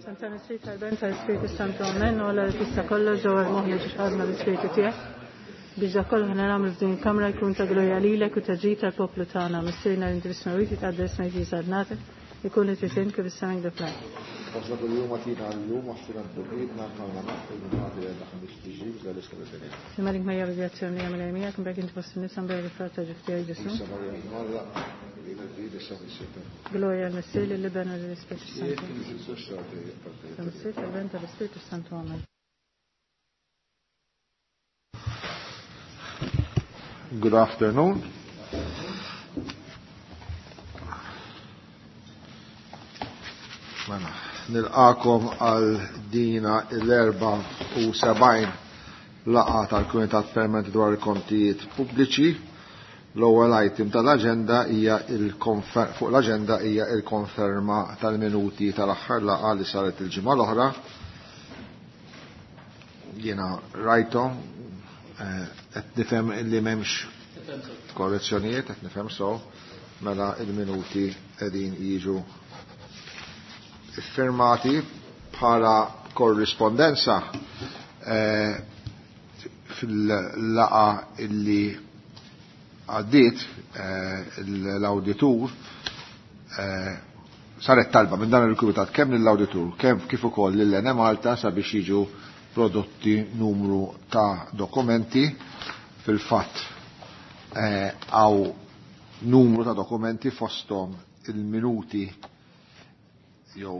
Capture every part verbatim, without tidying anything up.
F'isem tal-Missier, tal-Iben, tal-Ispirtu Santu, Amen. U Alla li tista' kollox ġewwa l-moħħ li ġħadna l-Ispirtu tiegħek. Biex dak kollu ħna nagħmlu f'din il-kamra jkun ta' glorja lilek u ta' ġid tal-poplu tagħna. Missierna li inti fis-smewwiet jitqaddes ismek tiġi saltnatek, ikun li trid int kif is-sema hekk fl-art. Ħobżna kuljum agħtina llum, aħfirna dnubietna bħalma naħfru lil min għandu jgħidna ħamiex tiġi, iżda ħlisna mill-ħażin. Sliem għalik Marija bil-grazzja mimlija Mulej miegħek, imberek inti fost in-nisa, imberek il-frott ta' ġuf tiegħek Ġesù. Qaddisa Marija Omm Alla, lilna lil issa fis-siegħa Glorja lill-Missier, lill-Iben u lill-Ispirtu Santu. Tal-Missier, tal-Iben, tal-Ispirtu Santu. Amen. Good afternoon. Mela, nilqakom għal dina l-erba u sebgħin laqgħa tal-Kumitat Permanenti dwar il-Kontijiet Pubbliċi. L-ewwel item tal-aġenda hija fuq l-aġenda hija l-konferma tal-minuti tal-aħħar laqgħa li saret il-ġimgħa l-oħra. Jiena rajthom, qed nifhem li m'hemmx korrezzjonijiet, qed nifhem so, mela il-minuti qegħdin jiġu iffirmati bħala korrispondenza fil-laqa illi għaddiet l-awditur saret talba minn dan il-kumitat kemm lill-awditur kemm kif ukoll lil Enemalta sabiex jiġu prodotti numru ta' dokumenti. Fil-fatt għaw numru ta' dokumenti fosthom il-minuti jew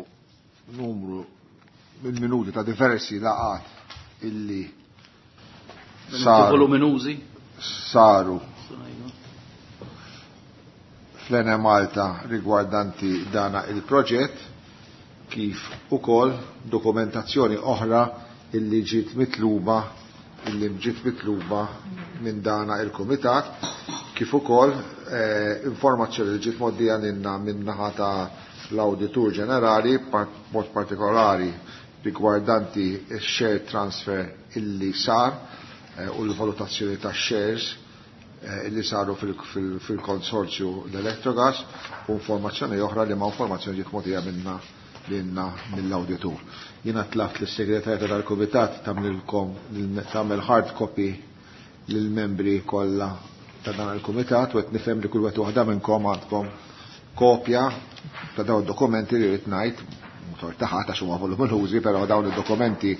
numru il-minuti ta' diversi laqat illi saru saru fl-Enemalta rigwardanti dana il-proġett, kif ukoll dokumentazzjoni oħra illi ġiet mitluba illi ġiet mitluba minn dana il-kumitat, kif ukoll eh, informazzjoni li ġiet moddija lilna minn naħa ta' l-Awditur Ġenerali, mod partikolari rigwardanti x-share transfer illi sar eh, u l-valutazzjoni ta' shares eh, illi saru fil-konsorzju l-Electrogas, u informazzjoni oħra li ma' informazzjoni ġiet mogħtija minna lilna mill-awditur. Jiena tlabt lis-segretarja tal-kumitat tagħmlilkom tagħmel hard copy lill-membri kollha ta' dan il-kumitat u qed nifhem li kull wieħed waħda minnkom għandkom kopja ta' dawn id-dokumenti li rrid ngħid motor taħat għax huma voluminużi, però dawn id-dokumenti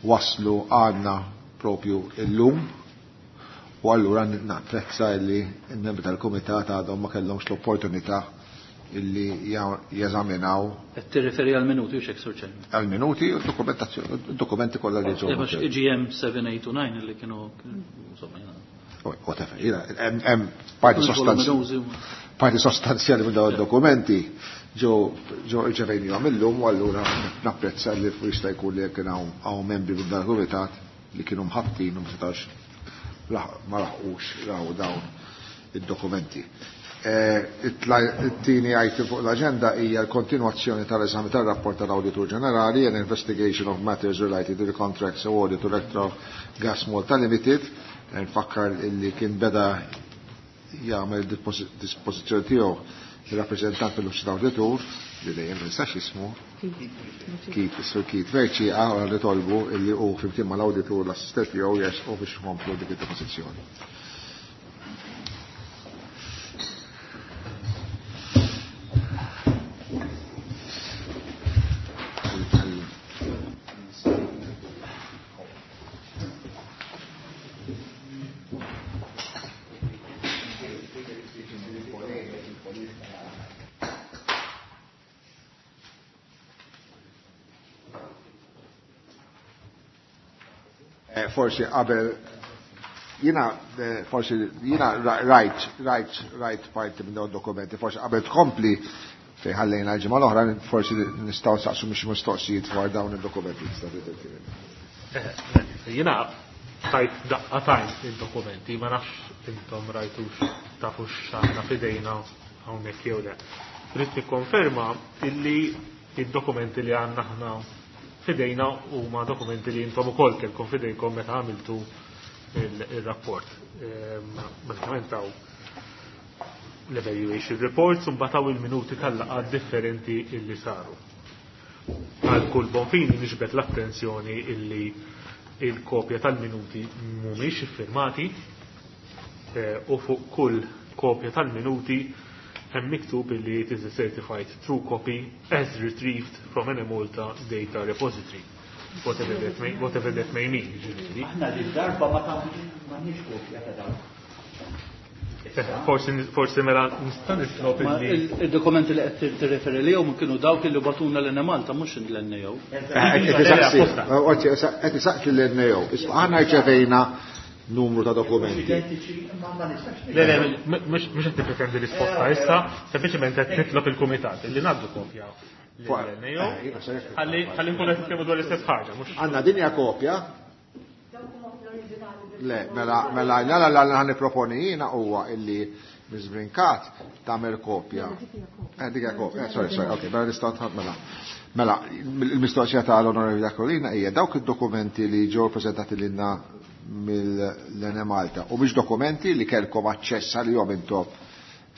waslu għandna propju illum u allura napprezza li l-membri tal-kumitat għadhom ma kellhomx l-opportunità illi jeżaminaw. Qed tirreferi għal minuti u x'hekk, Sur Chairman? Għal minuti u dokumentazzjoni, dokumenti kollha li ġew. E G M seven eight two nine illi kienu insomma jiena. Whatever, jiena hemm parti sostanzjali. Parti sostanzjali minn dawn id-dokumenti ġew ġew irċevejnihom illum u allura napprezza li jista' jkun li kien hawn membri minn dan il-kumitat li kienu mħabbtin u ma setax ma laħqux raw dawn id-dokumenti. It-tieni item fuq l-aġenda hija l-kontinwazzjoni tal-eżami tar-rapport tal-Awditur Ġenerali and Investigation of Matters Related to the Contracts Awarded to Electrogas Malta Limited. Nfakkar illi kien beda jagħmel dispożizzjoni tiegħu il-rappreżentant mill-Uffiċċju tal-Awditur li dejjem ma nistax ismu Keith, is-Sur Keith Verci, għara li tolbu illi hu flimkien mal-awditur l-assistent tiegħu jersqu biex ikomplu dik id-depożizzjoni. Forsi qabel jiena forsi jiena rajt rajt rajt parti minn dawn dokumenti, forsi qabel tkompli fejn ħallejna l-ġimgħa l-oħra, forsi nistgħu nsaqsu mhux mistoqsijiet dwar dawn id-dokumenti. Jiena tajt daqqa tajt id-dokumenti, ma nafx intom rajtux tafux x'għandna f'idejna hawnhekk jew le. Rrid nikkonferma illi id-dokumenti li għandna aħna f'idejna huma dokumenti li intom ukoll kellkom f'idejkom meta għamiltu il-rapport. Bażikament hawn l-evaluation reports u mbagħad hawn il-minuti tal-laqgħat differenti illi saru. Għal kull bonfini niġbed l-attenzjoni illi il-kopja tal-minuti mhumiex iffirmati u fuq kull kopja tal-minuti hemm miktub illi it is a certified true copy as retrieved from an Enemalta data repository. Whatever that may, whatever that may mean, ġifieri. Aħna din darba ma tagħmilx kopja ta' dawn. Forsi forsi mela nista' nitlob illi il-dokumenti li qed tirreferi lihom kienu dawk li bagħtuna l-Enemalta mhux l-N A O. Qed isaqsi l-N A O. Aħna rċevejna numru ta' dokumenti. Le, le, mhux qed nippretendi risposta issa, sempliċement qed nitlob il-kumitat illi ngħaddu kopja l-N A O ħalli ħalli nkunu qed nitkellmu dwar l-istess ħaġa, mhux Għandna dinja kopja. Le, mela, mela, la, la, la, la, niproponi jiena huwa illi Miz Brincat tagħmel kopja. Eh, dik hija kopja. Eh, sorry, sorry, ok, mela nistgħu mela. Mela, il-mistoqsija tal-Onorevoli Iacolina hija dawk id-dokumenti li ġew preżentati lilna mill-Enemalta u mhix dokumenti li kellkom aċċess għalihom intom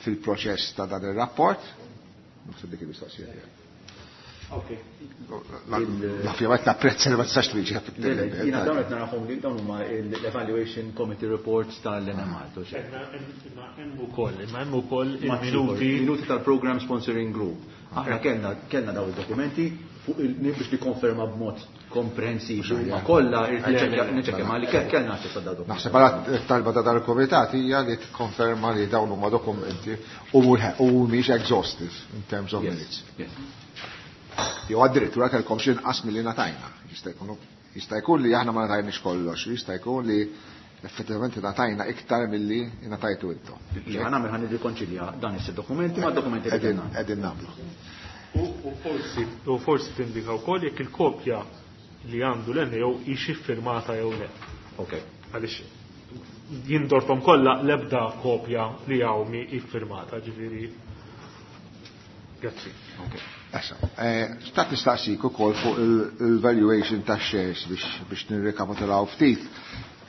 fil-proċess ta' dan ir-rapport. Naħseb dik il-mistoqsija tiegħek. Ok. Ovvjament napprezza li ma tistax twieġeb. Jiena dawn qed narahom li dawn huma l-Evaluation Committee Reports tal-Enemalta. Imma hemm ukoll, imma hemm ukoll il-minuti minuti tal-Program Sponsoring Group. Aħna kellna kellna dawn id-dokumenti fuq il biex nikkonferma b'mod komprensiv huma kollha, niċċekkja ma li kellna aċċess għal dawn. Naħseb għala talba ta' dal-komitat hija li tikkonferma li dawn huma dokumenti u mhumiex exhaustive in terms of minutes. Jew addirittura kellkom xi inqas milli ngħatajna. Jista' jkun jista' jkun li aħna ma ngħatajniex kollox, jista' jkun li effettivament ngħatajna iktar milli ngħatajtu intom. Li ħa nagħmel, ħa nirrikonċilja dan is dokumenti ma' dokumenti li kellna. Qegħdin nagħmlu. U forsi u forsi tindika wkoll jekk il-kopja li għandu l-N A O hix iffirmata jew le. Ok. Għaliex jien dorthom kollha, l-ebda kopja li hawn mhi iffirmata, ġifieri. Grazzi. Ok. Issa, xtaqt nistaqsik ukoll fuq il-valuation ta' shares biex biex nirrekapitulaw ftit.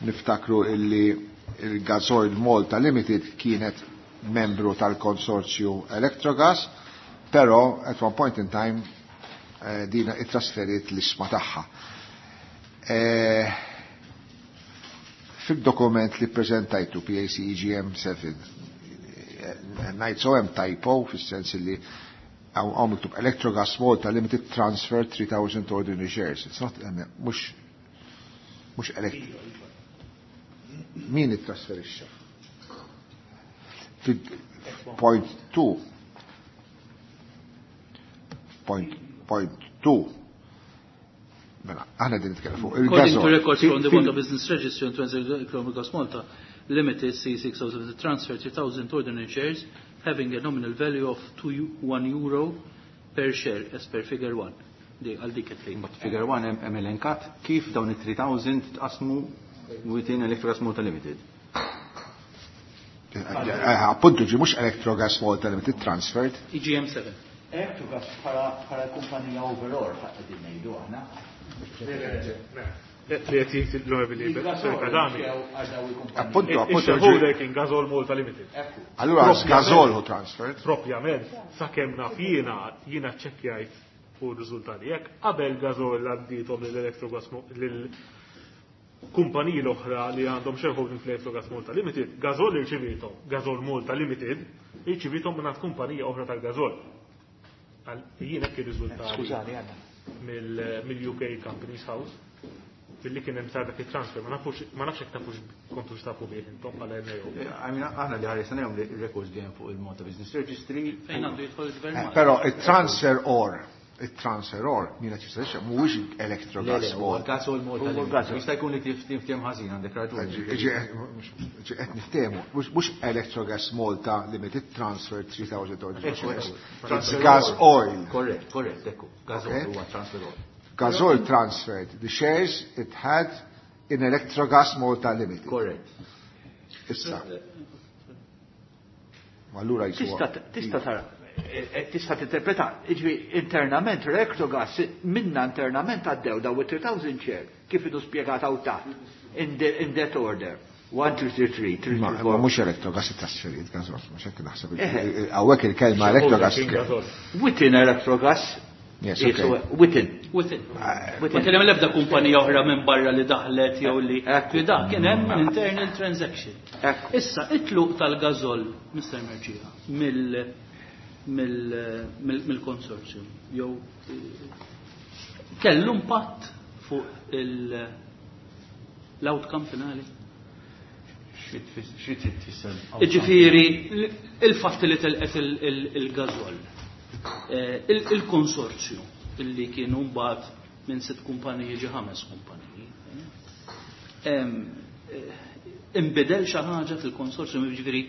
Niftakru illi il-Gasoil Malta Limited kienet membru tal-konsorzju Electrogas, però at one point in time eh, dina it-trasferit l-ishma tagħha. Eh, Fil-dokument li prezentajtu P A C E G M seba, ngħid so hemm typo fis-sens li hawn miktub Electrogas Malta Limited Transfer three thousand ordinary shares. It's not, mhux mhux elect. Min ittrasferixxa? Point two. Point, point two. Mela, aħna din nitkellem fuq According to records from the Malta Business Registry on Electrogas Malta Limited C six oh seven transfer three thousand ordinary shares having a nominal value of two one euro per share as per figure one. Di għal dik qed But figure one hemm elenkat kif dawn it-tliet elef tqasmu within Electrogas Malta Limited. Appuntu ġi mhux Electrogas Malta Limited transferred. E G M seven. Electrogas bħala kumpanija overall qegħdin ngħidu aħna. Li qed jgħid l-Onorevoli Kadami. Appuntu, appuntu. Ix-shareholder kien Gasol Malta Limited. Allura Gasol who transferred. Propjament, sakemm naf jiena, jiena ċekkjajt u r-riżultati jekk qabel Gasol għaddithom lill-Electrogas lil kumpaniji l-oħra li għandhom shareholding fl-Electrogas Malta Limited, Gasol irċivithom, Gasol Malta Limited irċivithom minn kumpanija oħra tal-Gasol. Jien hekk ir-riżultati. Skużani, għandna. Mill-U K Companies House billi kien hemm sar dak it-transfer, ma nafux ma nafx hekk tafux kontux tafu bih intom bħala N A O. Aħna li ħaresna lejhom li records li hemm fuq il-Malta Business Registry. Fejn għandu jidħol il-gvern? Però il-transfer or il-transfer or min qed jistgħix mhuwiex Electrogas Malta. Gasol Malta. Jista' jkun li tiftiem ħażin, għandek raġun. Qed niftehmu, mhux Electrogas Malta Limited transfer three thousand ordinary shares. It's gas oil. Correct, correct, ekku. Gas oil huwa transfer oil. Gasol transferred the shares it had in Electrogas Malta Limited. Correct. Issa. Allura jiswa. Tista' tara, tista' tinterpreta, jiġifieri internament Electrogas minna internament għaddew daw it-tliet elef share kif idu spjegat hawn taħt in, in that order. one, two, three, three, three, Ma mhux Electrogas it-trasferit, Gasol, mhux hekk naħseb. Hawnhekk il-kelma Electrogas. Within Electrogas. Yes, okay. Within. Within. Ma kien hemm l-ebda kumpanija oħra minn barra li daħlet jew li da kien hemm internal transaction. Issa it-tluq tal-Gasol, Mister Mercieca, mill-konsorzjum jew kellu impatt fuq l-outcome finali? Xi trid tfisser? Ġifieri il-fatt li telqet il-Gasol. Il-konsorzju illi kienu mbagħad minn sitt kumpaniji ġi ħames kumpaniji. Imbidel xi ħaġa fil-konsorzju, jiġifieri.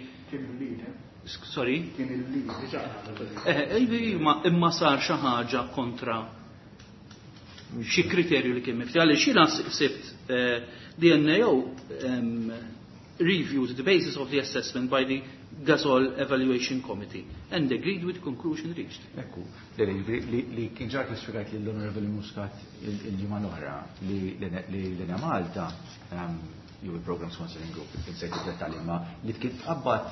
Sorry? Kien il-lead. Imma sar xi ħaġa kontra xi kriterju li kien mifti. Għaliex jiena sibt the N A O reviewed the basis of the assessment by the Gasol Evaluation Committee and agreed with conclusion reached. Ekku, li kien ġar kif spjegajt lill-Honorable Muscat il-ġimgħa l-oħra li l-Enemalta jew il-Program Sponsoring Group, insejt id-dettalji, ma li kien tqabbad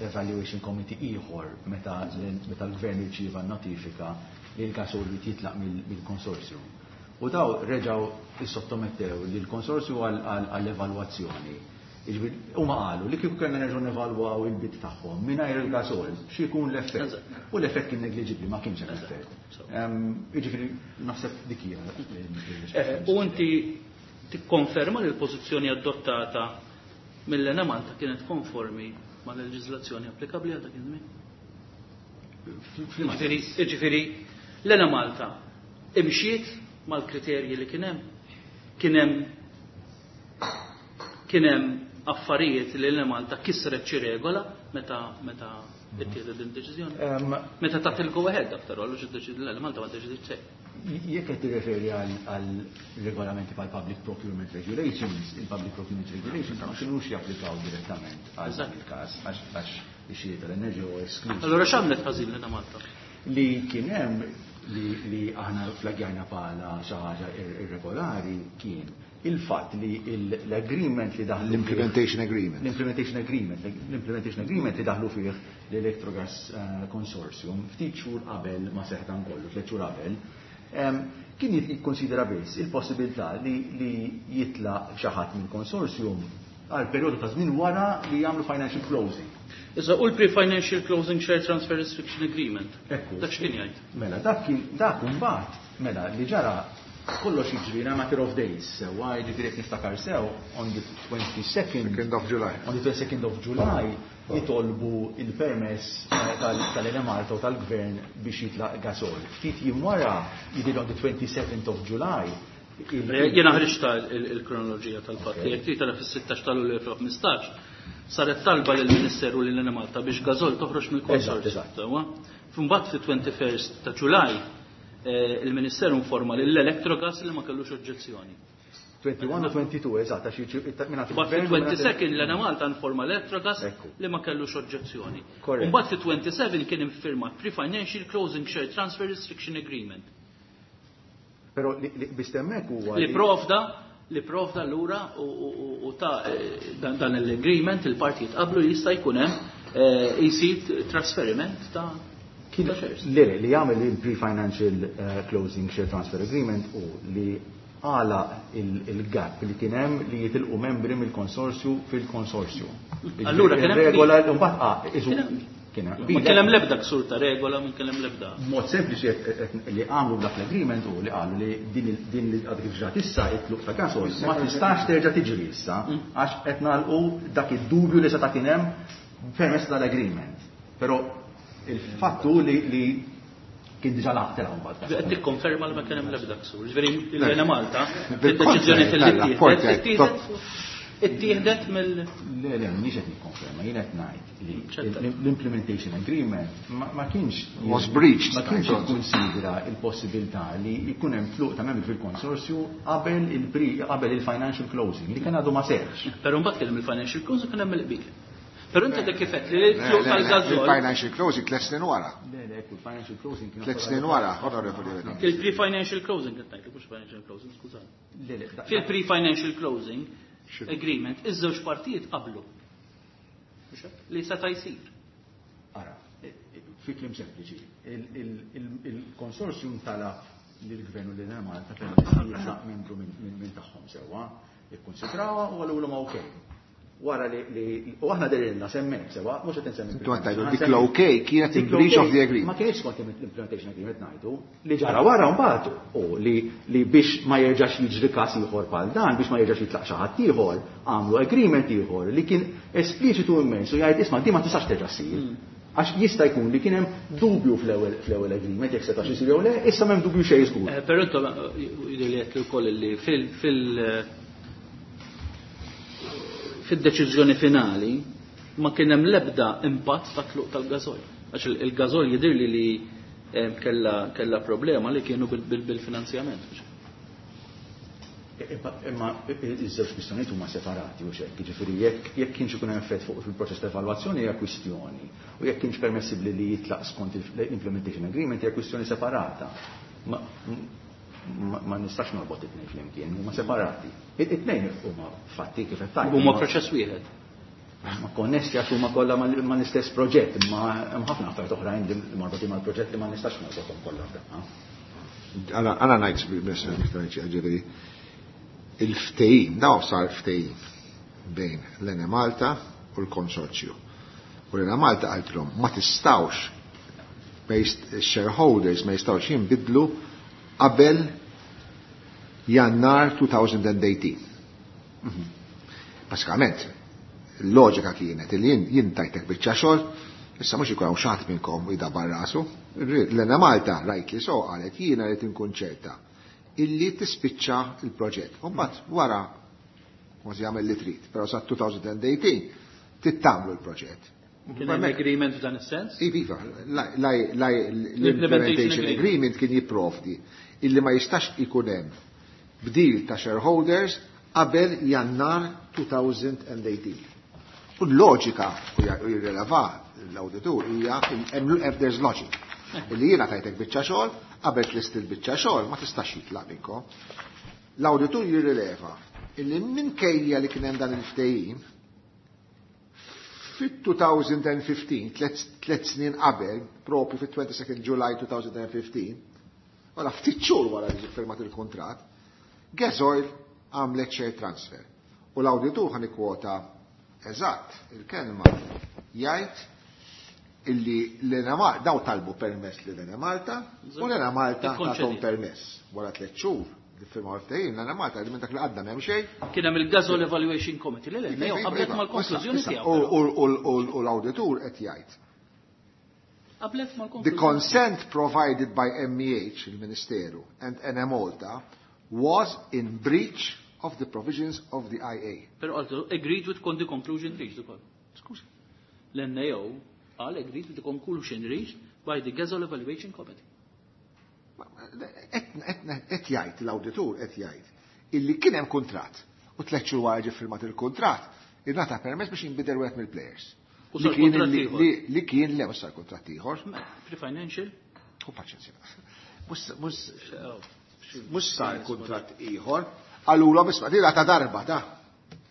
Evaluation Committee ieħor meta l-Gvern irċieva notifika li l-Gasol li jitlaq mill-konsorzju. U daw reġgħu issottomettew lill-konsorzju għall-evalwazzjoni. Huma qalu li kieku kellna nerġgħu nevalwaw il-bid tagħhom mingħajr il-Gasol, xi jkun l-effett. U l-effett kien negliġibbli, ma kienx hemm effett. Jiġifieri naħseb dik hija. U inti tikkonferma li l-pożizzjoni adottata mill-Enemalta kienet konformi ma' leġiżlazzjoni applikabbli għal dak iż-żmien? Jiġifieri l-Enemalta imxiet mal-kriterji li kien hemm, kien hemm kien hemm affarijiet li l-Malta kisret xi regola meta meta ittieħdet din deċiżjoni. Meta tat il-go ahead after all, xi l-Malta ma deċidiet xejn. Jekk qed tirreferi għal regolamenti bħal Public Procurement Regulations, il-Public Procurement Regulations ma kinux japplikaw direttament għal dan il-każ għax ix-xiri tal-enerġija huwa eskluż. Allura x'għamlet ħażin lil Malta? Li kien hemm li aħna flaggjajna bħala xi ħaġa irregolari kien il-fatt li l-agreement li daħlu L-implementation agreement. L-implementation agreement, l-implementation agreement li daħlu fih l-Electrogas Consortium ftit xhur qabel ma seħħ dan kollu, tliet xhur qabel, kien jikkonsidera biss il-possibilità li jitlaq xi ħadd minn consortium għal perjodu ta' żmien wara li jagħmlu financial closing. Issa u l-pre-financial closing share transfer restriction agreement. Ekku. Dak x'kien jgħid? Mela dak kien dak imbagħad mela li ġara kollox jiġri in a matter of days. Sewwa, jiġifieri jekk niftakar sew on the twenty-second Second of July. On the twenty-second of July jitolbu il-permess tal-Enemalta u tal-Gvern biex jitlaq Gasol. Ftit jiem wara, jidir on the twenty-seventh of July. Jena ħriġta il-kronoloġija tal-fatti. Jekk trid tara, fis-sittax ta' Lulju elfejn u ħmistax saret talba lill-Ministeru lil Malta biex Gasol toħroġ mill-konsorzju. Mbagħad fit-twenty-first ta' July il-Ministeru informa lill-Electrogas li ma kellux oġġezzjoni. twenty-one u twenty-two, eżatt, għax Mbagħad fit-twenty-second l-Enemalta informa l-Electrogas li ma kellux oġġezzjoni. Mbagħad fit-twenty-seven kien iffirmat pre-financial closing share transfer restriction agreement. Però biex hemmhekk huwa Li provda li provda lura u ta' dan l-agreement il-partijiet qablu jista' jkun hemm jsir trasferiment ta' Le, li jagħmel il-pre-financial closing share transfer agreement u li għala il-gap li kien hemm li jitilqu membri mill-konsorzju fil-konsorzju. Allura kien hemm regola mbagħad kien hemm. Ma kien hemm l-ebda ksur ta' regola, ma kien hemm l-ebda. Mod sempliċi li għamlu dak l-agreement u li qalu li din li għadha kif ġrat issa, it-tluq ta' Gasol, ma tistax terġa' tiġri issa għax qed nagħlqu dak id-dubju li seta' kien hemm permezz tal-agreement. Però il-fattu li kien diġà laqgħet mbagħad. Qed tikkonferma li ma kien hemm l-ebda ksur. Ġifieri l-Enemalta, id-deċiżjoni li ittieħdet mill Le, le, mhix qed nikkonferma, jien qed ngħid li l-implementation agreement ma kienx was breached. Ma kienx ikkunsidra il-possibilità li jkun hemm tluq ta' membri fil-konsorzju qabel il qabel il-financial closing li kien għadu ma seħħx. Però mbagħad kien hemm il-financial closing, kien hemm il-qbil. Però inti dik kifet li l-tluq tal-Gasol. Il-financial closing tliet snin wara. Le, le, ekku, il-financial closing kien Tliet snin wara, onorevoli. Il-pre-financial closing qed ngħid, mhux financial closing, skużani. Fil-pre-financial closing agreement, iż-żewġ partijiet qablu li seta' jsir. Ara, Fi kliem sempliċi, il-konsorzjum talab lill-Gvern u lil Malta permess li jitlaq membru minn tagħhom sewwa, ikkonsidrawha u qalulhom okej. Wara li u aħna derilna semmejt sewwa, mhux qed insemmi. Intu qed tgħidu dik l-OK kienet in breach of the agreement. Ma kienx skont l-implementation agreement ngħidu li ġara wara mbagħad u li li biex ma jerġax jiġri każ ieħor bħal dan, biex ma jerġax jitlaq xi ħadd ieħor, għamlu agreement ieħor li kien espliċitu immens u jgħid isma' di ma tistax terġa' ssir. Għax jista' jkun li kien hemm dubju fl-ewwel fl-ewwel agreement jekk setax isir jew le, issa m'hemm dubju xejn żgur. Eh, Però intom jidher li qed ukoll li fil fil fid-deċiżjoni finali ma kien hemm l-ebda impatt ta' tluq tal-gażol. Għax il-gażol jidhirli li eh, kella kella problema li kienu bil-finanzjament. Imma iż-żewġ kwistjonijiet huma separati u xekk, jiġifieri jekk jekk kienx ikun hemm effett fuq fil-proċess ta' evalwazzjoni hija kwistjoni u jekk kienx permessibbli li jitlaq skont l-implementation agreement hija kwistjoni separata. Ma, ma, ma nistax norbot it-tnejn flimkien, huma separati. It-tnejn huma fatti kif qed tgħid. Huma proċess wieħed. Ma konnessi għax huma kollha mal-istess proġett, imma hemm ħafna affarijiet oħrajn li marbutin mal-proġett li ma nistax norbothom kollha f'daqqa. Għana ngħid ġifieri il-ftehim, daw sar ftehim bejn l-Enemalta u l-konsorzju. U l-Enemalta qaltilhom ma tistawx shareholders ma jistawx jinbidlu qabel Jannar elfejn u tmintax. Basikament, il-loġika kienet li jien tajtek biċċa xogħol, issa mhux ikun hawn xi ħadd minnkom jdabar rasu. L-Enemalta rajt li so qalet jiena li tinkun ċerta illi tispiċċa il-proġett. U mbagħad wara kważi jagħmel li trid, però sa elfejn u tmintax tittamlu l-proġett. Kien hemm agreement f'dan is-sens? Iva, l-implementation agreement kien jipprovdi illi ma jistax ikun hemm bdil ta' shareholders qabel Jannar elfejn u tmintax. U l-loġika, u jirreleva l-auditur, hija there's logic. Illi jiena tajtek biċċa xogħol, qabel tlest il-biċċa xogħol ma tistax jitlaq minnkom. L-auditur jirrileva illi minkejja li kien hemm dan il-ftehim fit-elfejn u ħmistax, tliet snin qabel, propju fit-twenty-second July twenty fifteen, wara ftit xhur wara li firmat il-kuntratt, Gasoil għamlet share transfer. U l-auditur ħa nikkwota eżatt il-kelma jgħid illi l-Enemalta, daw talbu permess li l-Enemalta, u l-Enemalta tathom permess. Wara tliet xhur li firmaw ftehim, l-Enemalta li minn dak li għadda m'hemm xejn. Kien hemm il-Gasoil Evaluation Committee li l qablet mal-konklużjoni tiegħu. U l-auditur qed jgħid. Qablet mal-konklużjoni. The consent provided by M E H, il-Ministeru, and Enemalta was in breach of the provisions of the I A. Però għaltu, agreed with the conclusion reached ukoll. Skużi. L-N A O qal agreed with the conclusion reached by the Gasoil Evaluation Committee. Qed jgħid l-awditur qed jgħid illi kien hemm kuntratt u tliet xhur wara ġie firmat il-kuntratt ingħata permess biex jinbidel wieħed mill-players. U Li sar kien kuntratt li- ieħor. li- li kien le mhux sar kuntratt ieħor. Pre-financial? U paċenzja. Mhux mhux mhux sar kuntratt ieħor, qalulhom isma' dila ta' darba ta'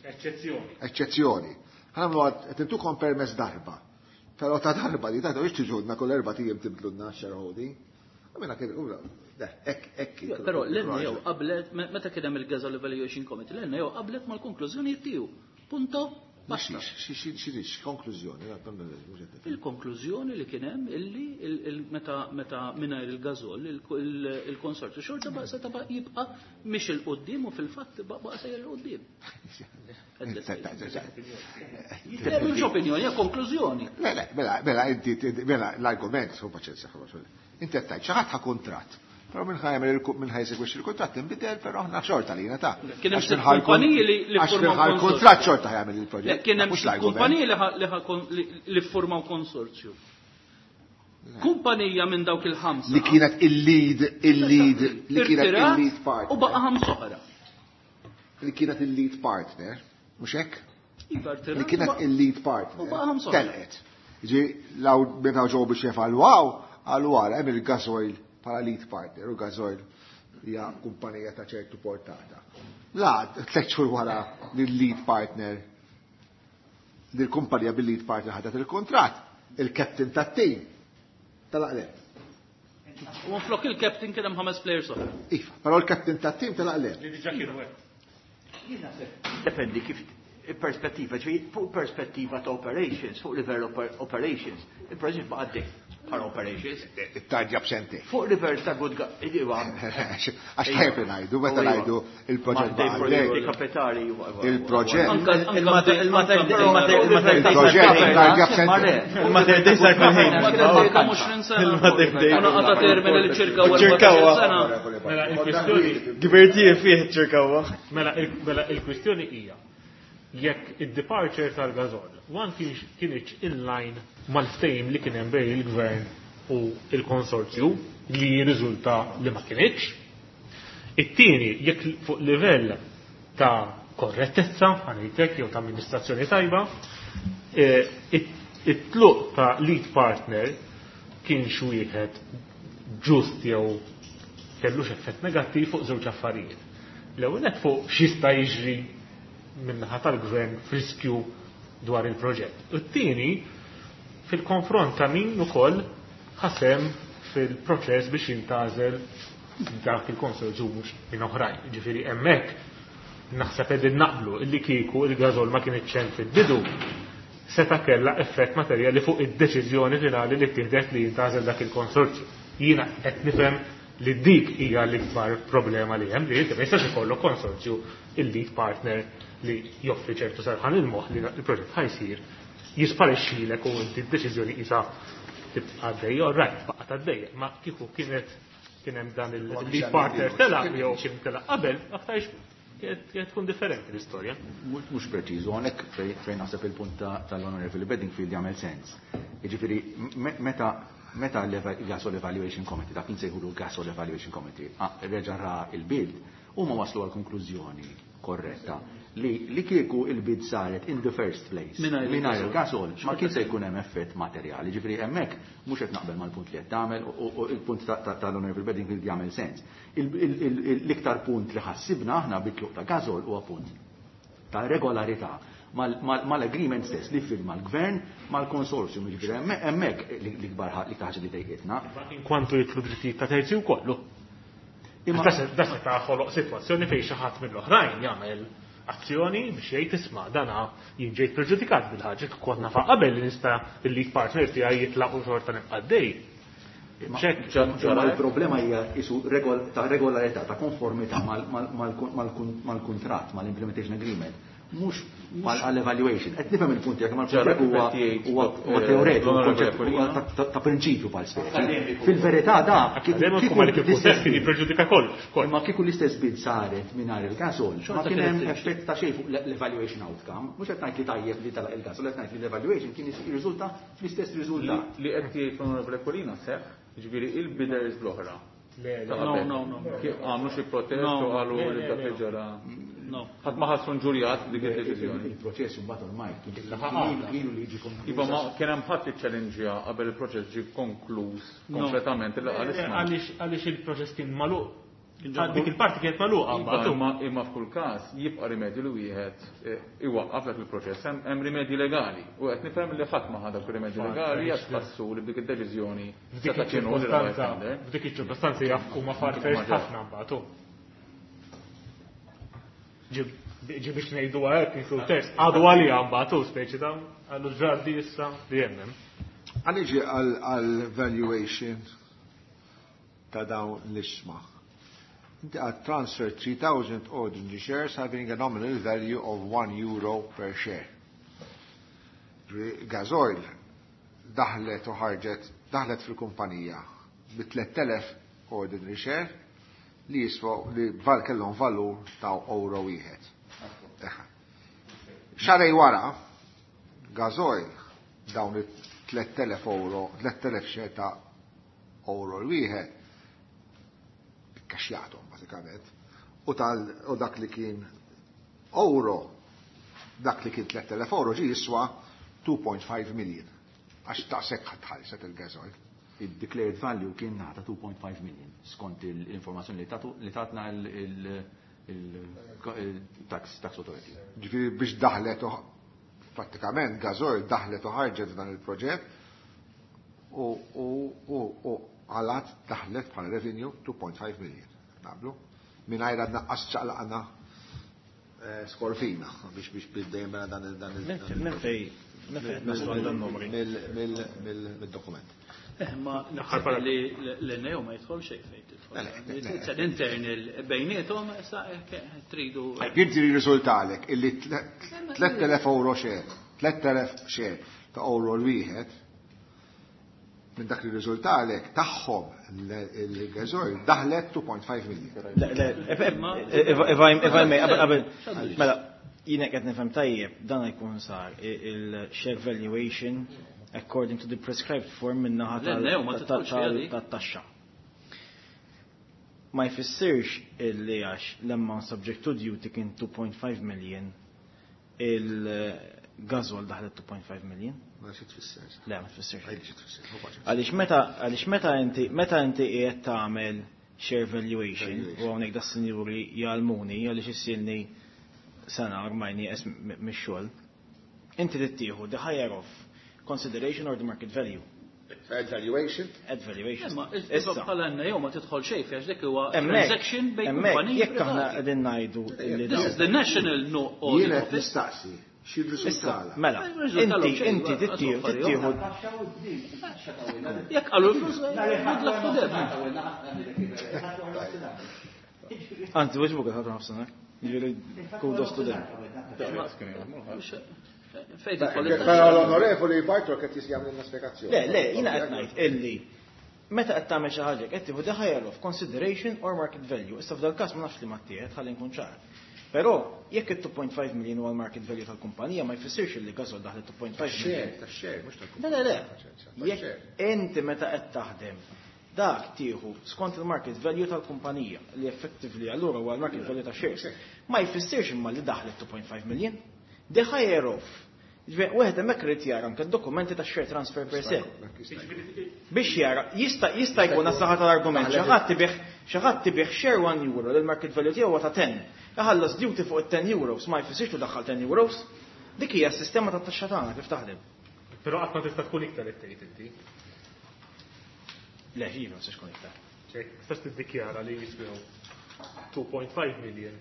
Eċċezzjoni. Eċċezzjoni. Ħa nagħmlu qed intukom permess darba. Però ta' darba li ta' biex tiġudna kull erba' tiem tibdlulna shareholding. Għamina kien, hekk hekk. Però l-N A O qablet, meta kien hemm il-Gasoil Evaluation Committee, l-N A O qablet mal-konklużjoni tiegħu. Punto. Basta. Xi konklużjoni? Il-konklużjoni li kien hemm illi il- il- meta meta mingħajr il-gażol il-konsorzju xorta baqa' seta' baqa' jibqa' mhix 'il quddiem u fil-fatt baqa' sejjer 'il quddiem. Le, mhux opinjoni, hija konklużjoni. Le, le, mela, mela, inti, mela, l-argument, su paċenzja, inti qed tgħid xi ħadd ħa kuntratt. Però minn ħa jagħmel minn ħa jesegwixxi il-kuntratt inbidel, però aħna xorta lina ta' Kien hemm Għax sitt minħa l- kumpaniji li- li Għax ffurmaw minħa konsorzju. l-kuntratt xorta jagħmel Le, il-proġett. kien hemm Mhux l-argument. kumpaniji li ħa- li ħa kon- li- li ffurmaw konsorzju. Kumpanija minn dawk il-ħamsa. Li kienet il-lead, il-lead, li kienet irtirat il-lead partner. U baqa' ħamsa oħra. Li kienet il-lead partner, mhux hekk? Iva, irtirat Li kienet u baqa' il-lead partner. U baqa' ħamsa oħra. Telqet. Ġi, law meta ġew biex jevalwaw, għalu għara, hemm il-Gasoil bħala lead partner, u Gasoil hija kumpanija ta' ċertu portata. La, tliet xhur wara li l-lead partner, li l-kumpanija bil-lead partner ħadet il-kontratt, Il-captain tat-tim telaq le. U flok il-captain kien hemm ħames players oħra. Iva, però l-captain tat-tim telaq le. Li diġà kienu hekk. Dependi kif il-perspettiva, ġifieri fuq perspettiva ta' operations, fuq livell operations, il-proġett baqa' għaddej bħala operations. It-tardja b'sentejn. Fuq livell ta' good iva. Għax tajjeb li ngħidu, meta ngħidu il-proġett baqa' għaddej. Kapitali. Il-proġett. Il-proġett tardja b'sentejn. Il-Mater Dei sar fil-ħin. Il-Mater Dei. Għata termini li ċirka ċirkawa. Mela il-kwistjoni. Gbertie fih ċirkawa. Mela il-kwistjoni hija jekk id-departure tal-Gasol one kienx in line mal-ftehim li kien hemm bejn il-gvern u il-konsorzju li jirriżulta li ma kienx. It-tieni jekk fuq livell ta' korrettezza, ħanejtek jew ta' amministrazzjoni tajba, it-tluq ta' lead partner kienx wieħed ġust jew kellux effett negattiv fuq żewġ affarijiet. L-ewwel nett fuq x'jista' jiġri min-naħa tal-gvern friskju dwar il-proġett. U t-tieni fil-konfront ta' min ukoll ħasem fil-proċess biex jintgħażel dak il-konsorzju mhux minn oħrajn. Ġifieri hemmhekk naħseb qegħdin naqblu illi kieku il-Gasol ma kienx hemm fil-bidu seta' kellha effett materjali fuq id-deċiżjoni finali li ttieħdet li jintgħażel dak il-konsorzju. Jiena qed nifhem li dik hija l-ikbar problema li hemm, li inti ma jistax ikollok konsorzju il-lead partner li joffri ċertu serħan il-moħħ li il-proġett ħa jsir jisparixxilek u inti d-deċiżjoni qisha tibqa' għaddejja, all right, baqgħet għaddejja, ma kieku kienet kien hemm dan il-lead partner telaq jew xi telaq qabel, aktarx kienet tkun differenti l-istorja. Mhux preċiżu, hawnhekk fejn naħseb il-punt tal-Honorable Bedingfield jagħmel sens. Jiġifieri meta meta l-Gasol Evaluation Committee, dak insejħulu Gasol Evaluation Committee, reġa' ra il-bid, huma waslu għal konklużjoni korretta li li kieku il-bid saret in the first place mingħajr il-Gasol ma kien se jkun hemm effett materjali. Ġifieri hemmhekk mhux qed naqbel mal-punt li qed tagħmel u il-punt tal-Honorable Bedingfield jagħmel sens. L-iktar punt li ħassibna aħna bit-tluq ta' Gasol huwa punt ta' regolarità mal-agreement stess li firma l-gvern mal-konsorzjum, ġifieri hemmhekk l-ikbar ħaġa li dejqitna. Inkwantu jitlu drittijiet ta' terzi wkoll. Imma Da se taħoloq sitwazzjoni fejn xi ħadd mill-oħrajn jagħmel azzjoni biex jgħid isma' dana jien ġejt preġudikat bil-ħaġa kont nafa qabel li nista' il-lead partner tiegħi jitlaq u xorta nibqa' għaddej. Imma l-problema hija isu ta' regolarità, ta' konformità mal-kuntratt, mal-implementation agreement, mhux għall-evaluation. Qed nifhem il-punt tiegħek, ma l-punt huwa huwa teoretiku, ta' prinċipju bħal speċi. Fil-verità da kieku l-istess kien jippreġudika kollox. Imma kieku l-istess bid saret mingħajr il-Gasol, ma kien hemm effett ta' xejn fuq l-evaluation outcome. Mhux qed ngħid li tajjeb li telaq il-Gasol, qed ngħid li l-evaluation kien jirriżulta fl-istess riżultat. Li qed jgħid l-Onorevole Aquilina seħħ, ġifieri il-bidders l-oħra. No, no, no. Għamlu xi protest u qalu li dak li ġara. No. Ħadd ma ħassu nġurjat dik id-deċiżjoni. Il-proċess imbagħad ormai kienu li jiġi konkluż. Iva ma kien hemm ħadd iċċellenġja qabel il-proċess ġie konkluż kompletament illa qal isma'. Għaliex il-proċess kien magħluq. Dik il-parti kienet magħluqa mbagħad. Imma imma f'kull każ jibqa' rimedju li wieħed iwaqqaf dak il-proċess, hemm rimedji legali. U qed nifhem li ħadd ma ħa dak ir-rimedji legali għax ħassu li b'dik id-deċiżjoni seta' kienu f'dik iċ-ċirkostanza jaf huma farfetched ħafna mbagħad. Ġi biex ngħidu hekk inklu test, għadu għalija mbagħad u speċi ta' għallu ġardi issa li hemm. Għaniġi għal-valuation ta' dawn l-isma. Inti għad transfer three thousand ordinary shares having a nominal value of one euro per share. Gasoil daħlet u ħarġet, daħlet fil-kumpanija bi tliet elef ordinary share li jiswa li val kellhom valur ta' euro wieħed. Xarej wara, Gasoil dawn it-tliet elef euro, tliet elef share ta' euro wieħed ikkaxjathom bażikament. U tal u dak li kien euro, dak li kien tliet elef euro ġie jiswa two point five million. Għax taqsek ħadd il-Gasoil. Il-declared value kien nata two point five million skont l-informazzjoni li tatna il-tax authority. Ġifieri biex daħlet u pratikament Gasoil daħlet u ħarġet f'dan il-proġett U u u u għalat daħlet bħala revenue two point five million. Naqblu? Mingħajr għadna qas ċaqlaqna skorfina biex biex bidejjem mela dan dan Minn fej minn fejn naslu għal dan numri? Mill-dokument. Eh, ma naħseb li l-N E O ma jidħol xejn fejn tidħol. It's an internal bejniethom issa tridu. Jinti jirriżultalek illi tliet elef euro share, tliet elef share ta' euro l-wieħed minn dak li riżultalek tagħhom il-gażoil daħlet two point five million. Le, le, if I if I may, qabel, mela, jiena qed nifhem tajjeb dan jkun sar il-share valuation according to the prescribed form min-naħa tat-taxxa. Ma jfissirx illi għax l-amount subject to duty kien two point five million il-gażol daħlet two point five million. Ma xi tfisser? Le, ma tfissirx. Għaliex xi tfisser? Hu paċi. Għaliex meta, għaliex meta inti, meta inti qiegħed tagħmel share valuation u hawnhekk da sinjuri jgħallmuni għaliex issilni sena ormai nieqes mix-xogħol. Inti tittieħu the higher of consideration or the market value. At valuation? At valuation. Ma issa bħala N E O ma tidħol xejn għax dik huwa Hemmhekk, transaction bejn hemmhekk, kumpaniji jekk aħna privati. qegħdin ngħidu li This is the national no audit Jien qed office. nistaqsi xi riżultala. Mela, Ma jirriżultalhom inti, xejn, inti ma tittieħu, affarijiet tittieħu. Jekk qalu l-flus, good luck to them. Anzi, wiex buka ħadu nafsana. Jiġifieri kudos to them. Fejn tidħol Però l-onorevoli Bartolo qed jagħmel spjegazzjoni. Le, le, jiena qed ngħid illi meta qed tagħmel xi ħaġa qed tieħu the higher of consideration or market value. Issa f'dal każ ma nafx li ma ttieħed ħalli nkun ċar. Però jekk it two point five million huwa l-market value tal-kumpanija ma jfissirx li gażol daħlet two point five million. Tax-share, tax-share, mhux tal-kumpanija. Le, le, le. Jekk inti meta qed taħdem dak tieħu skont il-market value tal-kumpanija li effectively allura huwa l-market value ta' shares. Ma jfissirx imma li daħlet two point five million. The higher of. Ġifieri, wieħed hemmhekk irid jara anke d-dokumenti ta' share transfer per se. Biex jara, jista', jista' jkun għas-saħħa tal-argument, xi ħadd tibih, xi ħadd tibih share one euro li l-market value tiegħu huwa ta' ten. Iħallas duty fuq it-ten euros, ma jfissirx li daħħal ten euros. Dik hija s-sistema tat-taxxa tagħna kif taħdem. Però qatt ma tista' tkun iktar qed tgħid inti. Le, iva, ma tistax tkun iktar. Ċek, tistax tiddikjara li jiswew two point five million.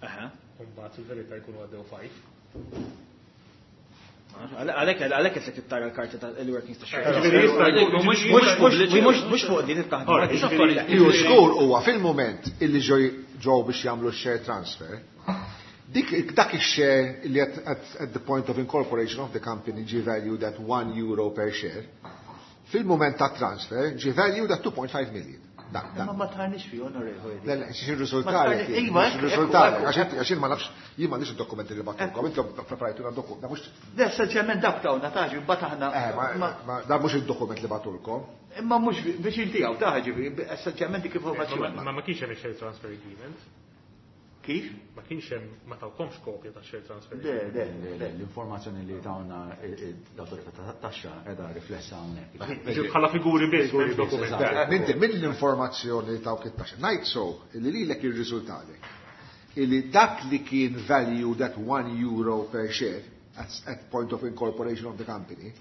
Aha. U mbagħad fil-verità jkunu għaddew five. Għalhekk, għalhekk qed trid tara l-karti ta' il-workings ta' xejn. Ġifieri jista' jkun Mhux mhux pubbliċi. mhux mhux fuq din it-taħdima. Ora, ġifieri Li hu żgur huwa fil-mument illi ġew, ġew biex jagħmlu share transfer, dik, dak ix-share li at, at, at the point of incorporation of the company ġie valued at one euro per share, fil-mument ta' transfer ġie valued at two point five million. Dak, dak. Ma ma tħarniex fi onorevoli. Le, le, xi riżultati, Ma tħarniex, iva, xi riżultati, ekku, għax inti, għax jien ma nafx, jien m'għandix id-dokumenti li bagħtulkom, intom preparajtuna dokument, da mhux Le, essenzjalment dak tawna taġi, mbagħad aħna Eh, ma, ma ma, da mhux id-dokument li bagħtulkom. Imma mhux biex inti hawn taġi, essenzjalment dik informazzjoni. Ma ma kienx hemm share transfer agreement. Kif? Ma kienx hemm, ma tawkomx kopja ta' share transfer Le, agreement. le, Le, le, l-informazzjoni li tawna l-awtorità ta' taxxa qiegħda riflessa hawnhekk. Ġifieri bħala figuri biss, Figuri m'hemmx biss, dokument. eżatt. Inti mill-informazzjoni li tawk it-taxxa, ngħid so li lilek irriżultalek illi dak li kien valued at one euro per share at, at point of incorporation of the company,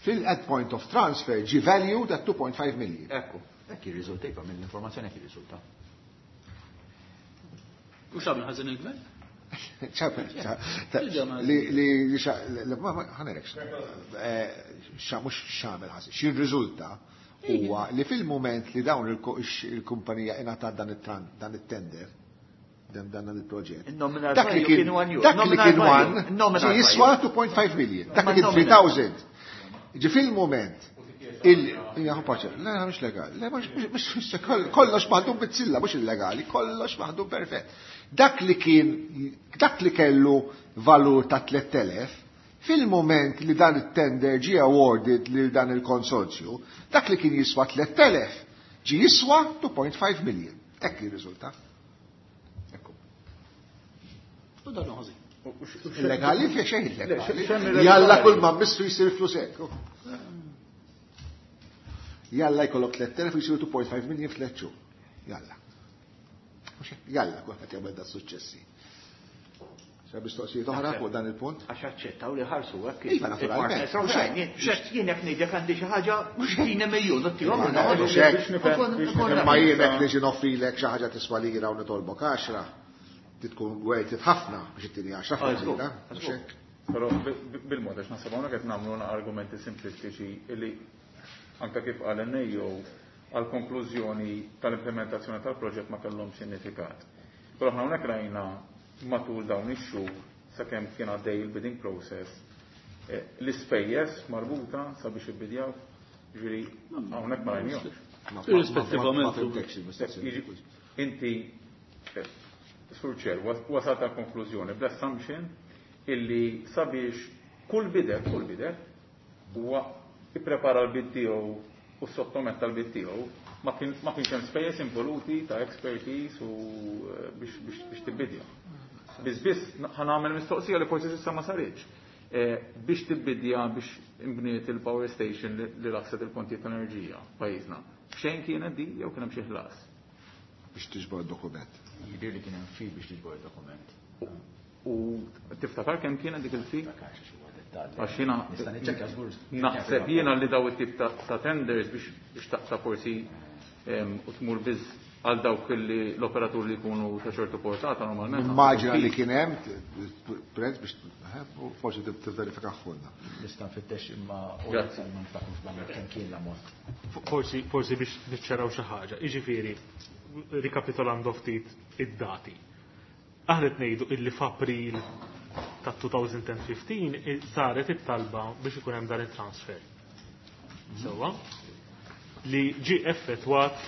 fil at point of transfer ġie valued at two point five million. Ekku. Hekk jirriżulta, iva, mill-informazzjoni hekk jirriżulta. U x'għamel ħażin il-gvern? ċapel, li, li, li, xa, li, ma, ma, ħanerek, eh, xa, mhux x'għamel ħażin, x'irriżulta huwa li fil-mument li dawn il-ko-, il-kumpanija ingħatat dan it-tran-, dan it-tender, dan, dan il-proġett. Il-nominal Dak li value kien kien one euro. dak li Nominal kien value. one, Nominal ġie jiswa value. two point five million. Dak li Ma kien nominal. three thousand. Ġie fil-mument il-, hija paċe, le, mhux legali, le, mhux, mhux, mhux, kollox maħdum bizzilla, mhux illegali, kollox maħdum perfett. Dak li kien, dak li kellu valur ta' tliet elef, fil-moment li dan it-tender ġie awarded lil dan il-konsorzju, dak li kien jiswa tliet elef ġie jiswa two point five million. Hekk jirriżulta. Ekku. U dan hu ħażin. Illegali fih xejn illegali. Le, xem illegali. Jalla kull ma missu jsir flus hekk. Jalla jkollok tliet elef u jsiru two point five million f'tliet xhur. Jalla. Mhux hekk, jalla kulħadd jagħmel da suċċessi. Sa mistoqsijiet oħra fuq dan il-punt? Għax aċċettaw li ħarsu hekk. Iva, naturalment. Jien jekk ngħidlek għandi xi ħaġa mhux tina miljun u tihom. Imma jien jekk niġi noffrilek xi ħaġa tiswa lira u nitolbok għaxra, tkun worth it ħafna biex ittini għaxra fuq lira. Mhux hekk. Però bil-mod għax naħseb hawnhekk qed nagħmlu argumenti simplistiċi li anke kif qal N A O għal konklużjoni tal-implementazzjoni tal-proġett ma kellhom sinifikat. Però aħna hawnhekk rajna matul dawn ix-xhur sakemm kien għaddej il-bidding process eh, l-ispejjeż marbuta sabiex ibbidjaw, ġifieri hawnhekk ma rajnihomx. Irrispettivament. Inti, eh, Sur Chair, wasalt għal konklużjoni bl-assumption illi sabiex kull bidder, kull bidder, huwa ipprepara l-bid tiegħu u sottometta l-bid tiegħu, ma kienx hemm spejjeż involuti ta' expertise u eh, biex tibbidja. Biss biss ħa nagħmel mistoqsija li forsi s'issa ma saritx. Eh, biex tibbidja biex imbniet il-power station li laħset il-kontijiet tal-enerġija pajjiżna. Xejn kienet di jew kien hemm xi ħlas? Biex tiġbor dokument. Jidir li kien hemm fee biex tiġbor dokument. U tiftakar kemm kienet dik il-fee? Għax jiena nista' niċċekkja żgur. Naħseb jiena li daw it-tip ta' tenders biex biex taqta' forsi u tmur biss għal dawk li l-operatur li jkunu ta' ċertu portata normalment. Immaġina li kien hemm prezz biex forsi tivverifika ħolna. Nista' nfittex imma u ma niftakrux kemm kien l-ammont. Forsi forsi biex niċċaraw xi ħaġa. Jiġifieri, rikapitolando ftit id-dati. Aħna qed ngħidu illi f'April ta' elfejn u ħmistax saret it-talba biex ikun hemm dan it-transfer. Sewwa? Li ġie effettwat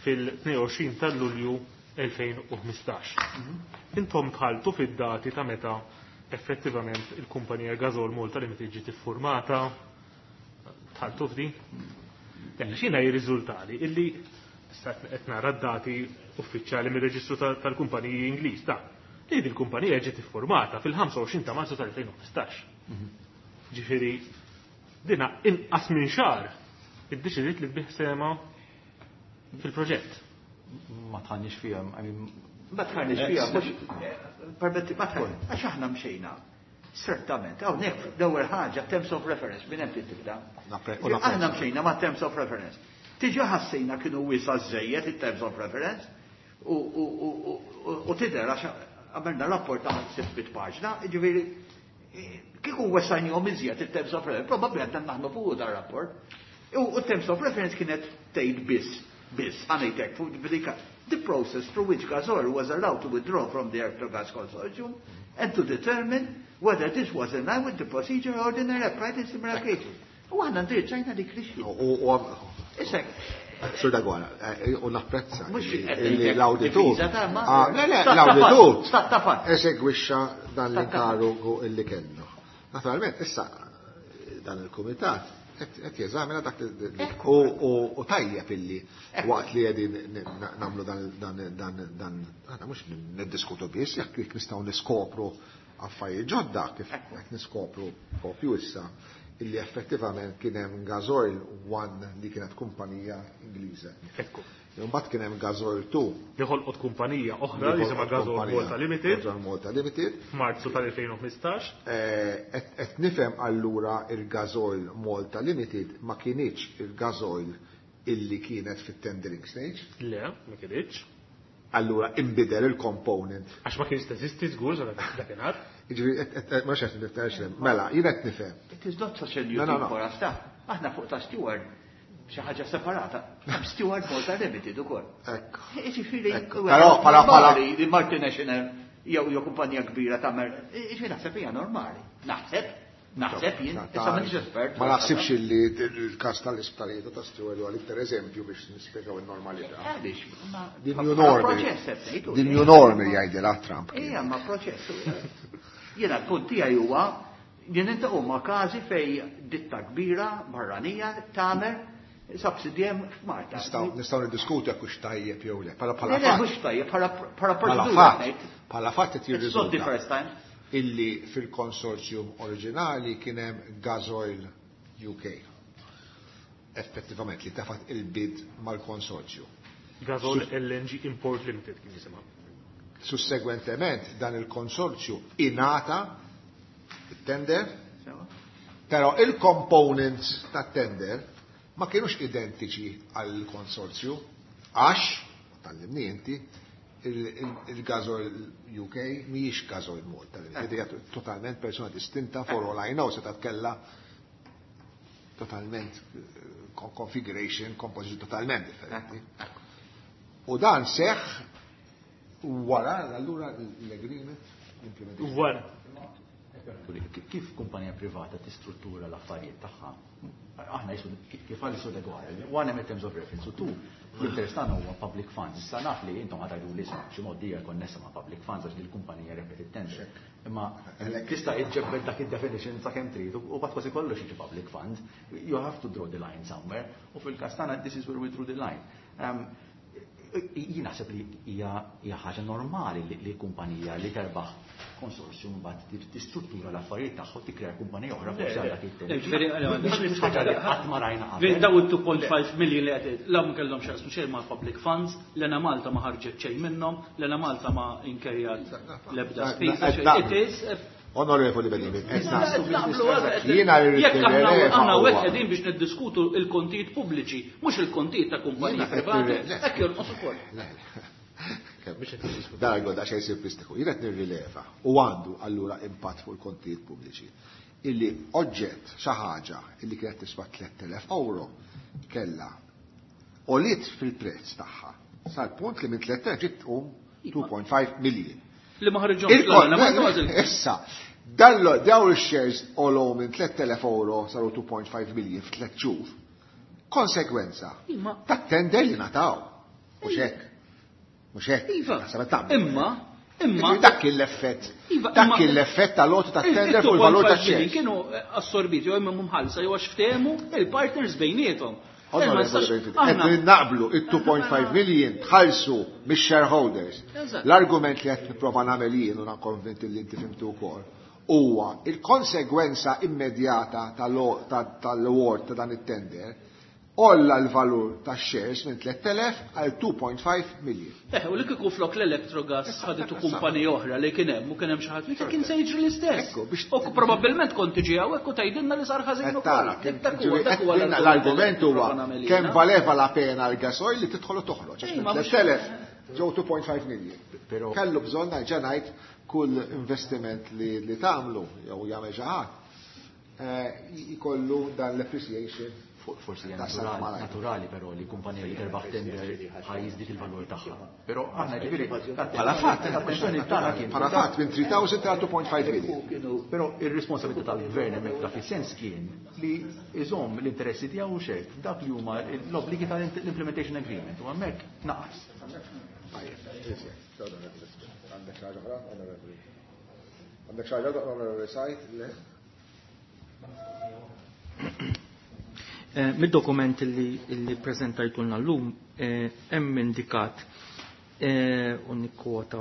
fil-tnejn u għoxrin ta' Lulju elfejn u ħmistax. Intom dħaltu fid-dati ta' meta effettivament il-kumpanija Gasol Malta Limited ġiet iffurmata, dħaltu f'di? X'jiena jirriżultali illi qed nara d-dati uffiċjali mir-reġistru tal-kumpaniji Ingliż ta' li din il-kumpanija ġiet iffurmata fil-ħamsa u għoxrin ta' Marzu tal-elfejn u ħmistax. Ġifieri dina inqas minn xahar iddeċidiet li tbigħ sehemha fil-proġett. Ma dħalniex fiha, Ma dħalniex fiha, mhux permetti, ma dħalniex, għax aħna mxejna. Certament, hawnhekk l-ewwel ħaġa terms of reference minn hemm tibda. Aħna mxejna ma' terms of reference. Tiġa ħassejna kienu wiesgħa żejjed it-terms of reference u tidher għax għamilna rapport ta' sitt paġna, ġifieri kieku wessajnihom iżjed it-terms of reference, probabbli għadna naħnu fuq dar rapport. U terms of reference kienet tgħid biss, biss, ħa ngħidlek fuq bidika. The process through which Gasol was allowed to withdraw from the Electrogas Consortium and to determine whether this was in line with the procedure ordinary applied in similar cases. U aħna ndirizzajna dik l U Issa, Sur Dagwana, u napprezza Mhux li l-awditur. difiża ta' ma- Ah, Le, le, Ta' l-awditur ta' ta' fatt. esegwixxa dan l-inkarigu illi kellu. Naturalment, issa dan il-kumitat qed jeżamina dak li u u tajjeb illi waqt li qegħdin nagħmlu dan dan dan dan aħna mhux niddiskutu biss jekk jekk nistgħu niskopru affarijiet ġodda kif qed niskopru propju issa illi effettivament kien hemm Gasoil One li kienet kumpanija Ingliża. Ekku. Imbagħad kien hemm Gasoil two Li ħolqot kumpanija oħra li jisimha Gasol Malta Limited Gasoil Malta Limited. f'Marzu tal-elfejn u ħmistax. Qed nifhem allura il-Gasoil Malta Limited ma kienx il-Gasoil illi kienet fit-tendering stage. Le, ma kienx. Allura imbidel il-component. Għax ma kienx teżisti żgur sa dakinhar. Jiġifieri ma xejn nifhem Mela, jien qed nifhem. It is not such a new No, no, thing no. for us, ta' aħna fuq ta' Steward xi ħaġa separata. Hemm Steward Malta Limited ukoll. Ekku. Jiġifieri Ekku. Però bħala bħala normali li multinational jew jew kumpanija kbira tagħmel, jiġifieri naħseb hija normali. Naħseb, naħseb jien, issa m'inix espert. Ma naħsibx illi il-kas tal-isptarijiet ta' Steward huwa l-iktar eżempju biex nispjegaw il-normalità. Għaliex, ma Din ma- new bħala normal. proċess qed ngħidu. Din new normal jgħidilha Trump. Ija, ma proċess. Jiena l-punt tiegħi huwa jien niltaqgħu ma' każi fej ditta kbira barranija tagħmel subsidjem f'Malta. Nistgħu nistgħu niddiskutu jekk hux tajjeb jew le. Bħala Le, bħala le, fatt. mhux tajjeb, bħala bħala Bħala proċedura fatt. ngħid. Bħala fatt qed It's not the jirriżulta first time. illi fil-konsorzjum oriġinali kien hemm Gasoil U K. Effettivament li tefgħet il-bid mal-konsorzju. Gasol L N G Import Limited kien jisimha. Sussegwentement dan il-konsorzju ingħata it-tender, però il-components tat-tender ma kienux identiċi għall-konsorzju għax, tallimni inti, il-Gasoil U K mhijiex Gasoil Malta, hija totalment persona distinta, for all I know se kellha totalment configuration, composition totalment differenti. U dan seħ wara allura l-agreement l-implementation. Wara. Kif kumpanija privata tistruttura l-affarijiet tagħha? Aħna jisu kif għal jisu legali. One, hemm terms of reference, u two, l-interess tagħna huwa public funds. Issa naf li intom ħa tgħidu li xi mod hija konnessa ma' public funds għax il-kumpanija rebħet it-tender. Imma tista' iġġebbed dak id-definition sakemm trid u bad kważi kollox jiġi public fund. You have to draw the line somewhere. U fil-każ tagħna this is where we drew the line. Um, jien naħseb li hija ħaġa normali li kumpanija li terbaħ konsorzju mbagħad tistruttura l-affarijiet tagħha u tikkrea kumpanija oħra forsi għal dak it-temp. Mhux ħaġa li qatt ma rajna qabel. Daw it-two point five million li qed la kellhom x'jaqsmu xejn ma' public funds, l-Enemalta ma ħarġet xejn minnhom, l-Enemalta ma inkerjat l-ebda spiża. It is Onorevoli Benjamin, jiena Jekk aħna hawnhekk qegħdin biex niddiskutu il-kontijiet pubbliċi, mhux il-kontijiet ta' kumpaniji privati, hekk jonqos ukoll. Dan għodda xejn simplistiku. Jien qed nirrileva u għandu allura impatt fuq il-kontijiet pubbliċi. Illi oġġett xi ħaġa illi kienet tiswa tliet elef euro kella għoliet fil-prezz tagħha sal-punt li minn tliet elef ġiet um two point five million. Li ma ħarġhomx. Issa, dallo daw il-shares għolow minn tliet elef euro saru two point five million f'tliet xhur. Konsekwenza ta' tender li ngħataw. Mhux hekk. Mhux hekk. Iva. Imma, imma. Dak kien l-effett. Dak kien l-effett tal-għoti ta' tender fuq il-valur ta' shares. Kienu assorbiti jew imma mħallsa jew għax ftehmu il-partners bejniethom. Qed naqblu it-two point five million tħallsu mix-shareholders. L-argument li qed nipprova nagħmel jien u konvinti li inti fhimtu wkoll huwa il-konsegwenza immedjata tal-award ta' dan it-tender għolla l-valur ta' shares minn tliet elef għal two point five million. Eh, u li kieku flok l-Electrogas ħaditu kumpanija oħra li kien hemm u kien hemm xi ħadd li kien se jiġri l-istess. U probabbilment kont tiġi hawnhekk u tgħidilna li sar ħażin ukoll. L-argument huwa kemm valeva la pena l-Gasoil li tidħol u toħroġ. tliet elef ġew two point five million. Kellu bżonn ngħid kull investiment li tagħmlu jew jagħmel xi ħadd jkollu dan l-appreciation. Forsi hija naturali però li kumpanija li terbaħ tender ħa jiżdied il-valur tagħha. Però aħna ġifieri Bħala fatt, l-kwestjoni tagħna kien bħala fatt minn tliet elef ta' two point five million. Però ir-responsabilità tal-gvern hemmhekk dak is-sens kien li iżomm l-interessi tiegħu xejn dak li huma l-obbligi tal-implementation agreement u hemmhekk naqas. Għandek xi ħaġa oħra? Għandek xi ħaġa, Onorevoli Sajt? Le? Eh, mid-dokument li, li prezentajtulna l-lum eh, hemm indikat eh, u nikkwota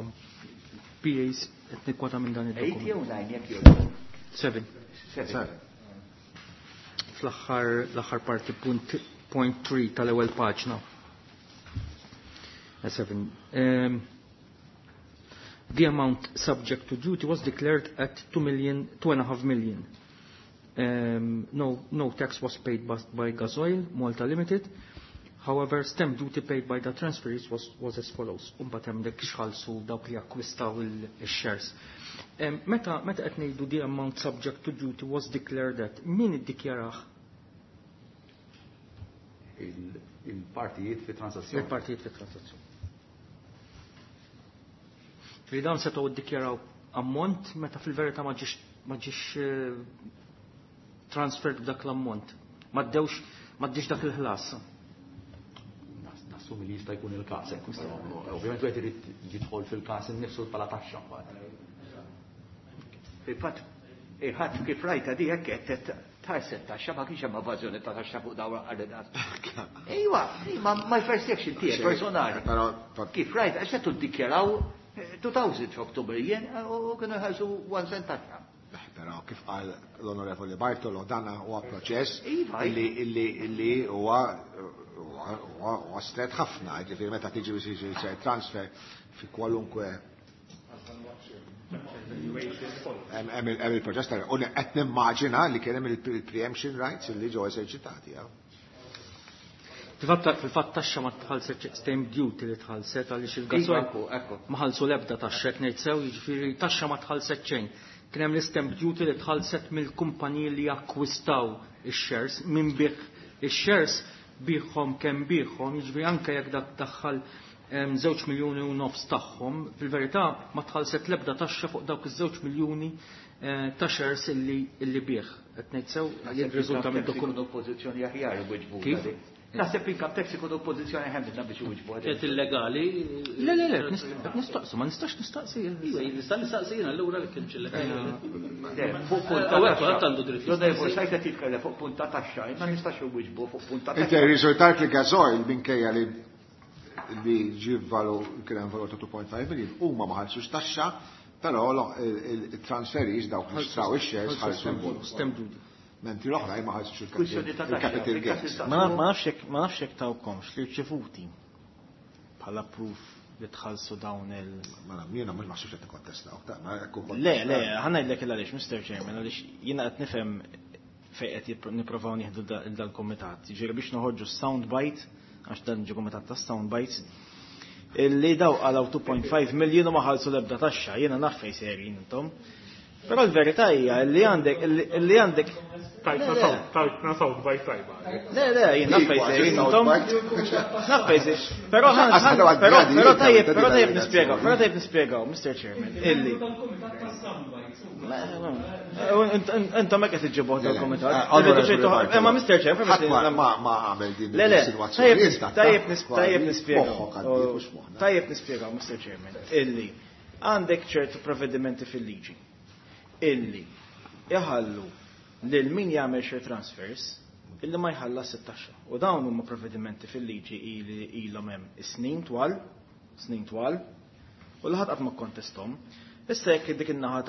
P As qed nikkwota minn dan id-dokument. Eight jew nine jekk jogħġbok? Seven. Seven. Fl-aħħar l-aħħar parti punt point three tal-ewwel paġna. Seven. Um, the amount subject to duty was declared at two million, two and a half million. Um, no, no tax was paid by, by Gasoil Malta Limited. However, stamp duty paid by the transferees was, was as follows. Imbagħad hemm dik x'ħallsu dawk li akkwistaw il-shares. Um, meta meta qed ngħidu the amount subject to duty was declared at, min iddikjarah? Il-partijiet fi transazzjoni. Il-partijiet fi transazzjoni. Li dawn setgħu ddikjaraw ammont meta fil-verità ma ġiex ma ġiex transferred b'dak l-ammont. Ma ddewx ma ddiex dak il-ħlas. Nassumi li jista' jkun il-każ hekk. Ovvjament wieħed irid jidħol fil-każ innifsu bħala taxxa mbagħad. Fil-fatt, il-ħadd kif rajta di hekk qed tħarset taxxa, ma kienx hemm evażjoni ta' taxxa fuq dawn għal. Ejwa, ma my perception tiegħek personali. Kif rajt, għax qed tiddikjaraw two thousand f'Oktober jien u kienu jħallsu one cent taxxa. Però kif qal l-Onorevoli Bartolo, dana huwa proċess Iva, illi illi illi huwa huwa huwa stret ħafna, ġifieri meta tiġi biex jiġi transfer fi kwalunkwe Valuation kollox. Hemm il-proċess tal u qed nimmaġina li kien hemm il-preemption rights li ġew eżerċitati. Fil-fatt taxxa ma tħallset stamp duty li tħallset għaliex il-gasoil ma ħallsu l-ebda taxxa qed ngħid sew, jiġifieri taxxa ma tħallset xejn. Kien hemm l-stamp duty li tħallset mill-kumpaniji li akkwistaw ix-shares minn bih ix-shares biħhom kemm biħhom, jiġifieri anke jekk dak daħħal żewġ miljuni u nofs tagħhom, fil-verità ma tħallset l-ebda taxxa fuq dawk iż-żewġ miljuni ta' shares illi bih. Qed ngħid sew jirriżulta mid-dokument. Pożizzjoni aħjar iwiġbu. Naħseb income tax ikunu pożizzjoni ħem minna biex iwiġbu. Kienet illegali. Le, le, le, qed nistaqsu, ma nistax nistaqsi. Iva, nista' nistaqsi jiena allura li kienx illegali. Fuq punt ta' taxxa. Għandu dritt. L-onorevoli Sajt qed jitkellem fuq punt ta' taxxa, ma nistax iwiġbu fuq punt ta' taxxa. Inti rriżultat li gasoil minkejja li li ġie valu kien hemm valur ta' two point five million huma ma ħallsux taxxa, però il-transferis dawk li xtraw ix-shares ħallsu l-bonus. Stamp duty. Mentri l-oħra ma ħallsux il-capital gains. Ma nafx jekk tawkomx li rċevuti bħala proof li tħallsu dawn il. Ma jiena mhux maħsubx qed nikkontestaw, ta' ma jekk Le, le, ħa ngħidlek il għaliex, Mister Chairman, għaliex jiena qed nifhem fejn qed nipprovaw nieħdu dal-kumitat. Jiġifieri biex noħorġu sound bite, għax dan ġie kumitat ta' sound bites, illi daw għalaw two point five million u ma ħallsu l-ebda taxxa, jiena naf fejn sejrin intom. Però l-verità hija li għandek li għandek tajtna sound bite tajba. Le, le, jien naf fejn sejrin intom. Naf fejn sejrin. Però però però tajjeb, però tajjeb nispjegaw, però tajjeb nispjegaw, Mister Chairman, illi. Intom hekk qed iġġibuh dal-kumitat. Imma Mister Chairman, ma ma għamel din Le, le, tajjeb tajjeb nispjegaw. Tajjeb nispjegaw, Mister Chairman, illi għandek ċertu provvedimenti fil-liġi illi iħallu lil min jagħmel share transfers illi ma jħallas it-taxxa. U dawn huma provvedimenti fil-liġi ili ilhom hemm snin twal, snin twal, u l ħadd qatt ma kkontesthom. Issa jekk dik in-naħa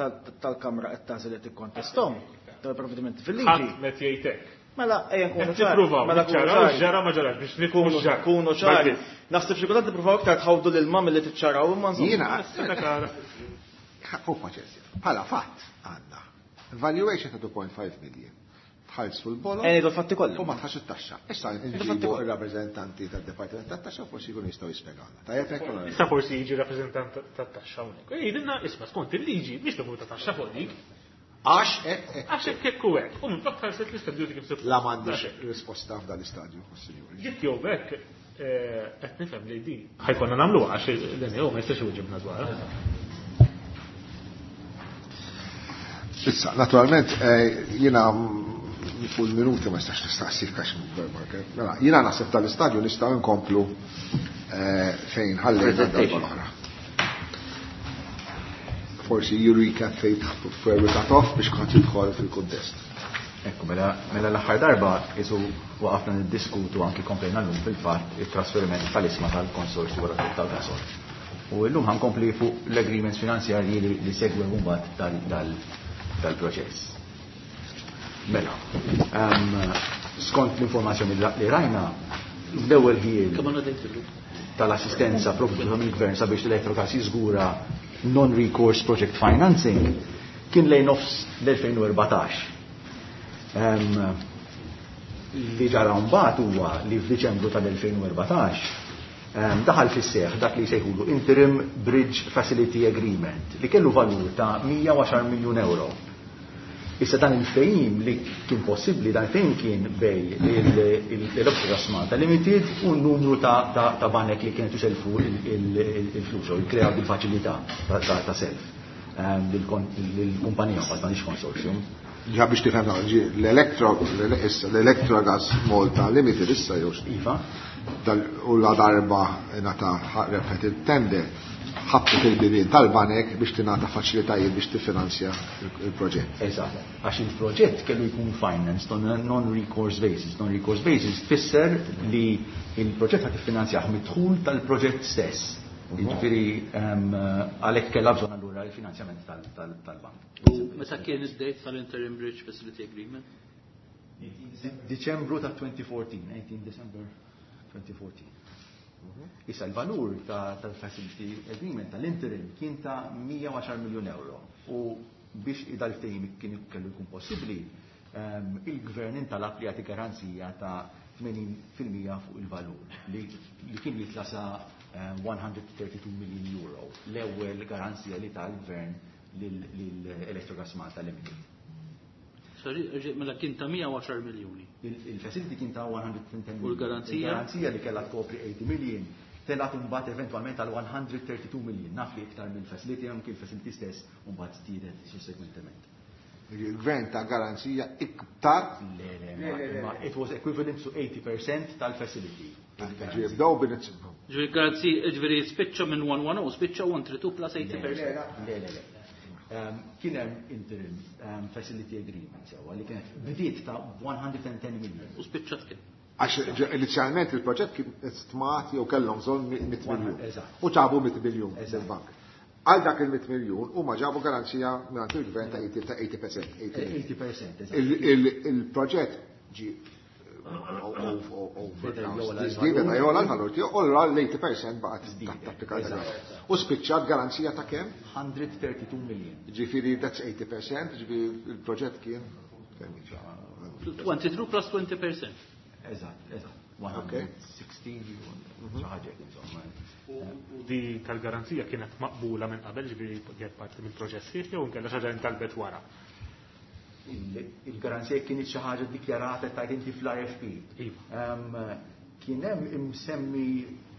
tal-kamra qed tagħżel li tikkontesthom tal-provvedimenti fil-liġi. Ħadd met jgħid hekk. Mela ejja nkunu ċari. Mela ċaraw ġara ma ġarax biex nikunu kunu ċari. Naħseb xi kultant nippruvaw iktar tħawdu lil ma milli tiċċaraw imma insomma. Jiena hu paċenzja. Bħala fatt għandna valuation ta' two point five million. Tħallsu l-bolol. Ejja ngħidu l-fatti kollha. U ma tħallsu t-taxxa. Issa nġibu ir-rappreżentanti tad-Dipartiment tat-Taxxa forsi jkunu jistgħu jispjegawna. Tajjeb hekk ukoll. Issa forsi jiġi rappreżentant tat-taxxa hawnhekk. Jgħidilna isma' skont il-liġi biex tagħmlu ta' taxxa fuq dik. Għax hekk hekk. Għax hekk hekk u hekk. U minn flok tħallset l-istess duty kif suppost. La m'għandix risposta f'dan l-istadju, sinjuri. Jekk jew hekk qed nifhem li din ħajkonna nagħmluha għax l-N E O ma jistax iwiġibna dwarha. Issa, naturalment, jiena fuq il-minuti ma nistax nistaqsik għax mela, jiena naħseb tal-istadju nistgħu nkomplu fejn ħallejna darba l-oħra. Forsi you recap fejn where we cut off biex kont jidħol fil-kuntest. Ekku, mela, mela l-aħħar darba isu waqafna niddiskutu anki komplejna llum fil-fatt it-trasferiment tal-isma tal-konsorzju wara tal-gasol. U llum ħankompli fuq l-agreements finanzjarji li, li segwew mbagħad tal-proċess. Mela, um, skont l-informazzjoni li rajna, l-ewwel ħiel tal-assistenza provduta mill-gvern sabiex l-Electrogas jiżgura non-recourse project financing kien lejn nofs l-elfejn u erbatax. Um, li ġara mbagħad huwa li f'Diċembru tal-elfejn u erbatax, um, daħal fis-seħħ dak li jsejħulu Interim Bridge Facility Agreement li kellu valur ta' mija u għaxar miljun euro. Issa dan il-ftehim li kien possibbli, dan il-ftehim kien bej l-Electrogas Malta Limited u n-numru ta', ta, ta' banek li kienet iselfu il-flus u jkreaw bil-faċilità ta', ta, ta' self lill-kumpanija mbagħad m'għandix consortium. Ġa biex tifhem ġi l-Electro, l-Electrogas Malta Limited issa jew Iva. Dal, u la darba ngħata rebħet il-tender, ħabtet il-bibien tal-banek biex tingħata faċilitajiet biex tiffinanzja il-proġett. Eżatt, għax il-proġett kellu jkun financed on a non-recourse basis. Non-recourse basis tfisser li il-proġett ħad tiffinanzjah mid-dħul tal-proġett stess. Jiġifieri, għalhekk kellha bżonn allura il-finanzjament tal-bank. U meta kien id-date tal-Interim Bridge Facility Agreement? Diċembru ta' twenty fourteen, eighteen December twenty fourteen. Issa l-valur tal-facility agreement tal-interim kien ta' mija u għaxar miljun euro. U biex dal-ftehim kien kellu jkun possibbli, il-gvern intalab li jagħti garanzija ta' tmenin fil-mija fuq il-valur li kien jitla sa one hundred thirty-two million euro, l-ewwel garanzija li ta' l-gvern lill-Electrogas Malta Limited. Sorry, mela kien ta' mija u għaxar miljuni. Il-facility kien ta' one hundred ten million. U l-garanzija? Il-garanzija li kellha tkopri eighty million telgħet imbagħad eventwalment għal one hundred thirty-two million. Naf li iktar mill-facility, anki l-facility stess mbagħad żdiedet sussequentement. Il-gvern ta' garanzija iktar? Le, le, ma, ma it was equivalent to eighty percent tal-facility. Ġifieri bdew bil-inizju. Ġifieri garanzija, ġifieri spiċċa minn one one oh, spiċċa one three two plus eighty percent. Le, le, le. Kien hemm interim facility agreement sewwa li kienet bdiet ta' one hundred and ten million. U spiċċat kien. Għax inizjalment il-proġett kien stmat jew kellhom bżonn mitt miljun. Eżatt. U ġabu mitt miljun Eżatt. mill-bank. Għal dak il-mitt miljun huma ġabu garanzija mingħand il-gvern ta' eighty, ta' eighty percent, eighty million. Eighty percent, eżatt. Il-, il-, il-proġett ġi Beda jola l-valur tiegħu, u l-eighty percent baqgħet tapplika l-garanzija. U spiċċat garanzija ta' kemm? hundred thirty-two million. Ġifieri that's eighty percent, ġifieri il-proġett kien kemm jiġi? Twenty-two plus twenty percent. Eżatt, eżatt. Okay. one hundred sixty, xi ħaġa hekk, insomma. U di tal-garanzija kienet maqbula minn qabel, ġifieri kienet parti mill-proċess sħiħ jew inkella xi ħaġa intalbet wara? Il-garanzija kienet xi ħaġa dikjarata tajt inti fl-R F P. Iva. Ehm, kien hemm imsemmi,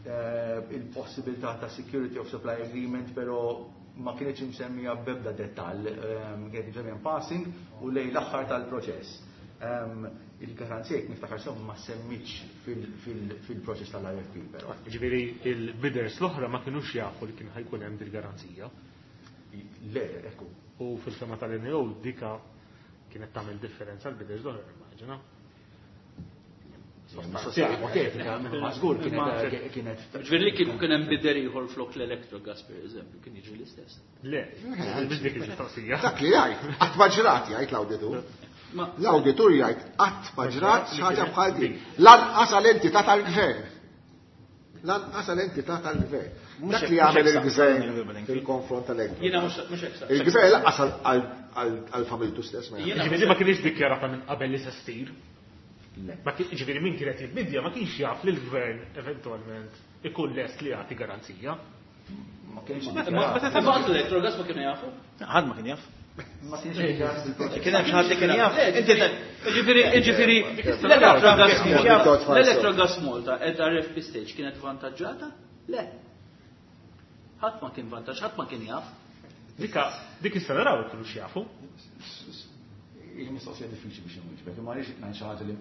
eh, il-possibilità ta' security of supply agreement, però ma kienx imsemmija b'ebda dettall, ehm, kienet imsemmija in passing u lej l-aħħar tal-proċess. Ehm, il-garanzija jekk niftakar sew ma semmitx fil-, fil-, fil-proċess tal-R F P, però. Ġifieri il-bidders l-oħra ma kinux jafu li kien ħajkun hemm dil-garanzija. Le, ekku. U fil-fema tal-N O dika kienet tagħmel differenza l-bidders l-oħra, immaġina. Mistoqsija ipotetika, ma żgur kienet, kienet Ġifieri li kieku kien hemm bidder ieħor flok l-Electrogas, per eżempju, kien jiġri l-istess. Le, mhux dik il-mistoqsija. Dak li jgħid, qatt ma ġrat jgħid l-awditur. Ma L-awditur jgħid qatt ma ġrat xi ħaġa bħal din. Lanqas għall-entità tal-gvern. Lanqas għall-entità tal-gvern. Mhux Dak li hekk, jagħmel mhux hekk il-gvern saqsejna fil-konfront tal-Electrogas. Jiena mhux, mhux hekk saqsejna. Il-gvern lanqas għal, għal, għal-familtu stess ma jagħmel. Jiena Ġifieri ma kienx dikjarata minn qabel li se ssir. Le. Ma kien, ġifieri min kienet jibbidja ma kienx jaf li l-gvern eventwalment ikun lest li jagħti garanzija. Ma kienx Ma dikjarat. ma ma l-Electrogas ma kienu jafu? Ħadd ma kien jaf. Ma kienx dikjarat fil-proċess. Kien hemm xi ħadd li kien jaf. Inti ta- Ġifieri, ġifieri, l-Electrogas Malta, Kien l-Electrogas Malta at R F P stage kienet vantaġġata? Le. Ħadd ma kien vantaġġ, ħadd ma kien jaf. Dika, dik issa naraw kienu x'jafu. Il-mistoqsija diffiċli biex inwieġbek, imma għaliex ngħid xi ħaġa li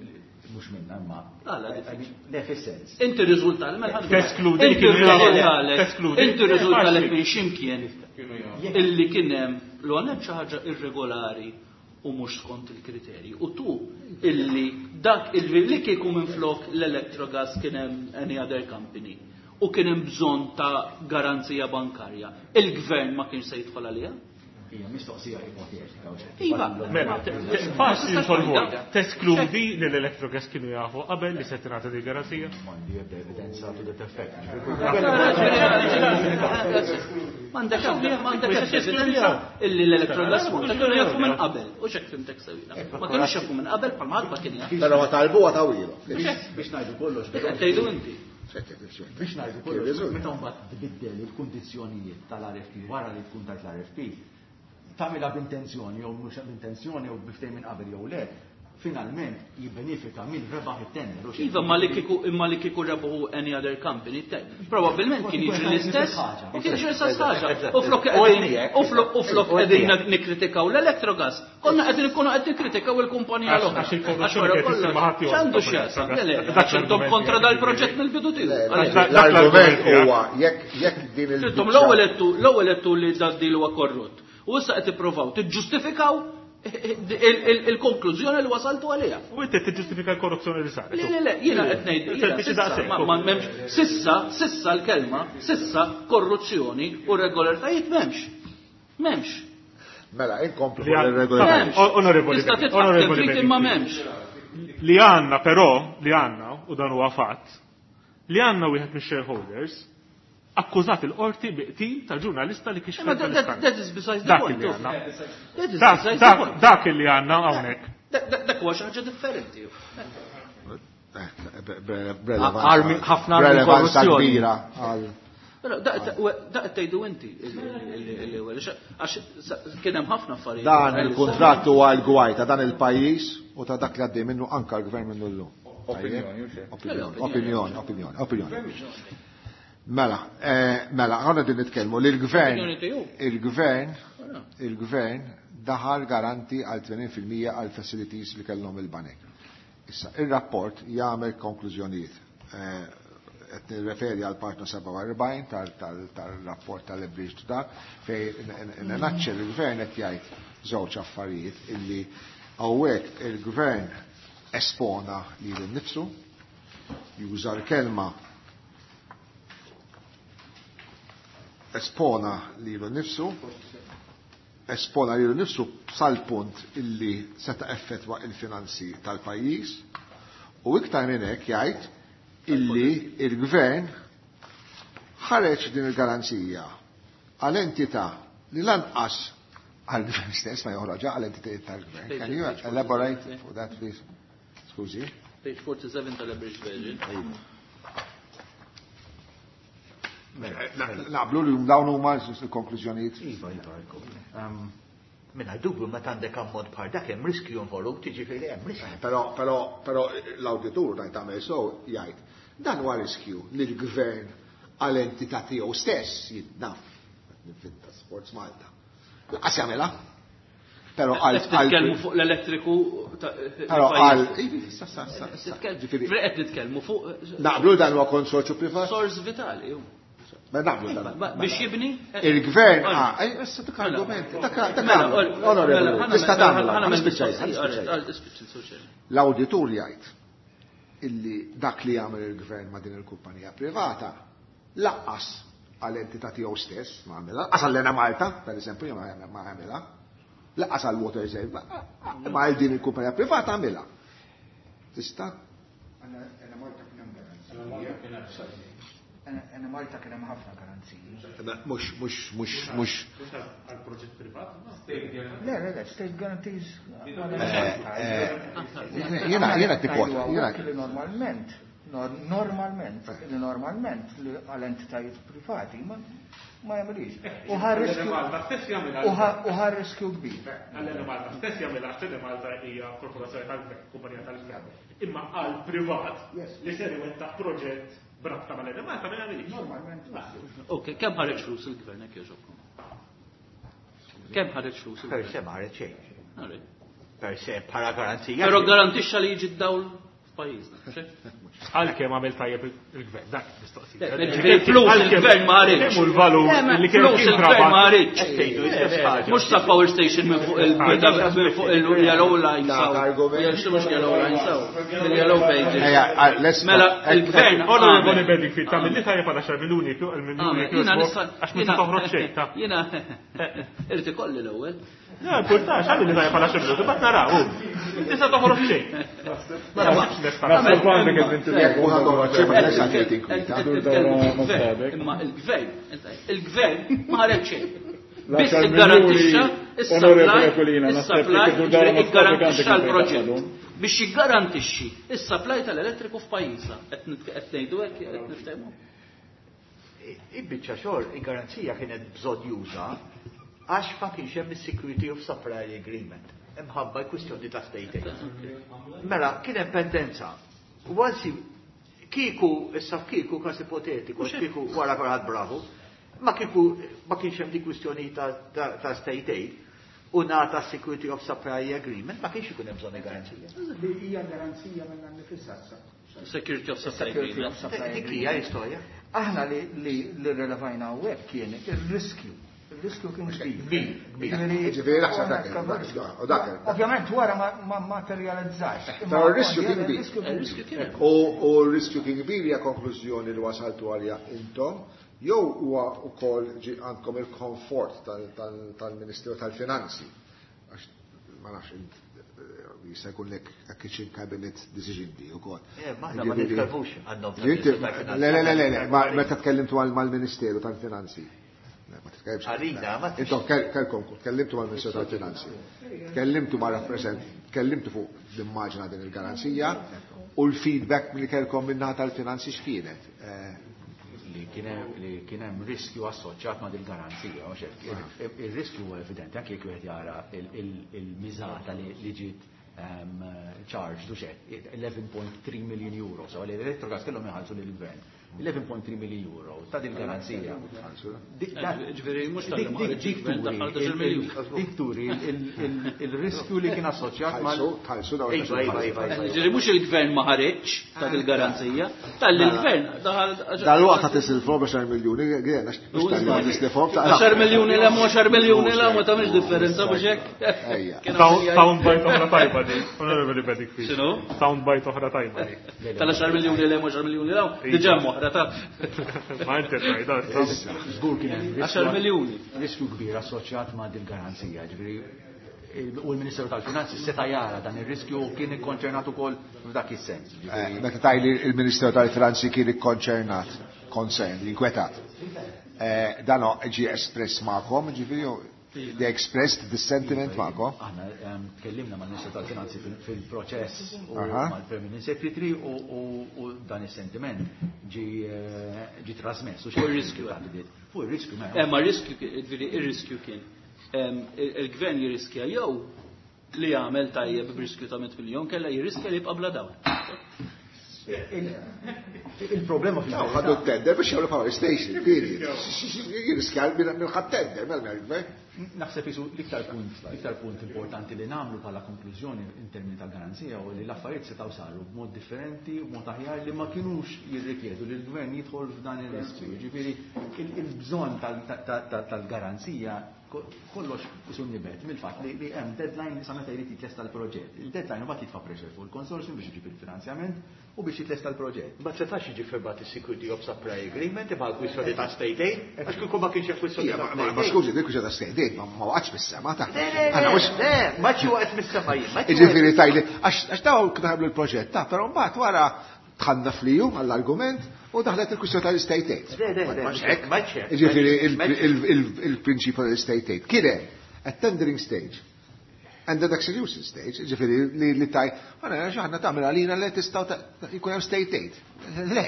mhux minna, imma Għala diffiċli. Le, fis-sens. Inti riżulta li mela ħadd Teskludi li Inti kienu jafu. riżultalek. Teskludi. Inti riżultalek Faċli. minn x'imkien illi kien hemm l għanet xi ħaġa irregolari u mhux skont il-kriterji. U tu illi dak illi li kieku minflok l-Electrogas kien hemm any other company u kien hemm bżonn ta' garanzija bankarja, il-gvern ma kienx se jidħol għaliha? Hija mistoqsija ipotetika, u xejn. Iva. Mela, te-, te-, faċli nsolvu. Teskludi li l-Electrogas kienu jafu qabel li se tingħata di garanzija? M'għandi ebda evidenza to that effect. M'għandek ebda, m'għandek ebda evidenza illi l-Electrogas Malta kienu jafu minn qabel. U x'hekk fimtek sewwila. Ma kienux jafu minn qabel bħalma ħadd ma kien jaf. Però ma talbuha tawilu. Biex ngħidu kollox, Qed tgħidu inti. Biex ngħidu kollox, meta mbagħad tbiddel il-kundizzjonijiet tal-R F P wara li tkun tajt l-R F P, tagħmilha b'intenzjoni jew mhux b'intenzjoni jew biftejn minn qabel jew le, finalment jibbenefika minn rebaħ it-tender, u xejn. Iva, ma li kieku, imma li kieku rebaħu any other company, te-, probabbilment kien jiġri l-istess, u kien jiġri l-istess ħaġa. U flok qegħdin, u flok, u flok qegħdin nikkritikaw l-Electrogas, konna qegħdin ikunu qed nikkritikaw il-kumpanija Għax- l-oħra. għax il-korruzzjoni Għax wara kienet kollox, issir ma' ħadd ieħor. x'għandu x'jaqsam? Le, le, Dak għax intom l-argument kontra jekk dal-proġett mill-bidu tiegħu. Le, Għalhekk. dak L-argument l-argument huwa jekk, jekk din il- Intom l-ewwel qedtu, l-ewwel qedtu li dad-deal huwa korrott. U issa qed tippruvaw tiġġustifikaw il-, il-, il-konklużjoni li wasaltu għaliha. U inti tiġġustifika l-korruzzjoni li saret. Le, le, le, jiena qed ngħid, jiena Sempliċi sissa, daqshekk. ma, ma, m'hemmx, sissa, sissa l-kelma, sissa korruzzjoni u regolaritajiet m'hemmx. M'hemmx. Mela, inkomplu Li għan- l-irregolaritajiet. M'hemmx. O-, onorevoli Tista' Benni, titfa' onorevoli trid Benni. imma m'hemmx. Li għandna però, li għandna, u dan huwa fatt, Li għandna wieħed mix-shareholders akkużat il-qorti bi qtil ta' ġurnalista li kixfet That is besides the Dak point. li għandna. That is Dak- besides the dak- point. Dak li għandna hawnhekk. Dak huwa xi ħaġa differenti. Armi- ħafna armi Relevanza korruzzjoni. kbira għal Però dak qed tgħidu inti għax kien hemm ħafna affarijiet. Dan il-kuntratt huwa l-gwaj ta' dan il-pajjiż u ta' dak li għaddej minnu anka l-gvern minnu llum. Opinjoni, u xejn. Opinjoni, opinjoni, opinjoni, opinjoni. Mela, eh, mela, għanna din nitkellmu li l-gvern, Opinjoni tiegħu. il-gvern, il-gvern daħal garanti għal tmenin fil-mija għal facilities li kellhom il-banek. Issa, il-rapport jagħmel konklużjonijiet. Eh, Qed nirreferi għal partner sebgħa u erbgħin tal-rapport tal-Bridge to Dark, fej naċċel il-gvern qed jgħid żewġ affarijiet illi hawnhekk il-gvern espona lilu nnifsu, juża l-kelma espona lilu nnifsu, espona lilu nnifsu sal-punt illi seta' effettwa il-finanzi tal-pajjiż, u iktar minn hekk jgħid illi il-gvern ħareġ din il-garanzija għal entità li lanqas għal-gvern stess ma joħroġha għal entitajiet tal-gvern. Can you elaborate for that, please? Skużi. Page forty-seven tal-Abridged Version. Naqblu li dawn huma l-konklużjonijiet. Iva, iva, Minna dubju meta għandek ammont bħal dak hemm riskju involut, jiġifieri hemm riskju. Eh, però, però, però l-awditur ngħid tagħmel sew jgħid dan huwa riskju li l-gvern għal entità tiegħu stess jitnaf ninfinta Sports Malta. Laqas jagħmilha. Però għal Qed titkellmu fuq l-elettriku ta' Però għal il-pajjiż. Ivi, sa, sa, sa, sa. Titkellmu- Ġifieri Qed nitkellmu fuq Naqblu dan huwa konsorzju privat? Sors vitali. Ma naqblu dan. Ma- Biex jibni? Il-gvern, Mela. ah, ej, issa dak argument, dak dak Mela, argument, mela, onorevoli, ħana- tista' tagħmel, ħana- ħana spiċċaj, ħana ħana- spiċċaj. ħana- spiċċaj. L-awditur jgħid illi dak li jagħmel il-gvern ma' din il-kumpanija privata laqqas għal entità tiegħu stess ma għamilha, laqqas għal Enemalta, per eżempju, ma għamilha, laqqas għal Water Save, ma għal din il-kumpanija privata għamilha. Tista'? Enemalta kien hemm garanzija. Enemalta kien hemm ħafna garanziji. Mhux, mhux, mhux, mhux. Għal proġett privat? Le, le, le, state guarantees. Jiena, jiena tikkwota, jiena. Li normalment, normalment, li normalment li għal entitajiet privati ma ma jagħmilix. U ħa riskju Malta stess jagħmilha. u ħa riskju kbir. Għal Malta stess jagħmilha għax Malta hija korporazzjoni tal-gvern, kumpanija tal-gvern. Imma għal privat li ser iwettaq proġett brabta mal Malta ma jagħmilix. Normalment. Ok, kemm ħareġ flus il-gvern hekk jogħġobkom? Kemm ħareġ flus Per il-gvern? se ma ħareġ xejn. Alright. Per se bħala garanzija. Però garantixxa li jiġi d-dawl f'pajjiżna. Għalkemm għamel tajjeb il-gvern, dak mistoqsija. Le, ġifieri flus il-gvern ma ħareġ. Kemm hu l-valur li kien Flus il-gvern ma ħareġ. Tgħidu l-istess ħaġa. Mhux sa power station minn fuq il- minn fuq il-yellow line Dak saw. argument. Jew mhux yellow line saw. Mill-yellow pages. Ejja, let's Mela, il-gvern Onorevoli għamel. Bedingfield, tagħmel li tajjeb għal għaxar miljuni kju għal miljuni Għamel, kju Jiena nista' għax ma toħroġ xejn ta' Jiena irid ikolli l-ewwel. Le, importax, għamil li tajjeb għal għaxar miljuni, bat naraw. Inti sa toħroġ xejn. Mela, mhux nesta. Naħseb għandek id-dinti Jekk mhux għandhom xejn ma nista' tgħid inkwita. Imma il-gvern, il-gvern ma ħareġ xejn. Biss L-għaxar iggarantixxa miljuni, is-supply, onorevoli Aquilina, naħseb li is-supply, kieku dara ma iggarantixxa stabik l-proġett. għandek Biex jiggarantixxi is-supply tal-elettriku f'pajjiżna. Qed nit- qed ngħidu hekk qed niftehmu. Il-biċċa xogħol, il-garanzija kienet bżonn juża għax ma kienx hemm is-Security of Supply Agreement. Imħabba l-kwistjoni ta' state aid. Mela, kien hemm pendenza. Once kieku, issa kieku każ ipotetiku, kieku wara kulħadd bravu, ma kieku ma kienx hemm di kwistjoni ta', ta, ta' state aid u ngħata Security of Supply Agreement, ma kienx ikun hemm bżonn il-garanzija. Li hija garanzija minn nifisha. Security of Supply Security Agreement. of Supply Dik hija l-istorja. Aħna li li li relevajna hawnhekk kien ir-riskju. Il-riskju kien kbir. Kbir, kbir. Ġifieri naħseb dak u dak. Ovvjament wara ma ma materializzax. Però r-riskju kien kbir. Il-riskju kien hemm. U u r-riskju kien kbir hija konklużjoni li wasaltu għalija intom, jew huwa wkoll ġi għandkom il-komfort tal-Ministeru tal-Finanzi. Għax ma nafx, nafx, jista' jkun lek a kitchen cabinet decision di ukoll. Eh, ma aħna ma nitkellmux għandhom Le, le, le, le, meta tkellimtu mal-Ministeru tal-Finanzi. Ma titkellimx. Għalina, ma Intom kelkom, tkellimtu mal-Ministeru tal-Finanzi. Tkellimtu ma' rappresent, tkellimtu fuq l-immaġina din il-garanzija u l-feedback li kelkom minnaħa tal-finanzi x'kienet. Li kien hemm riskju assoċjat ma' dil-garanzija, mhux hekk. Ir-riskju huwa evidenti anke jekk wieħed jara il-miżata li ġiet charged u xek, eleven point three million euro, so l-Electrogas kellhom iħallsu lill-gvern. eleven point three million euro ta' din garanzija. Ġifieri mhux tal Dik turi il-riskju li kien assoċjat mal Ġifieri mhux il-gvern ma ħareġ ta' il-garanzija, tal-gvern daħal. Dal-waqt ta' tisilfhom għaxar miljuni, għena, mhux tal-li tisilfhom. għaxar miljuni 'l hemm, għaxar miljuni 'l hawn, ma tagħmilx differenza, mhux hekk? Sound bite oħra tajba di. Onorevoli Bedingfield. X'inhu? Sound bite oħra tajba di. Tal-għaxar miljuni 'l hemm, għaxar miljuni 'l hawn, diġà oħra ta' Ma inti tajda. Żgur kien hemm għaxar miljuni. riskju kbir assoċjat ma' dil-garanzija, ġifieri u l-Ministeru tal-Finanzi seta' jara dan ir-riskju u kien ikkonċernat ukoll f'dak is-sens. Eh, meta tajli il-Ministeru tal-Finanzi kien ikkonċernat, concerned, inkwetat. Eh, dan ġi espress magħkom, ġifieri they expressed the sentiment magħkom? Aħna ehm, tkellimna mal-Ministru tal-Finanzi fil-proċess u mal-Permanent Secretary u dan is-sentiment ġi eh, ġi trasmess. Fuq ir-riskju. Fuq ir-riskju, mela. Eh, ma riskju, ġifieri ir-riskju kien ehm, il-gvern jirriskja jew li jagħmel tajjeb b'riskju ta' mitt miljon kella jirriskja li jibqa' bla dawl. Il-problema fil Ħadu tender biex jagħmlu power station, period. Jirriskja minn ħadd tender, mela gvern. Naħseb isu l-iktar punt, l-iktar punt importanti li nagħmlu bħala konklużjoni in termini ta' garanzija u li l-affarijiet setgħu saru b'mod differenti u b'mod aħjar li ma kinux jirrikjedu li l-gvern jidħol f'dan ir-riskju. Ġifieri il-bżonn tal-garanzija kollox isu nibet mill-fatt li hemm deadline li sa meta jrid jitlesta l-proġett. Il-deadline mbagħad jitfa' pressure fuq il-consortium biex iġib il-finanzjament u biex jitlesta l-proġett. Ma setax jiġi firmat is-Security of Supply Agreement imma l-kwistjoni ta' state aid, għax kieku ma kienx hemm kwistjoni ta' Ma ma skużi, dik kwistjoni ta' state aid ma ma waqgħatx mis-sema ta' Le, ma ġi waqgħet mis-sema jien. Ġifieri tajli, għax daw kienu ħablu l-proġett ta' però mbagħad wara dħalna fliju għall-argument u daħlet il-kwistjoni tal-state aid. Le, le, le, ma Ġifieri il-prinċipju tal-state aid kien hemm at tendering stage and the execution stage, ġifieri li li taj, għana xaħna tagħmel għalina li tistgħu jkun hemm state aid. Le,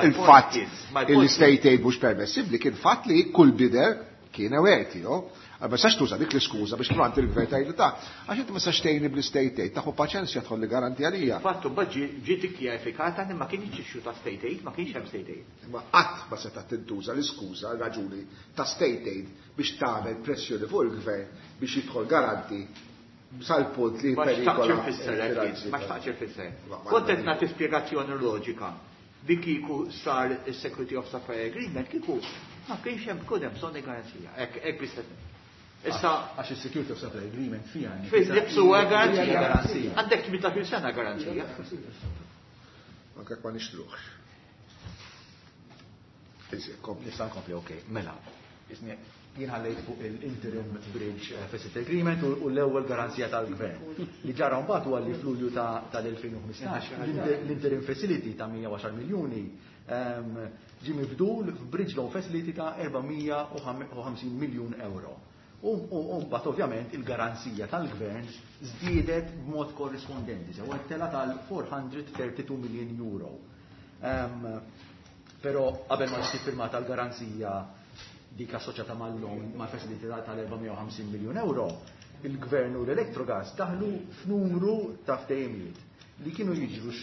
il-fatt il-state aid mhux permessibbli kien fatt li kull bidder kien aware tiegħu. Ma sax tuża dik l-iskuża biex tmant il-gvern tgħidu ta' għax inti ma sax tgħinni bl-state aid, taħu paċenzja tħolli garanti għalija. Fattu mbagħad ġiet ikkjarifikata li ma kienx issue ta' state aid, ma kienx hemm state aid. Ma qatt ma seta' tintuża l-iskuża raġuni ta' state aid biex tagħmel pressjoni fuq il-gvern biex jidħol garanti sal-punt li Ma xtaqx ma xtaqx ifisser. Kont qed nagħti spjegazzjoni loġika li kieku sar is-Security of Supply Agreement kieku ma kienx hemm kun hemm bżonn garanzija. Hekk hekk biss. Issa għax is-Security of Supply Agreement fija. Fil-nifsu huwa garanzija. Għandek tmintax-il sena garanzija. Anke ma nixtruħx. Nista' nkompli, okej. Mela, jien ħallejt fuq il-Interim Bridge Facility Agreement u l-ewwel garanzija tal-gvern. Li ġara mbagħad huwa li f'Lulju tal-elfejn u ħmistax l-Interim Facility ta' mija u għaxar miljuni ġi mibdul f'Bridge Loan Facility ta' erba' mija u ħamsin miljun euro. U mbagħad ovvjament il-garanzija tal-gvern żdiedet b'mod korrispondenti, sew tela tal-four hundred thirty-two million euro. Però qabel ma ġiet firmata l-garanzija dik assoċjata mal-loan ma' facility tal-erba' mija u ħamsin miljun euro, il-gvern u l-Electrogas daħlu f'numru ta' ftehimiet li kienu jiġru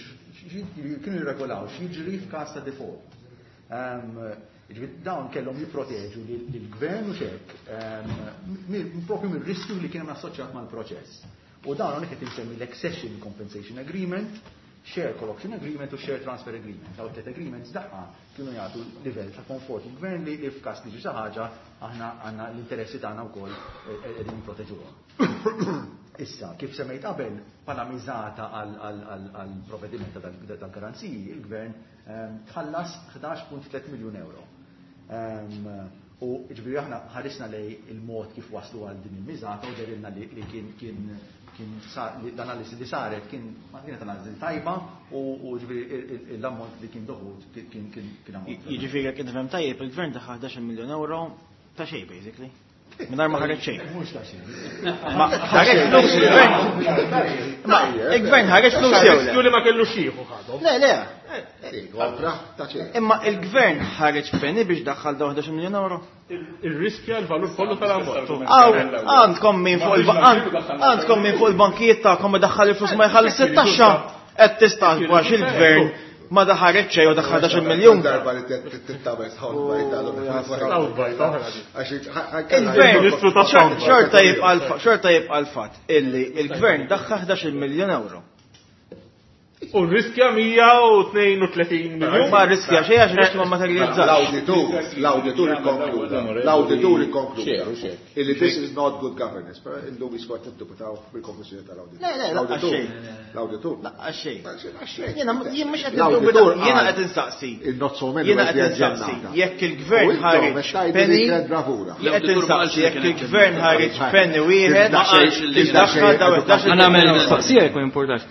kienu jirregolaw x'jiġri f'każ ta' default. Dawn kellhom jipproteġu lill-gvern u xek propju mir-riskju li kien hemm assoċjat mal-proċess. U dawn hawnhekk qed insemmi l-Accession Compensation Agreement, Share Collection Agreement u Share Transfer Agreement. Dawn tliet agreements daqqa kienu jagħtu livell ta' komfort il-gvern li f'każ li xi ħaġa aħna għandna l-interessi tagħna wkoll qegħdin nipproteġuhom. Issa, kif semmejt qabel, bħala miżata għal provvediment tal-garanziji, il-gvern tħallas ħdax punt tliet miljun euro. U ġifieri aħna ħarisna lejn il-mod kif waslu għal din il-miżata u dehrilna li kien kien kien l-analisi li saret kien ma kienet analiżi tajba u ġifieri l-ammont li kien dovut kien kien ammont. Jiġifieri jekk nifhem tajjeb, il-gvern daħħal ħdax-il miljun euro ta' xejn basically. Mingħajr ma ħareġ xejn. Mhux ta' xejn. Ma ħareġ flus il-gvern. Ma il-gvern ħareġ flus jew le? Li ma kellux jieħu ħadhom. Le, le. Kontra ta' xejn. Imma il-gvern ħareġ penny biex daħħal daw ħdax-il miljun euro. Il-riskja l-valur kollu tal-ammont. Għandkom min fuq għandkom min fuq il-bankijiet tagħkom ma daħħal il-flus ma jħallis it-taxxa qed tistaqwa x'il-gvern ma daħareġ xejn u daħħal ħdax-il miljun. Darba li tittabel soundbite oħra. Il-gvern xorta jibqa' xorta jibqa' l-fatt illi il-gvern daħħal ħdax-il miljun euro. U riskja mija u tnejn u tletin miljun. Ma riskja xejn għax riskju ma materializzax. L-awditur, l-awditur ikkonkluda. L-awditur ikkonkluda. Illi this is not good governance. Però illum jiskort niddubitaw bil-konklużjoni tal-awditur. Le, le, laqqa xejn. L-awditur. Laqqa xejn. Xejn. Jiena jien mhux qed niddubita, jiena qed insaqsi. Il-not so many Jiena qed insaqsi jekk il-gvern ħareġ penny. Jien qed insaqsi jekk il-gvern ħareġ penny wieħed biex daħħal daw ħdax-il Għana għamel mistoqsija jekk ma importax.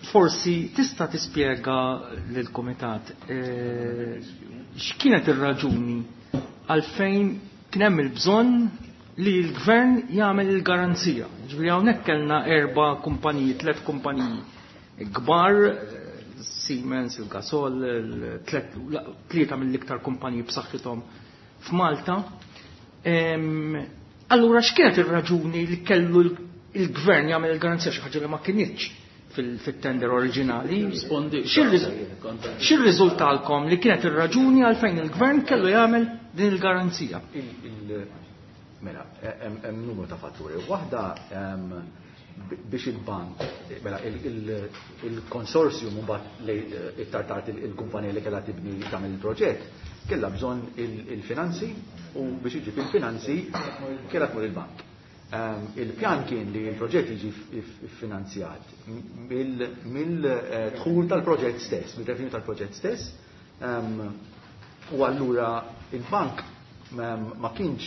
Forsi tista' tispjega lill-Kumitat x'kienet ir-raġuni għalfejn kien hemm il-bżonn li l-gvern jagħmel il-garanzija. Ġifieri hawnhekk kellna erba' kumpaniji, tliet kumpaniji kbar, Siemens, il-Gasol, tlieta mill-iktar kumpaniji b'saħħithom f'Malta. Allura x'kienet ir-raġuni li kellu il-gvern jagħmel il-garanzija, xi ħaġa li ma kinitx fil-tender oriġinali? X'irriżultalkom li kienet ir-raġuni għalfejn il-gvern kellu jagħmel din il-garanzija? Mela, hemm numru ta' fatturi. Waħda biex il-bank, mela il-konsorzjum mbagħad iktar tard il-kumpanija li kellha tibni tagħmel il-proġett kellha bżonn il-finanzi u biex iġib il-finanzi kellha tmur il-bank. Il-pjan kien li l-proġett jiġi finanzjat mill-dħul tal-proġett stess, mill-revenue tal-proġett stess, u allura il-bank ma kienx,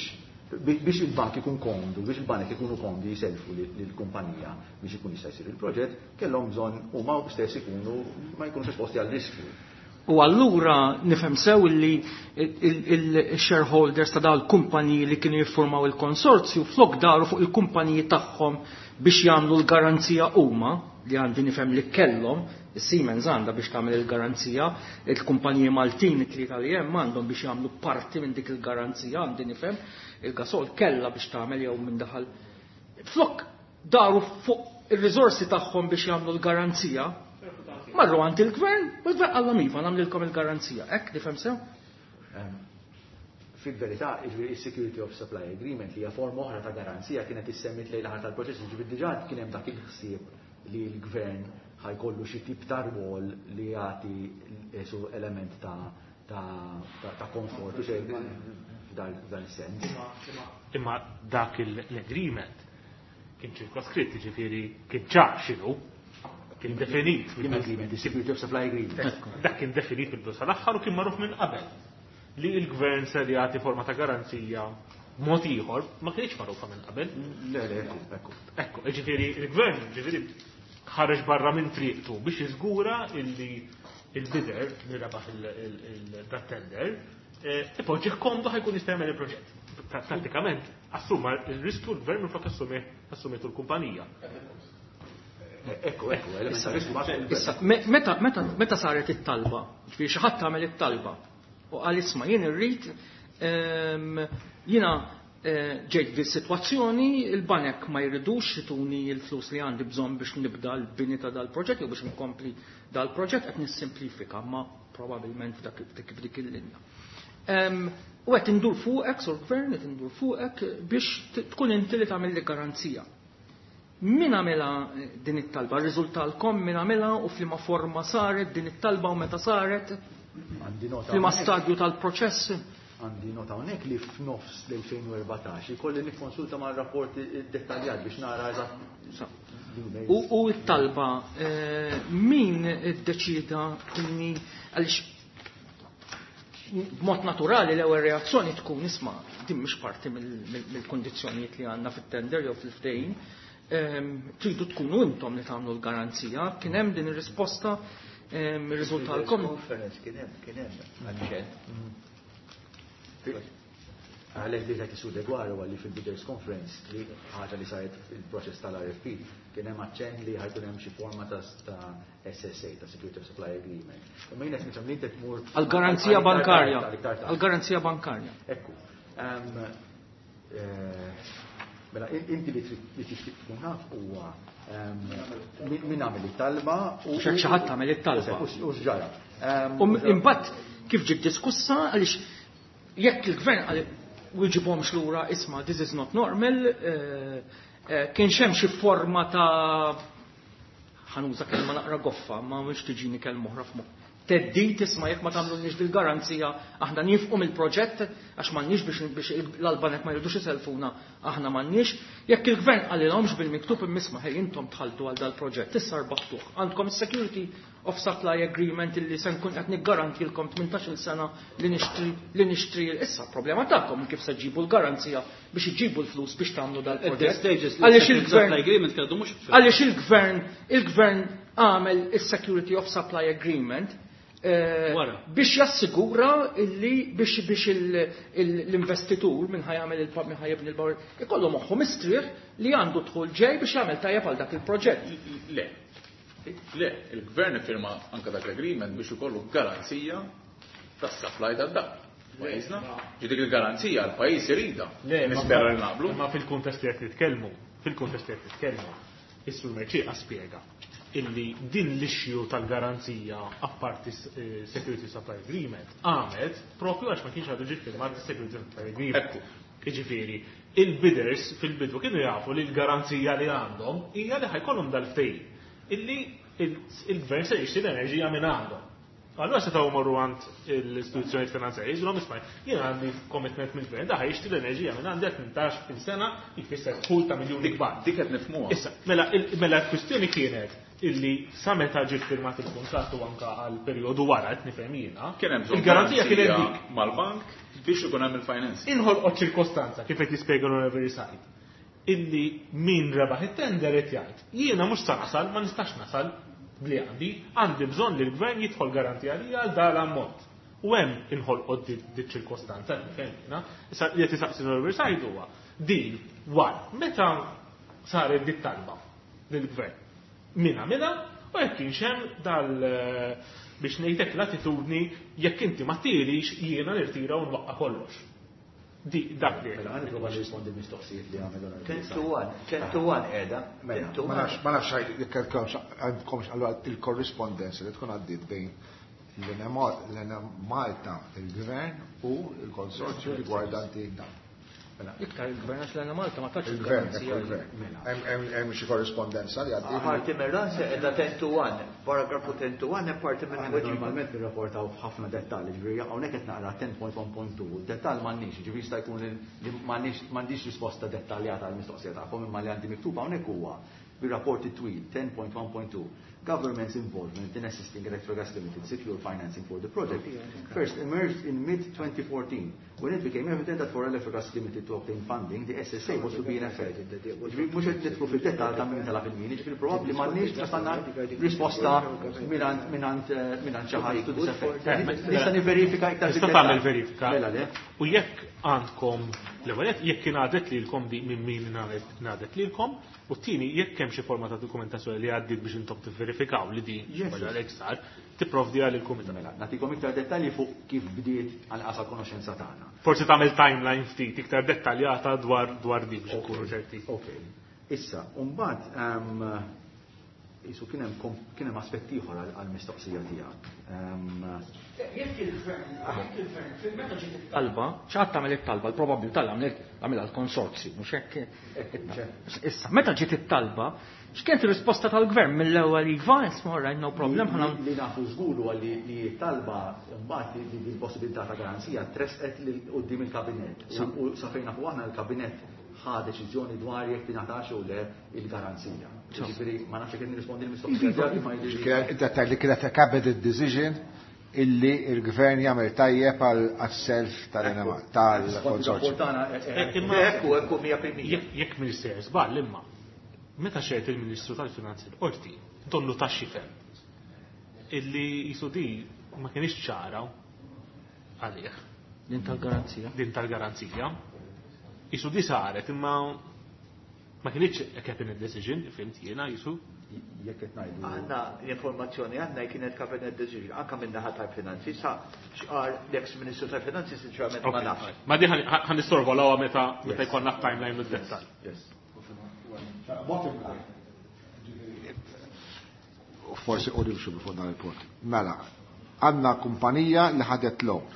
biex il-bank ikun komdu, biex il-banek ikunu komdu jiselfu lill-kumpanija biex ikun jista' jsir il-proġett, kellhom bżonn huma stess ikunu ma jkunux esposti għal riskju. U allura nifhem sew li il-shareholders ta' dawn il-kumpaniji li kienu jiffurmaw il-konsorzju flok daru fuq il-kumpaniji tagħhom biex jagħmlu l-garanzija huma, li għandi nifhem li kellhom, is-Siemens għandha biex tagħmel il-garanzija, il-kumpaniji Maltin it-tlieta li hemm għandhom biex jagħmlu parti minn dik il-garanzija, għandi nifhem, il-Gasol kellha biex tagħmel jew minn daħal. Flok daru fuq ir-riżorsi tagħhom biex jagħmlu l-garanzija, marru għand il-gvern, u l-gvern qallhom iva nagħmlilkom il-garanzija. Hekk nifhem sew? Fil-verità, il-Security of Supply Agreement li hija forma oħra ta' garanzija kienet issemmit lejn l-aħħar tal-proċess, ġifieri diġà kien hemm dak il-ħsieb li l-gvern ħajkollu xi tip ta' rwol li jagħti su element ta' ta' komfort u xejn f'dan is-sens. Imma dak l-agreement kien ċirkoskritt, ġifieri kien ċar x'inhu, kien definit. Kien agreement, the Security of Supply Agreement. Dak kien definit mill-bidu sal-aħħar u kien magħruf minn qabel li l-gvern se jagħti forma ta' garanzija mod ieħor ma kienx magħrufa minn qabel. Le, le, ekku, ekku. Ekku, ġifieri il-gvern ġifieri ħareġ barra minn triqtu biex jiżgura illi il-bidder li rebaħ il-tender ipoġġih komdu ħajkun jista' jagħmel il-proġett. Prattikament assuma il-riskju l-gvern minflok assumitu l-kumpanija. Ekku, ekku, issa, meta, meta, meta saret it-talba, ġifieri xi ħadd tagħmel it-talba u qal isma' jien irrid jiena ġejt di sitwazzjoni, il-banek ma jridux jituni l-flus li għandi bżonn biex nibda l-bini ta' dal-proġett jew biex nkompli dal-proġett, qed nissimplifika, ma probabbilment f'dak f'dik il-linja. U qed indur fuqek, sur gvern, qed indur fuqek biex tkun inti li tagħmel li garanzija. Min għamilha din it-talba? Riżultalkom min għamilha u f'liema forma saret din it-talba u meta saret? F'liema stadju tal-proċess? Għandi nota hawnhekk li f'nofs l-elfejn u erbatax ikolli nikkonsulta ma' rapport dettaljat biex nara eżatt. U t-talba min iddeċida inni għaliex B'mod naturali l-ewwel reazzjoni tkun isma' din mhix parti mill-kundizzjonijiet li għandna fit-tender jew fil-ftehim. Tridu tkunu intom li tagħmlu l-garanzija. Kien hemm din ir-risposta irriżultalkom? Conference kien hemm kien hemm aċċent. Għalek li qed isu degwar huwa li fil-Bidders Conference li ħaġa li saret il-proċess tal-R F P kien hemm aċċenn li ħa jkun hemm xi forma ta' S S A, ta' Security of Supply Agreement. Imma jien qed nifhem li inti tmur għal-garanzija bankarja. Għal-garanzija bankarja. Ekku. Mela, inti li tixtieq tkun naf huwa min għamel it-talba u xi ħadd għamel it-talba. U x'ġara. U imbagħad kif ġiet diskussa, għaliex jekk il-gvern għal wieġibhomx lura isma' this is not normal, eh, eh, kien hemm xi forma ta', ħa nuża kelma naqra goffa, ma mhux tiġini kelma oħra f'moħħ. Theddid, isma' jekk ma tagħmlulniex bil-garanzija aħna nieqfu mill-proġett għax m'għandniex biex biex l-banek ma jridux iselfuna, aħna m'għandniex. Jekk il-gvern qalilhomx bil-miktub imma ħej, intom dħaltu għal dal-proġett, issa rbaħtuh. Għandkom is-security of supply agreement illi se nkun qed niggarantilkom tmintax-il sena li nixtri li nixtri issa problema tagħkom kif se ġibu l-garanzija biex iġibu l-flus biex tagħmlu dal-proġett. Għaliex il-gvern għaliex il-gvern il-gvern għamel is-security of supply agreement eh, biex jassigura illi biex biex l-investitur minn ħa jagħmel il minn ħa jibni l-power ikollu moħħu mistrieħ li għandu dħul ġej biex jagħmel tajjeb għal dak il-proġett. Le, Le, il-gvern firma anka dak l-agreement biex ikollu garanzija tas-supply tad-dawl. Pajjiżna, ġi dik il-garanzija l-pajjiż irida. Nispera li naqblu. Ma fil-kuntest li qed nitkellmu, fil-kuntest li qed nitkellmu, is-Sur Mercieca spjega illi din l-issue tal-garanzija apparti eh, Security Supply Agreement għamet propju għax ma kienx għadu ġie firmat Security Supply Agreement. Iġifieri, il-bidders fil-bidu kienu jafu li l-garanzija li għandhom hija li ħa jkollhom dal-ftehim illi il-gvern se jixtri l-enerġija minn għandhom. Allora setgħu morru għand l-istituzzjonijiet finanzjarji, jgħidulhom isma', jien għandi commitment mill-gvern, da jixtri l-enerġija minn għandi tmintax-il sena, jfisser dħul ta' miljuni kbar. Dik qed nifhmuha. Issa, mela mela l-kwistjoni kienet illi sa meta ġie firmat il-kuntratt u anka għal perjodu wara qed nifhem jiena. Kien hemm bżonn Il-garanzija kienet dik. mal-bank biex ikun hemm il-financing. Inħolqot ċirkostanza kif qed jispjega l-Onorevoli Said illi min rebaħ it-tender qed jgħid jiena mhux sa nasal, ma nistax nasal bli għandi, għandi bżonn li l-gvern jidħol garantija li għal dal ammont. U hemm inħolqot di ċirkostanza, nifhem jiena. Issa li qed isaqsi l-Onorevoli Said huwa din wara meta saret dit talba lill-gvern. Min għamilha u jekk kienx hemm dal biex ngħidlek l-attitudni jekk inti ma tirix jiena nirtira u nwaqqa kollox. Di dak li. Mela, ħa nipprova nirrispondi l-mistoqsijiet li għamel l-Onorevoli ten Said. to one, ten to one qiegħda. Mela, ten to ma one. nafx ma nafx jekk għandkomx allura il-korrispondenza li tkun għaddiet bejn l-Enemalta, il-Gvern u il-konsorzju riguardanti dan. Mela, Iktar il-gvern għax l-Enemalta ma tatx il-Gvern, il-garanzija. ekku il-Gvern. Hemm- Hemm hemm xi korrispondenza li għaddiet. Parti mir-rasi qiegħda ten to one, paragrafu ten to one hemm parti minn Aħna tweġiba. normalment nirrapportaw f'ħafna dettalji, ġifieri hawnhekk qed naqra ten punt one punt two, dettall m'għandniex, ġifieri jista' jkun li m'għandniex m'għandix risposta dettaljata għall mistoqsija tagħkom, imma li għandi miktub hawnhekk huwa bir-rapporti twil ten punt one punt two. Government's involvement in assisting Electrogas Limited secure financing for the project first emerged in mid twenty fourteen when it became evident that for Electrogas Limited to obtain funding, the S S A was to be in effect. Ġifieri mhux qed nidħlu fid-dettall ta' min talab il-min, ġifieri probabbli m'għandniex tastanna risposta mingħand mingħand mingħand xi ħadd to this effect. Nista' niverifika iktar Tista' fid-dettall. tagħmel verifika. Mela le. U jekk għandkom l-ewwel nett, jekk ingħadet lilkom di minn min ingħadet lilkom, u t-tieni jekk hemm xi forma ta' dokumentazzjoni li għaddiet biex intom tivverifikaw li din Yes. wara l sar, tipprovdi għal il-kumitat. Mela, nagħtikom iktar dettalji fuq kif bdiet għal qasal konoxenza tagħna. Forsi tagħmel timeline ftit iktar dettaljata dwar dwar di biex nkunu ċerti. Ok. Issa, mbagħad ehm, isu kien hemm kom- kien hemm aspett ieħor għal- għall-mistoqsija tiegħek. Ehm, Jekk il-gvern, jekk il-gvern, meta ġiet it-talba, xi ħadd għamel it-talba, l-probabilità li għamlet għamilha l-konsorzju, mhux hekk? Issa, meta ġiet it-talba, x'kienet ir-risposta tal-gvern mill-ewwel iva, isma' all right, no problem, ħana Li li nafu żgur huwa li li t-talba mbagħad li li l-possibilità ta' garanzija tresqet lil quddiem il-kabinett. U u sa fejn nafu aħna l-kabinett ħa deċiżjoni dwar jekk tingħatax jew le il-garanzija. Ġifieri ma nafx jekk nirrispondi l-mistoqsija tiegħek imma jidhirli- Kienet li kienet a cabinet decision illi il-gvern jagħmel tajjeb għal self tal-konsorzju. Ekku, ekku, mija fil-mija. Jekk minister żball imma, meta xehed il-Ministru tal-Finanzi l-Qorti, donnu ta' xifem illi jisu di ma kienx ċara għalih. Din tal-garanzija. Din tal-garanzija. Jisu di saret imma ma kienx a cabinet decision, fhimt jiena jisu. Jekk qed ngħidu. Aħna l-informazzjoni għandna kienet cabinet decision, anka minn naħa tal-finanzi, sa x'qal l-ex Ministru tal-Finanzi sinċerament ma nafx. Ma di ħa nissorvolawha meta meta jkollna timeline mid-dettall. Yes. Bottom line. Forsi u nimxu fuq dan il-punt. Mela, għandna kumpanija li ħadet loan.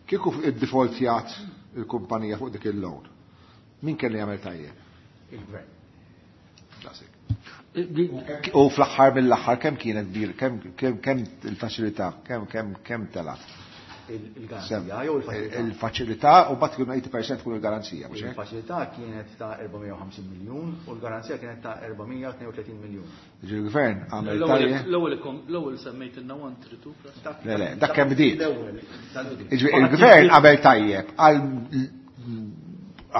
Kieku id-defaultjat il-kumpanija fuq dik il-loan, min kelli jagħmel tajjeb? Il-gvern. Daqshekk. U fl-aħħar mill-aħħar kemm kienet kbir, kemm kemm kemm il-faċilità, kemm kemm kemm telat? Il-garanzija jew il-faċilità? Il-faċilità u bat kienu tmenin fil-mija tkun il-garanzija, mhux hekk? Il-faċilità kienet ta' erba' mija u ħamsin miljun u l-garanzija kienet ta' erba' mija u tnejn u tletin miljun. Ġi l-gvern għamel tajjeb. L-ewwel l-ewwel semmejt ilna one three two plus. Le, le, dak kemm bdiet. L-ewwel tal-bidu. Jiġifieri il-gvern għamel tajjeb għal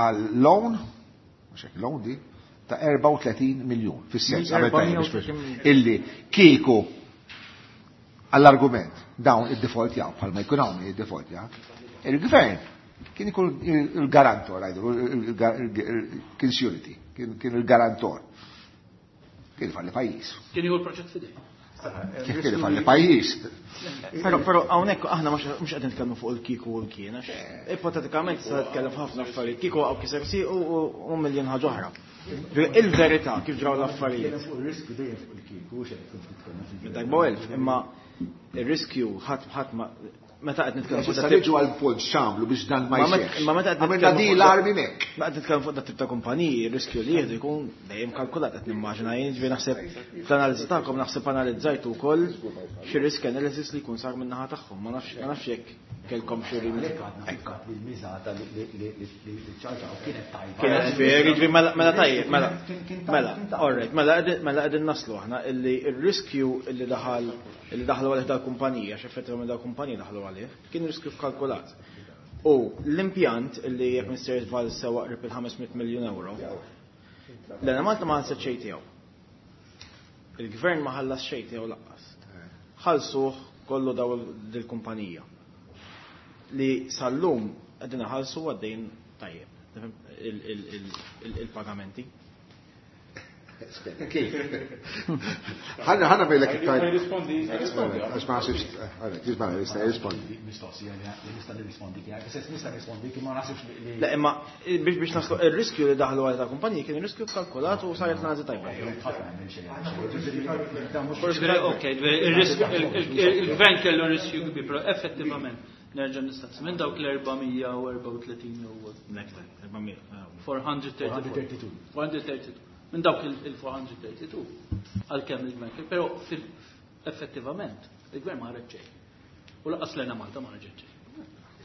għal loan, mhux hekk loan di, ta' erbgħa u tletin miljun, fis-sens għamel tajjeb erba' mija u tletin miljun. Illi kieku għall-argument dawn id-default jaw, bħalma jkun hawn id-default jaw, il-gvern kien ikun il-garantor, għajdu, kien surety, kien kien il-garantor. Kien falli pajjiż. Kien jieħu l-proġett f'idejh. Kif kien falli pajjiż? Però però hawnhekk aħna mhux mhux qed nitkellmu fuq il-kieku u l-kien, għax ipotetikament se nitkellem f'ħafna affarijiet. Kieku għaw kiser si u u miljon ħaġa oħra. Il-verità kif ġraw l-affarijiet. Fuq il-riskju dejjem fuq il-kieku, xejn kif nitkellmu fil- Darba elf, imma il-riskju ħadd ħadd ma meta qed nitkellmu fuq Issa dat tip- niġu għal punt x'għamlu biex dan ma Ma met- jseħħx. ma meta qed Għamilna nitkellmu di fuq l-armi mek. Ma qed nitkellmu fuq dat tip ta' kumpaniji, il-riskju li jieħdu jkun dejjem kalkulat qed nimmaġina jien, ġifieri naħseb fl-analiżi tagħkom naħseb analizzajtu wkoll xi risk analysis li jkun sar min-naħa tagħhom. Ma nafx ma nafx jekk kellkom xi rimedi. Għalhekk għadna fil-fatt li l-miżata li li li li ċarġaw kienet tajba. Kienet fair, jiġifieri mela mela tajjeb, mela. Kien- kien tajba, Mela, kien tajba. all right, mela qegħdin mela qegħdin naslu aħna illi ir-riskju illi daħal illi daħlu għalih dal-kumpanija, għax effettivament dal-kumpanija daħlu għalih, kien riskju kalkulat. U l-impjant illi jekk Mister Val sewa qrib il-ħames mitt miljun euro, l-Enemalta ma ħallset xejn tiegħu. Il-gvern ma ħallas xejn tiegħu lanqas. Ħallsuh kollu daw dil-kumpanija. Li sal-lum qegħdin ħallsu għaddejn tajjeb il- il- il- il- il-pagamenti. Kif? Ħanna ħanna bejlek iktar. Rispondi, rispondi. Għax ma nasibx, għalek, jisma' jista' jirrispondi. Mistoqsija li nista' nirrispondi kien, fis nista' nirrispondi kien ma naħsibx li Le, imma biex biex naslu il-riskju li daħlu għal ta' kumpaniji kien riskju kalkulat u saret l-analiżi tajba. Ħadd ma jagħmel xejn. Ġifieri, dan mhux Ġifieri, ok, ġifieri, il-risk- il- il- il-gvern kellu riskju kbir, però effettivament nerġa' nistaqsi minn dawk l-erba' mija u erbgħa u tletin u Next time, erba' mija. erba' mija u tlieta u erbgħin. erba' mija u tlieta u erbgħin. Minn dawk il-erba' mija u tlieta u erbgħin għalkemm il-gvern kellu, però fil- effettivament il-gvern ma ħareġ xejn. U lanqas l-Enemalta ma ħarġet xejn.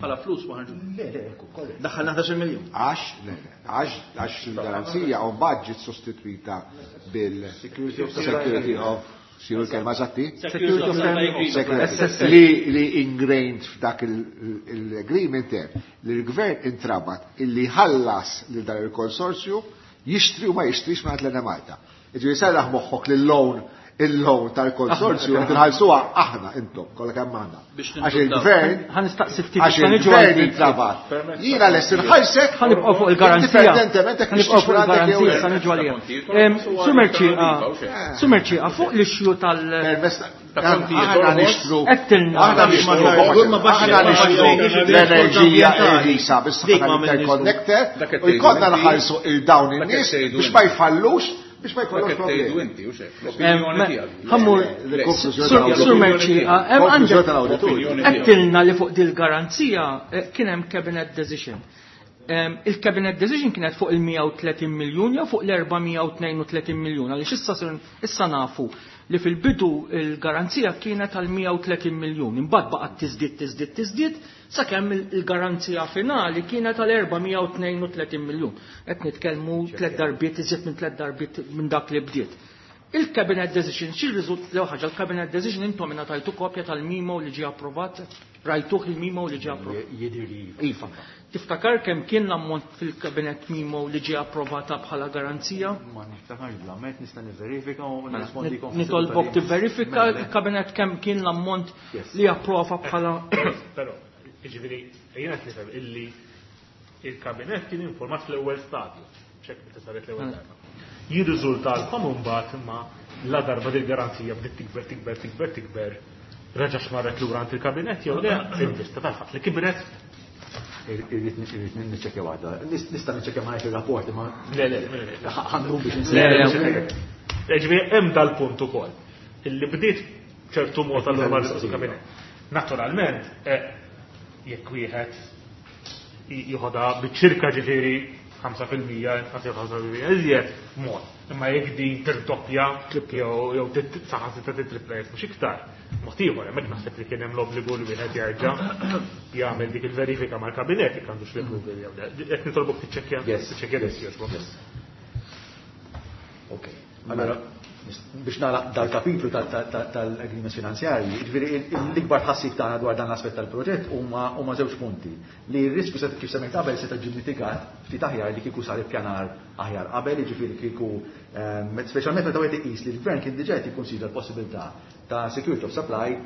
Bħala flus ma ħarġu. Le, le, ekku, korrett. Daħħalna ħdax-il miljun. Għax, le, le, għax, għax il-garanzija u mbagħad ġiet sostitwita bil-Security of Security of x'inhu l-kelma eżatti? Security of Supply Agreement. Security. Li, li ingrained f'dak il-agreement hemm li l-gvern intrabat illi ħallas lil dan il-konsorzju jixtri u ma jixtrix ma l Malta. Ġifieri serraħ moħħok li l-loan il-loan tal-konsorzju qed inħallsuha aħna intom kollha kemm aħna. Biex Għax nintuddaw. il-gvern Ħa nistaqsi ftit għax issa niġu il-gvern għal dik. intrabat. Jiena lest inħallsek Ħa nibqgħu fuq il-garanzija. Indipendentement jekk Ħa nibqgħu fuq nixtrix minn għandek jew il-garanzija le. sa niġu għalija. Em, Sur Mercieca, Sur Mercieca, fuq l-issue tal- Permess Ta' kontijiet aħna orħos. nixtru Għedtilna. aħna nixtru Ma baxx- aħna nixtru l-enerġija irħisa Dik bis-saħħa ma għamilniex. interconnector Dak qed u jkollna tgħidu inti. nħallsu il-dawn Dak qed in-nies tgħidu biex ma inti. jfallux biex ma Dak jkollhomx qed tgħidu problemi. inti, u xek, l-opinjoni Em, tiegħek. Ħa mmur, L-konklużjoni Sur tal-awditur. Sur Mercieca, em Konklużjoni għandek tal-awditur. Opinjoni tiegħek. Għedtilna li fuq dil-garanzija eh, kien hemm cabinet decision. Em, Il-cabinet decision kienet fuq il-mija u tletin miljun jew fuq l-erba' mija u tnejn u tletin miljun, għaliex issa sir- issa nafu li fil-bidu il-garanzija kienet għal mija u tletin miljun, imbagħad baqgħet tiżdied tiżdied tiżdied sakemm il- il-garanzija finali kienet għal erba' mija u tnejn u tletin miljun. Qed nitkellmu tliet darbiet iżjed minn tliet darbiet minn dak li bdiet. Il-cabinet decision, xi riżult l ħaġa, il-cabinet decision intom ingħatajtu kopja tal-memo li ġie approvat, rajtuh il-memo li ġie approvat. Jidher li Iva. Tiftakar kemm kien l-ammont fil-cabinet memo li ġie approvata bħala garanzija? Ma niftakarx bl-ammont, nista' nivverifika u Mela, nirrispondikom. Nitolbok tivverifika il-kabinet kemm kien l-ammont li approva bħala Però, jiġifieri, jiena qed nifhem illi il-kabinet kien informat fl-ewwel stadju, ċek meta saret l-ewwel darba. Jirriżultalkom imbagħad imma la darba dil-garanzija bdiet tikber, tikber, tikber, tikber, reġax marret lura għand il-kabinet jew le, in vista tal-fatt li kibret. Irrid niċċekkja waħda. Nista' niċċekkja ma ir-rapport imma Le, le, le, le. ħandu biex Le, le. Ġifieri hemm dal-punt ukoll. Illi bdiet ċertu mod allura marret il-kabinet. Naturalment, eh, jekk wieħed jieħodha biċ-ċirka ġifieri ħamsa fil-mija, inqas jew ħamsa fil-mija iżjed mod. Imma jekk din tirdoppja jew jew saħansitra titripla jekk mhux iktar. Mod ieħor hemmhekk naħseb li kien hemm l-obbligu li wieħed jerġa' jagħmel dik il-verifika mal-kabinet jekk għandux l-approval jew le. Qed nitolbok tiċċekkja Yes. tiċċekkja Yes. jogħġbok. Yes. Ok. Allora, biex nagħlaq dal-kapitlu tal-agreements finanzjarji, ġifieri l-ikbar tħassib tagħna dwar dan l-aspett tal-proġett huma huma żewġ punti. Li r-riskju se kif semmejt qabel se ġie mitigat ftit aħjar li kieku sar ippjanar aħjar qabel, jiġifieri kieku ehm, speċjalment meta wieħed iqis li l-gvern kien diġà qed jikkonsidra l-possibilità ta' security of supply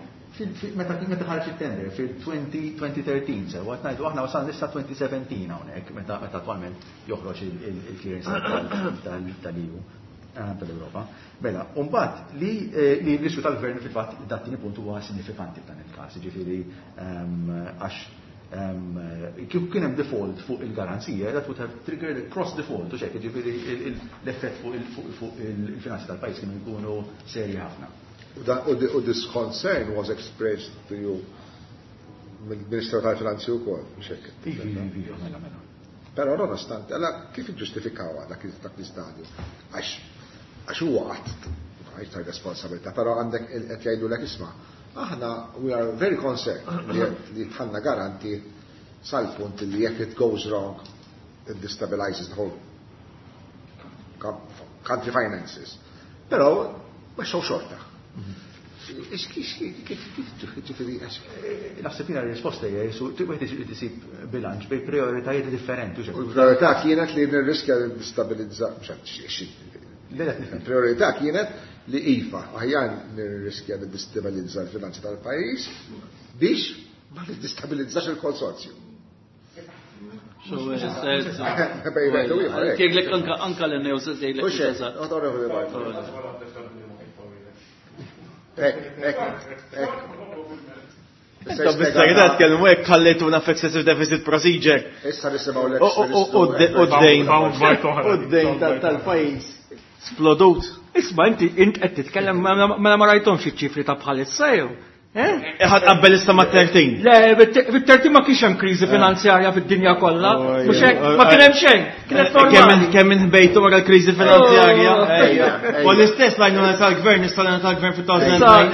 meta meta ħareġ it-tender fil-elfejn u tlettax, sewa qed ngħidu aħna wasalna issa elfejn u sbatax hawnhekk meta meta attwalment joħroġ il-clearance tal-E U, eh, tal-Europa. Mela, mbagħad li eh, li l-riskju tal-gvern fil-fatt dat-tieni punt huwa sinifikanti f'dan il-każ, jiġifieri ehm, għax ehm, kif kien hemm default fuq il-garanzija, that would have triggered a cross default, u xek, jiġifieri l-effett fuq il-finanzi tal-pajjiż kienu jkunu serji ħafna. U this concern was expressed to you mill-Ministru tal-Finanzi wkoll, xek. Ivi, ivi, mela, mela. Però nonostante, allora kif iġġustifikawha dak dak l-istadju? Għax għax huwa qatt ta' responsabilità, però għandek qed jgħidulek isma', aħna we are very concerned li dħalna garanti sal-punt li jekk it goes wrong, it destabilizes the whole country finances. Però ma xew xorta. Kif ġifieri Naħseb jiena r-risposta hija jisu wieħed irid isib bilanċ bejn prioritajiet differenti. U l-priorità kienet li nirriskja li destabilizza, il-priorità kienet li iva, aħjar nirriskja li destabilizza l-finanzi tal-pajjiż biex ma nidestabilizzax il-konsorzju. Jgħidlek anka anka l-news jgħidlek. Ek, ek, ek. Intom bis-serjetà tkellmu hekk ħallejtuna f'excessive deficit procedure. Issa nisimgħu l U d-dejn. U d-dejn tal-pajjiż. Splodut. Isma' inti int qed titkellem mela ma rajthomx iċ-ċifri ta' bħalissa jew. Ħadd qabel issa ma' tlettax. Le, bit-tlettax ma kienx hemm kriżi finanzjarja fid-dinja kollha. Mhux hekk, ma kien hemm xejn. Kienet normali. Kemm inħbejtu wara l-kriżi finanzjarja. U l-istess l-għajnuna tal-gvern, issa l-għajnuna tal-gvern fit-elfejn u tnejn.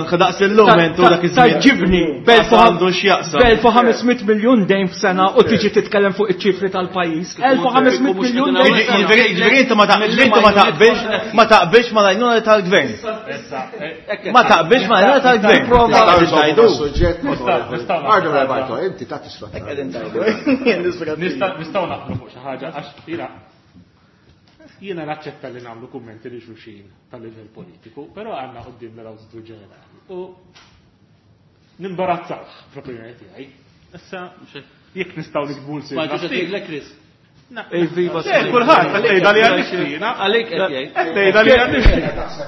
Ħa daqs illum intu dak iż-żmien. Ġibni, għandu x'jaqsam. B'elf u ħames mitt miljun dejn f'sena u tiġi titkellem fuq iċ-ċifri tal-pajjiż. elf u ħames mitt miljun dejn f'sena. Ġifieri inti ma taqbilx ma taqbilx ma l-għajnuna tal-gvern. Ma taqbilx ma l-għajnuna tal-gvern. Ardu, inti ta' tisfa. Nistgħu naqblu fuq xi ħaġa għax jiena jiena naċċetta li nagħmlu kummenti li xulxin tal-livell politiku, però għandna quddiem l-Awditur Ġenerali. U nimbarazzaw fl-opinjoni tiegħi. Issa jekk nistgħu nikbu l Ma ġux Chris. Viva. Kulħadd tgħidha li għandif Għalik qed jgħid. Tgħidha li għandif.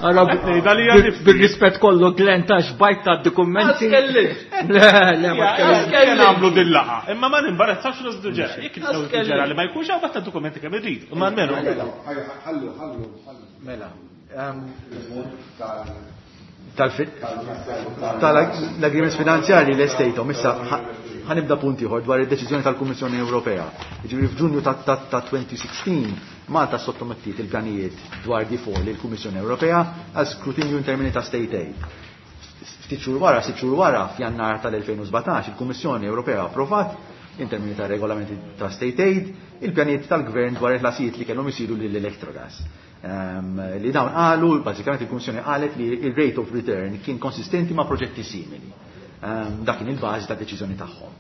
Tgħidha li għandif. Bil-rispett kollu Glenn tax bajt ta' dokumenti. Le, le, ma tkellimx. Nagħmlu din-laqgħa. Imma ma nimbarazzax l-Awditur Ġenerali. Jekk l-Awditur Ġenerali ma jkunx hawn ta' dokumenti kemm irrid. Imma almenu. Ħallu, ħallu, ħallu. Mela. Tal-agreements finanzjarji l-estejtom, issa ħa nibda punt ieħor dwar id-deċiżjoni tal-Kummissjoni Ewropea. Jiġifieri f'Ġunju ta' elfejn u sittax Malta sottomettiet il-pjanijiet dwar D four lill-Kummissjoni Ewropea għal skrutinju in termini ta' state aid. Ftit xhur wara, sitt xhur wara, f'Jannar tal-elfejn u sbatax, il-Kummissjoni Ewropea approvat in termini ta' regolamenti ta' state aid, il-pjanijiet tal-gvern dwar il-ħlasijiet li kellhom isiru lill-Electrogas. Um, li dawn qalu, bażikament il-Kummissjoni qalet li il-rate of return kien konsistenti ma' proġetti simili. Um, dak kien il-bażi ta' deċiżjoni tagħhom.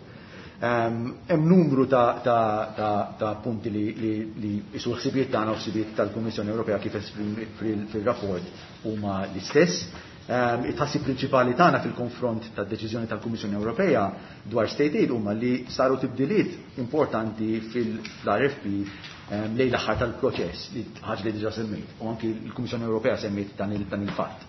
Hemm numru ta', ta, ta, ta punti li, li, li isu l-ħsibijiet tagħna u ħsibijiet tal-Kummissjoni Ewropea kif esprimi fil-rapport huma l-istess. Um, It-tħassib prinċipali tagħna fil-konfront tad-deċiżjoni tal-Kummissjoni Ewropea dwar state aid huma li saru tibdiliet importanti fil-R F P um, lejn l-aħħar tal-proċess, li ħaġa li diġà semmejt, u anki l-Kummissjoni Ewropea semmejt dan il-fatt.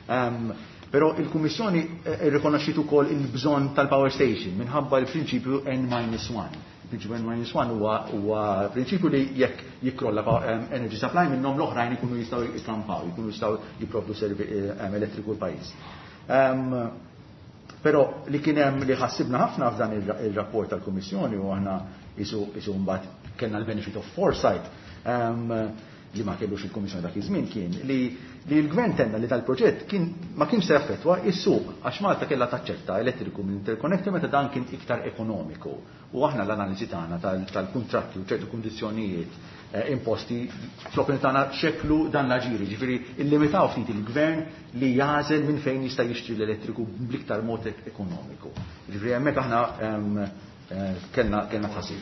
Um, Però il-Kummissjoni rrikonoxxiet ukoll il-bżonn tal-power station minħabba l-prinċipju N minus one. Il-prinċipju N minus one huwa huwa prinċipju li jekk jikkrolla energy supply minnhom, l-oħrajn ikunu jistgħu jikampaw, jkunu jistgħu jipprovdu elettriku l-pajjiż. Però li kien hemm li ħassibna ħafna f'dan il-rapport tal-Kummissjoni, u aħna isu isu mbagħad kellna l-benefit of foresight li ma kellux il-Kummissjoni dak iż-żmien, kien li li l-gvern tenna li tal-proġett kien ma kienx se jaffettwa is-suq għax Malta kellha taċċetta elettriku minn interconnector meta dan kien iktar ekonomiku. U aħna l-analiżi tagħna tal-kuntratti u ċertu kundizzjonijiet eh, imposti fl-opinjoni tagħna xeklu dan l-aġiri, ġifieri illimitaw ftit il-gvern li jagħżel minn fejn jista' jixtri l-elettriku bl-iktar mod ekonomiku. Ġifieri hemmhekk aħna eh, kellna kellna tħassib.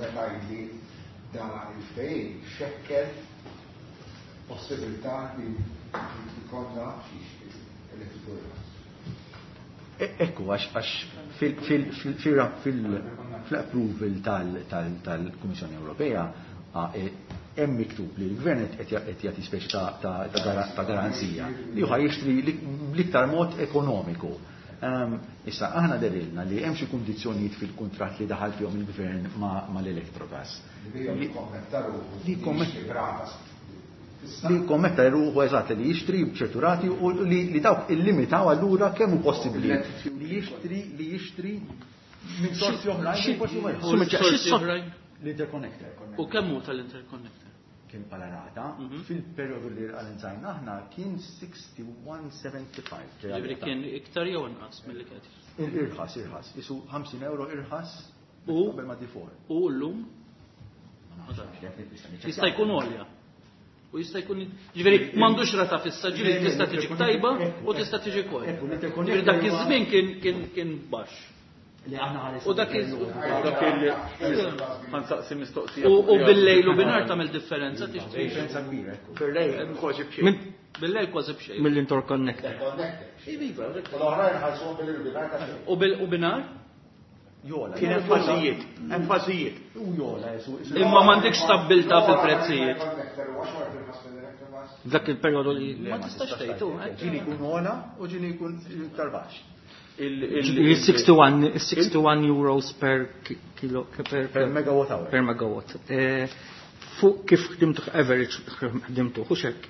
Li dan il-ftehim xekkel possibilità li jkollna elettriku. Ekku, għax għax fil-approval tal-Kummissjoni Ewropea hemm miktub li l-gvern qed jagħti speċi ta' garanzija li huwa jixtri l-iktar mod ekonomiku. Issa, aħna dehrilna li hemm xi kundizzjonijiet fil-kuntratt li daħal fihom il-gvern mal-Electrogas. Li Li kommetta ruħu, eżatt, li jixtri b'ċertu rati u li dawk illimitaw allura kemm hu possibbli li jixtri li jixtri minn sorsi oħrajn. L-interconnector. U kemm hu tal-interconnector? Kien bħala rata, fil-periodu li analizzajna aħna kien wieħed u sittax punt ħamsa ħamsa. Ġifieri kien iktar jew inqas milli kien? Irħas, irħas. Isu ħamsin euro irħas U qabel ma D four. U llum? Jista' jkun għolja. U jista' jkun, ġifieri m'għandux rata fissa, ġifieri tista' tiġi tajba u tista' tiġi kol. Ġifieri dak iż-żmien kien kien kien baxx. Li aħna ħares. U dak iż Dak il ħa nsaqsi mistoqsija. U bil-lejl u binhar tagħmel differenza tixtri. Differenza kbira. Bil-lejl kważi b'xejn. Bil-lejl kważi b'xejn. Mill-interconnector. L-oħrajn ħalsuhom bil-binhar ta' xejn. U bil u binhar? Jola. Kien hemm fażijiet, hemm fażijiet. U jola, jesu. Imma m'għandekx stabbiltà fil-prezzijiet. Dak il-perjodu li Ma tistax tgħidu. Ġieli jkun ogħla u ġieli jkun iktar baxx. sixty-one sixty-one euros per kilo per, per megawatt hour. Per megawatt. Eh, fuq kif ħdimtu average ħdimtu, hux hekk?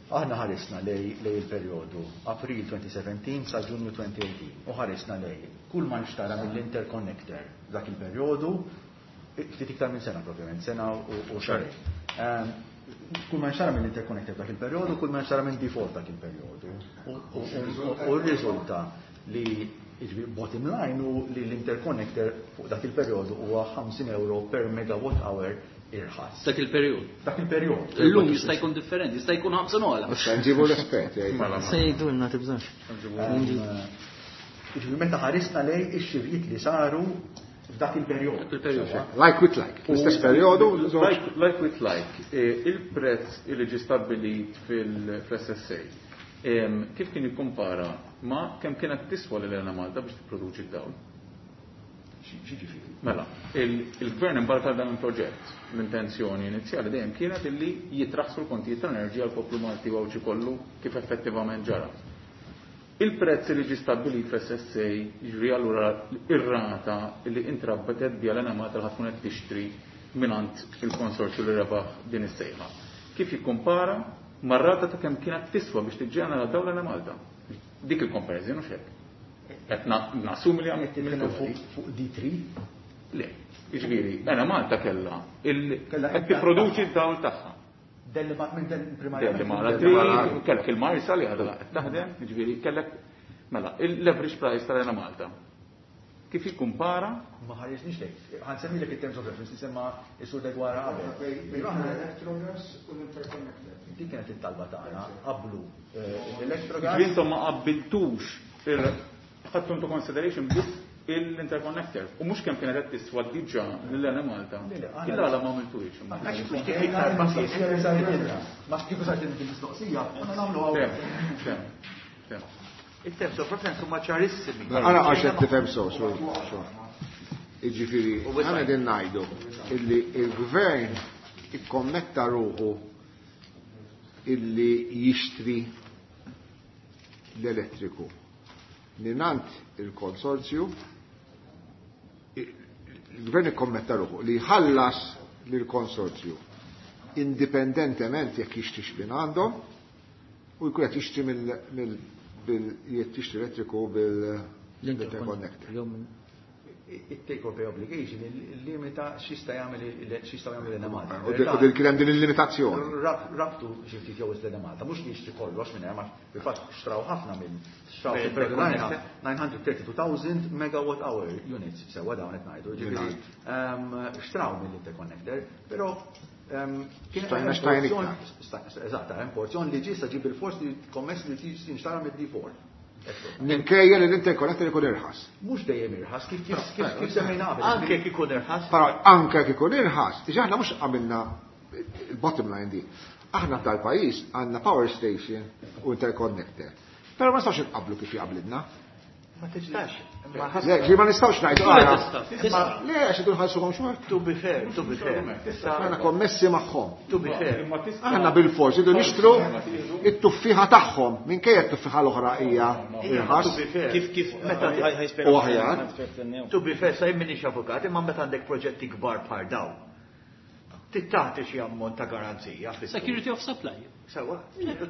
Aħna ħarisna lej lej il-perjodu April elfejn u sbatax sa Ġunju elfejn u tmintax u ħarisna lej kull ma nxtara mill-interconnector dak il-perjodu, ftit iktar minn sena propjament, sena u xahrejn. Ehm, kull ma nxtara mill-interconnector dak il-perjodu, kull ma nxtara minn D four dak il-perjodu. U r-riżulta li, jiġifieri, bottom line u li l-interconnector fuq dak il-perjodu huwa ħamsin euro per megawatt hour irħas. Dak il-perjodu. Dak il-perjodu. Illum jista' jkun differenti, jista' jkun ħamsin ogħla. Nġibu l-esperti. Se jgħidulna, tibżax. Jiġifieri meta ħarisna lej ix-xirjiet li saru f'dak il-perjodu. Il-perjodu. Like with like. L-istess perjodu. Like, like with like, eh, il-prezz li ġi stabbilit fil-S S A, kif kien jikkumpara ma kemm kienet tiswa lil Malta biex tipproduċi d-dawl? X'jiġifieri? Mela, il-gvern imbarka dan il-proġett. L-intenzjoni inizjali dejjem kienet illi jitraħsu l-kontijiet tal-enerġija għal poplu Malti u Għawdxi kollu, kif effettivament ġara. Il-prezz li ġi stabbilit fl-S S A, ġifieri allura ir-rata li intrabatet biha l-Enemalta li tkun qed tixtri mingħand il-konsorzju li rebaħ din is-sejħa, kif jikkumpara mar-rata ta' kemm kienet tiswa biex tiġġenera dawl l-Enemalta? Dik il-comparison, u hekk? Qed nassumi li għamilt fuq D three? Le, jiġifieri, Enemalta kellha qed tipproduċi d-dawl tagħha. Delli minn del primarjament. Delli kellek il-Marsa li għadha qed taħdem, jiġifieri kellek Mela, l-average price tal-Enemalta. Kif jikkumpara? Ma ħarisniex lejk. Ħa nsemmilek it-terms of reference li semma s-sur Deguara qabel. L-Electrogas u l-Interconnector. Dik kienet it-talba tagħna qablu l-Electrogas. Ġifieri intom ma qabbiltux ħadtu into consideration biss l-interconnector. U mhux kemm kienet qed tiswa diġà lill-Enemalta. Illa għala ma għamiltuhiex. Ma kieku sart il-mistoqsija, konna nagħmlu hawn. Il-terms of reference huma ċarissimi. Għara għax qed tifhem so, so, so. Jiġifieri, aħna din ngħidu illi il-gvern ikkommetta ruħu illi jixtri l-elettriku. Mingħand il-konsorzju, il-gvern ikkommetta ruħu li jħallas lill-konsorzju indipendentement jekk jixtrix minn għandhom u jkun qed jixtri mill bil jixtri elettriku bil-interconnector. Il-take or pay obligation il-limita x'jista' jagħmel x'jista' jagħmel l-Enemalta. U dil kien hemm din il-limitazzjoni. Rabtu xi ftit jew l-Enemalta, mhux li jixtri kollox minn hemm, fil-fatt xtraw ħafna minn xtraw nine hundred thirty-two thousand megawatt hour units sewwa dawn qed ngħidu. Ġifieri xtraw mill-interconnector, però kien Stajna hemm xtajn porzjon, iktar. eżatt, hemm porzjon li ġie sa ġib il-fors li kommess li jinxtara mid-D four. Minkejja li l-interconnector ikun irħas. Mhux dejjem irħas, kif, kif, kif, kif semmejna qabel. Anke jekk ikun irħas. Però anke jekk ikun irħas, diġà aħna mhux għamilna il-bottom line di. Aħna tal-pajjiż għandna power station u interconnector. Però ma nistgħux inqablu kif jaqblilna. Ma tistax. Le, ġi ma nistgħux ngħidu, Ma ara. tista', tista'. Le, għax idu nħallsuhom xorta. To be fair, to be fair. Aħna kommessi magħhom. To be fair. Aħna bil-fors idu nixtru it-tuffiħa tagħhom, minkejja t-tuffiħa l-oħra hija irħas. To be fair. Kif, kif, Meta ħaj, ħaj spjega U aħjar. To be fair, sa jien m'iniex avukat, imma meta għandek proġetti kbar bħal dawn. Tittati xi ammont ta' garanzija fis-suq. Security of supply. Sewa,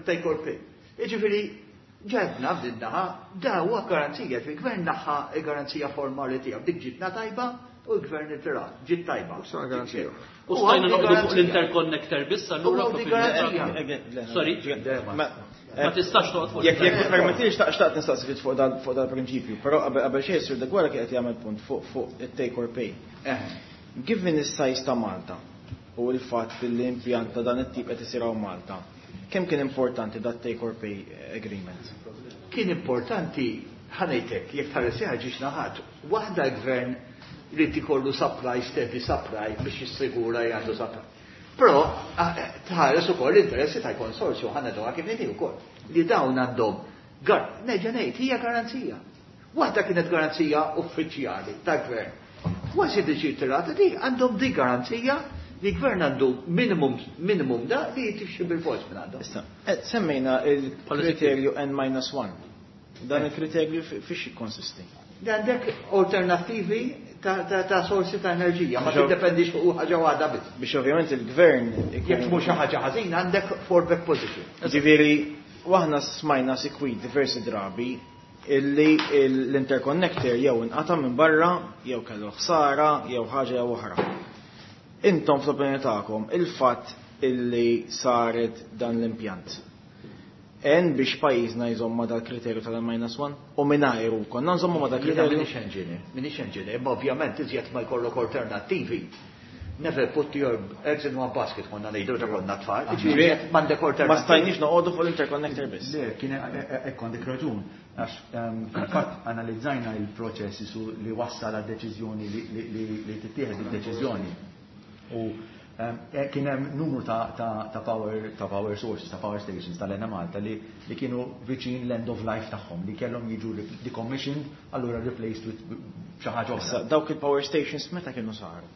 take or pay. Jiġifieri, ġebna f'din naħa, da huwa garanzija, ġifieri gvern naħa garanzija formali tiegħu, dik ġitna tajba u l-gvern irtirat, ġiet tajba. U sa garanzija. U stajna U għandi noqogħdu fuq garanzija. l-interconnector biss, allura U għandi propju garanzija. l-interconnector. Sorry. Ma Ma tistax toqgħod fuq Jekk jekk l-interconnector. permettili xtaqt xtaqt nistaqsi ftit fuq dal fuq dal-prinċipju, però qabel qabel xejn Sur Deguara kien qed jagħmel punt fuq fuq it-take or pay. Eh. Given is-size ta' Malta u l-fatt li l-impjant ta' dan it-tip qed isir hawn Malta, kemm kien importanti dat take or pay agreement? Kien importanti, ħanejtek, jekk tħares ġiex naħat, waħda l-gvern li ikollu supply, steady supply biex jissigura jgħandu supply. Però tħares ukoll l-interessi tal-konsorzju ħana dwar kif ngħidu wkoll li dawn għandhom gar-, nerġa' ngħid hija garanzija. Waħda kienet garanzija uffiċjali tal-gvern. Kważi diġi tirata di għandhom di garanzija li gvern għandu minimum, minimum da li jitixxi bil-fors minn għandhom. Issa, eh, semmejna il-kriterju N minus one. Dan il-kriterju fi-, fiex jikkonsisti? Li għandek alternattivi ta', ta', ta' sorsi ta' enerġija, ma Biex ov- tiddependix fuq ħaġa waħda biss. Biex ovvjament il-gvern ikun Jekk mhux xi ħaġa ħażina għandek fallback position. Ġifieri, waħna smajna sikwit diversi drabi illi l-interconnector jew inqata' minn barra, jew kellu ħsara, jew ħaġa jew oħra. Intom fl-opinjoni tagħkom il-fatt illi saret dan l-impjant. En biex pajjiżna jżomm ma dal-kriterju tal-N minus one u mingħajru konna nżommu ma dal-kriterju. Jiena m'iniex engineer, m'iniex engineer, imma ovvjament iżjed ma jkollok alternattivi. Never put your eggs in one basket, konna ngħidu ta' konna tfal. Ġifieri, m'għandek alternattivi. Ma stajniex noqogħdu fuq l-interconnector biss. Le, kien hekk għandek raġun, għax, ehm, fil-fatt analizzajna il-proċess su li wassal għad-deċiżjoni li, li, li, li tittieħed id-deċiżjoni. U, ehm, eh, kien hemm numru ta', ta', ta' power, ta' power sources, ta' power stations tal-Enemalta li, li kienu viċin l-end of life tagħhom, li kellhom jiġu decommissioned, allura replaced with xi ħaġa oħra. Issa, dawk il-power stations meta kienu saru?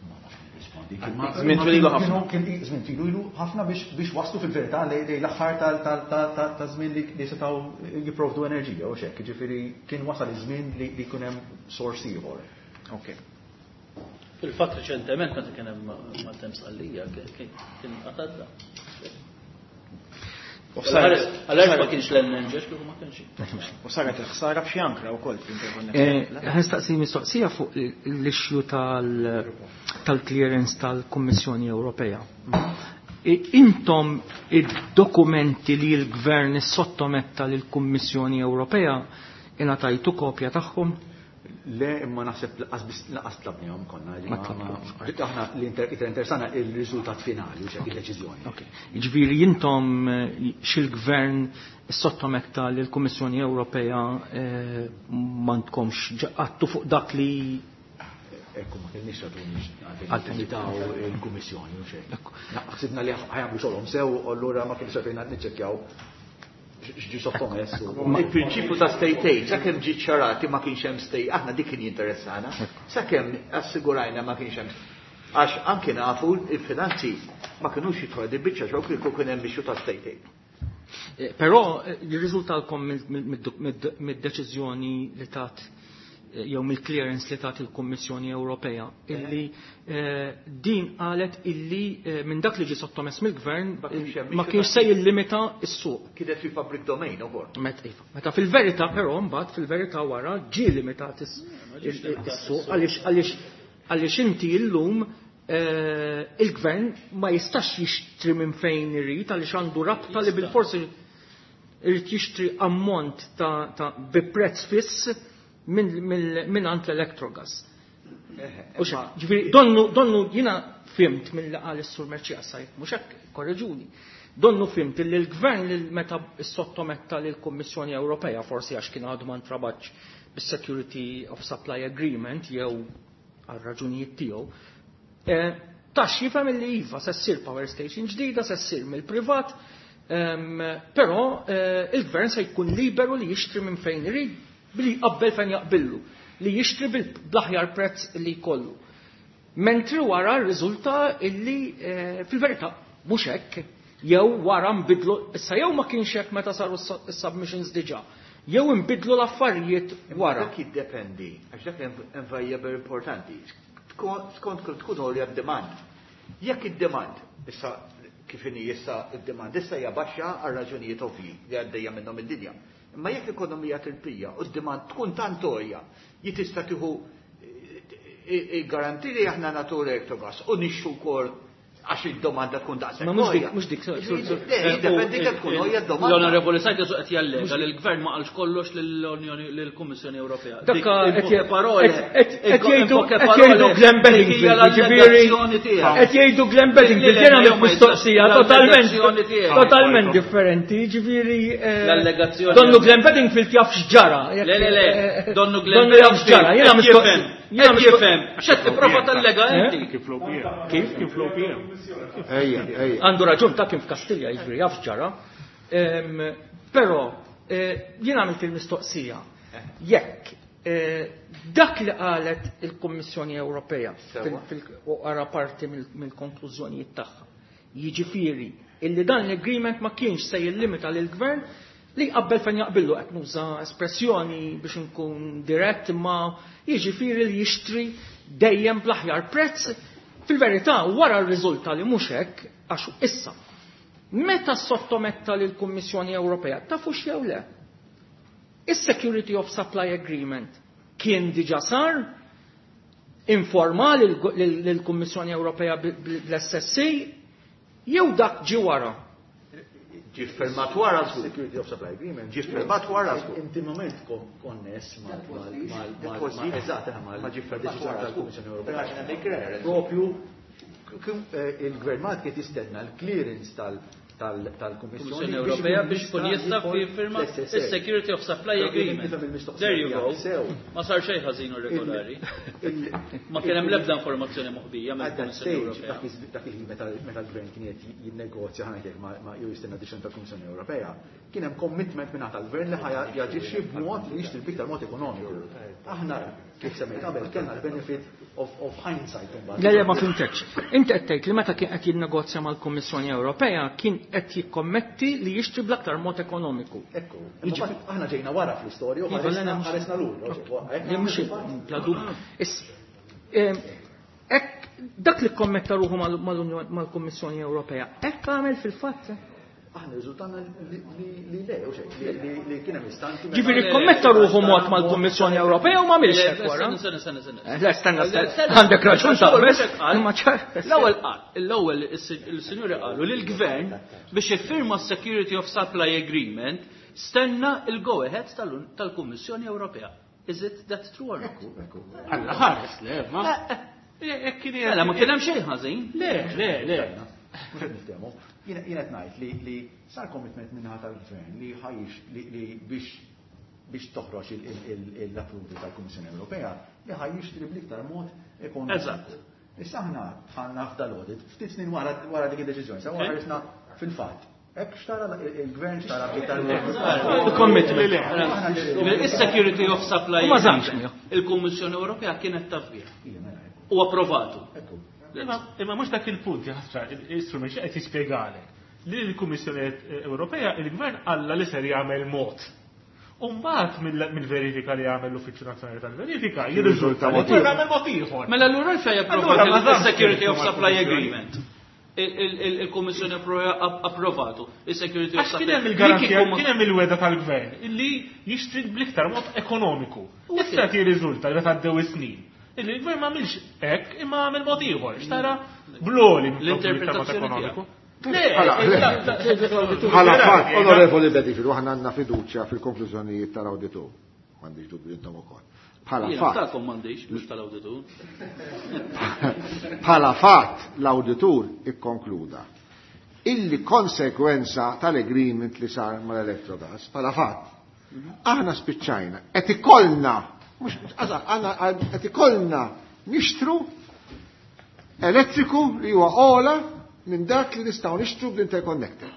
Ma nafx nirrispondi. Kien ma- Żmien ma twil ilu kienu- ħafna. kien żmien twil ilu ħafna biex, biex waslu fil-verità lej, lej l-aħħar tal-, tal-, tal-, tal-, ta' żmien li, li setgħu jipprovdu enerġija u x'hekk, jiġifieri kien wasal iż-żmien li, li jkun hemm source ieħor. Ok. Fil-fatt reċentement meta kien hemm Maltem Sqallija kien qatadda. U saret- Għal-għalhekk ma kienx l-N N G, kieku ma kienx. U saret il-ħsara f'xi ankra wkoll fl-interconnector. Eh, ħa nistaqsi mistoqsija fuq l-issue tal-, tal-clearance tal-Kummissjoni Ewropea. Intom id-dokumenti li l-Gvern sottometta lill-Kummissjoni Ewropea ingħatajtu kopja tagħhom? Le, imma naħseb laqas tlabnihom konna. Ma Aħna li interessana il-riżultat finali, u il-deċiżjoni. Jiġifieri intom xil-Gvern sottometta lill-Kummissjoni Ewropea m'għandkomx ġaqattu fuq dak li Ekku, ma kienx raġuni għalfejn taw il-Kummissjoni u xejn. Ħsibna li ħajamlu xogħolhom sew, u allura ma kienx għalfejn niċċekkjaw x'ġi sottomess. Il-prinċipju ta' state aid, sakemm ġi ċarati ma kienx hemm state, aħna dik kien jinteressana, sakemm assigurajna ma kienx hemm. Għax anke nafu il-finanzi ma kinux jidħol di biċċa xogħol kieku kien hemm issue ta' state aid. Però jirriżultalkom mid-deċiżjoni li tat jew mill-clearance li tat il-Kummissjoni Ewropea illi din qalet illi minn dak li ġie sottomess mill-Gvern ma kienx se jillimita s-suq. Kienet fi public domain ukoll. Meta fil-verità però mbagħad fil-verità wara ġie limitat is-suq għaliex għaliex għaliex inti llum il-Gvern ma jistax jixtri minn fejn irid għaliex għandu rabta li bil-forsi irid jixtri ammont ta' bi prezz fiss minn għand l-Electrogas. Ġifieri, donnu, donnu jiena fhimt mill qal is-Sur Mercieca, mhux hekk korreġuni. Donnu fhimt li l-Gvern li meta sottometta lill-Kummissjoni Ewropea, forsi għax kien għadu ma ntrabatx bis-Security of Supply Agreement jew għal raġunijiet tiegħu, tax jifhem li iva se ssir power station ġdida, se ssir mill-privat, però il-Gvern se jkun liberu li jixtri minn fejn irid, billi jqabbel fejn jaqbillu, li jixtri bl-aħjar prezz li jkollu. Mentri wara rriżulta illi fil-verità mhux hekk, jew wara nbidlu, issa jew ma kienx hekk meta saru s-submissions diġà, jew nbidlu l-affarijiet wara. Dak jiddependi, għax dak hemm variable importanti. Skont tkun għolja d-demand. Jekk id-demand, issa kif inhi issa id-demand, issa hija baxxa għal raġunijiet ovvji li għaddejja minnhom id-dinja. Imma jekk ekonomija tirpija u d-demand tkun tant għolja, jitista' tieħu garanti li aħna nagħtu Electrogas u nixxu wkoll għax id-domanda tkun daqshekk. Ma mhux dik, mhux dik, sorry, sorry, sorry. Le, jiddependi kemm tkun għolja d-domanda. L-Onorevoli Said qed jallega li l-Gvern ma qalx kollox lill-Unjoni lill-Kummissjoni Ewropea. Dak qed jgħidu qed jgħidu Glenn Bedingfield, jiġifieri qed jgħidu Glenn Bedingfield, jiena għamilt mistoqsija totalment totalment differenti, jiġifieri L-allegazzjoni. Donnu Glenn Bedingfield jaf x'ġara. Le, le, le, donnu Glenn Donnu jaf x'ġara, jiena mistoqsija. Jiena jifhem, x'qed tipprova tallega inti? Kif l-O P M? Kif? Kif l-O P M? Ejja, ejja. Għandu raġun ta' kien f'Kastilja, jiġifieri jaf x'ġara. Però jien għamilt il-mistoqsija. Jekk dak li qalet il-Kummissjoni Ewropea fil-qara parti mill-konklużjonijiet tagħha, jiġifieri illi dan l-agreement ma kienx se jillimita lill-Gvern li jqabbel fejn jaqbillu, qed nuża espressjoni biex nkun dirett, imma jiġifieri li jixtri dejjem bl-aħjar prezz. Fil-verità wara r-riżulta li mhux hekk, għax issa meta sottometta lill-Kummissjoni Ewropea tafux jew le? Is-Security of Supply Agreement kien diġà sar informal lill-Kummissjoni Ewropea bl-S S A jew dak ġi wara? Ġi firmat wara żgur. Security of Supply Agreement. Ġi firmat wara żgur. Intimament konness mal eżatt mal Ma ġi firmat wara tal-Kummissjoni Ewropea. Propju il-Gvern Malti qed jistenna l-clearance tal tal-Kummissjoni Ewropea biex kun jista' firma is-Security of Supply Agreement. There you go. Ma sar xejn ħażin irregolari. Ma kien hemm l-ebda informazzjoni moħbija mill-Kummissjoni Ewropea. Dak il-ħin meta l-Gvern kien qed jinnegozja ħajtek ma jew jistenna deċiżjoni tal-Kummissjoni Ewropea, kien hemm commitment minn tal-Gvern li ħa jaġixxi b'mod li jixtri b'iktar mod ekonomiku. Aħna kif semmejt qabel kellna l-benefit of, of hindsight. Le, le, ma fhimtekx. Inti qed tgħid li meta kien qed jinnegozja mal-Kummissjoni Ewropea kien qed jikkommetti li jixtri bl-aktar mod ekonomiku. Ekku, aħna ġejna wara fl-istorja u ħaresna lura. Mhux bla dubju. Hekk dak li kommetta ruħu mal-Kummissjoni Ewropea, hekk għamel fil-fatt. Aħna riżultana li le, u xejn, li kien hemm istanti. Ġifieri kkommetta ruħu mod mal-Kummissjoni Ewropea u ma għamilx hekk wara. Le, stenna, għandek raġun taqbel. Imma ċar. L-ewwel qal, l-ewwel il-sinjuri qalu li l-gvern biex iffirma s-Security of Supply Agreement stenna il-go ahead tal-Kummissjoni Ewropea. Is it that true or not? Alla ħares, le, ma. Mela, ma kien hemm xejn ħażin. Le, le, le. Mhux qed niftehmu. Jiena qed ngħid li li sar commitment minnaħa tal-gvern li ħajx li biex biex toħroġ l-approval tal-Kummissjoni Ewropea li ħaj jixtri bl-iktar mod ekonomiku. Eżatt. Issa aħna dħalna f'dal-audit ftit snin wara dik id-deċiżjoni, sewa ħarisna fil-fatt. Hekk xtara il-gvern xtara bl-iktar mod. Il-commitment. Is-Security of Supply. Ma żammx miegħu. Il-Kummissjoni Ewropea kienet taf bih. U approvatu. Imma mhux dak il-punt jaħsra, l-istrument xi qed jispjegalek li l-Kummissjoni Ewropea il-Gvern alla li ser jagħmel mod. U mbagħad mill-verifika li jagħmel l-Uffiċċju Nazzjonali tal-Verifika jirriżulta li jagħmel mod ieħor. Mela allura għalfejn approvat il-Security of Supply Agreement. Il-Kummissjoni Ewropea approvatu il-Security of Supply. Kien hemm il-garanzija, kien hemm il-weda tal-Gvern illi jixtri bl-iktar mod ekonomiku. Issa jirriżulta li meta għaddew is-snin. Il-gvern ma għamilx hekk imma għamel mod ieħor, xtara bloli l-interpretazzjoni ekonomiku. Bħala fatt, onorevoli Bedifil, aħna għandna fiduċja fil-konklużjonijiet tal-awditur. M'għandix dubju intom ukoll. Bħala fatt. Tagħkom m'għandix, mhux tal-awditur. Bħala fatt l-awditur ikkonkluda illi konsekwenza tal-agreement li sar mal-Electrogas, bħala fatt, aħna spiċċajna qed ikollna mux, għanna qed ikollna nixtru elettriku li huwa ola minn dak li nistgħu nixtru bl-interconnector.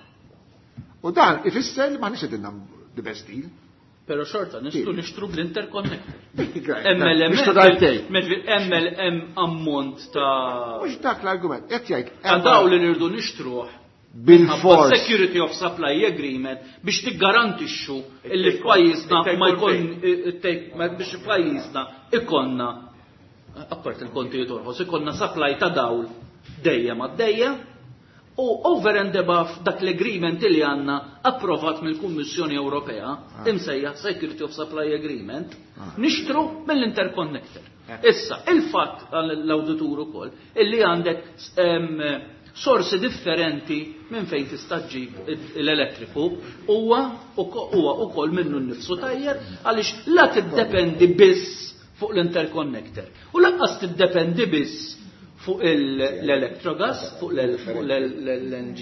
U dan ifisser li m'aħniex qed the best deal. Però xorta nistgħu nixtru bl-interconnector. M L M ammont ta' mhux dak l-argument, qed jgħid ta' daw li nirdu nixtruh bil-fors. Security of Supply Agreement biex tiggarantixxu illi f'pajjiżna ma jkun biex f'pajjiżna ikonna apart il-kontijiet orħos ikonna supply ta' dawl dejjem għaddejja u over and above dak l-agreement li għandna approvat mill-Kummissjoni Ewropea imsejjaħ Security of Supply Agreement nixtru mill-interconnector. Issa, il-fatt l-awditur ukoll illi għandek sorsi differenti minn fejn tista' ġġib l-elettriku huwa huwa ukoll minnu nnifsu tajjeb għaliex la tiddependi biss fuq l-interconnector u lanqas tiddependi biss fuq l-electrogas, fuq l-L N G.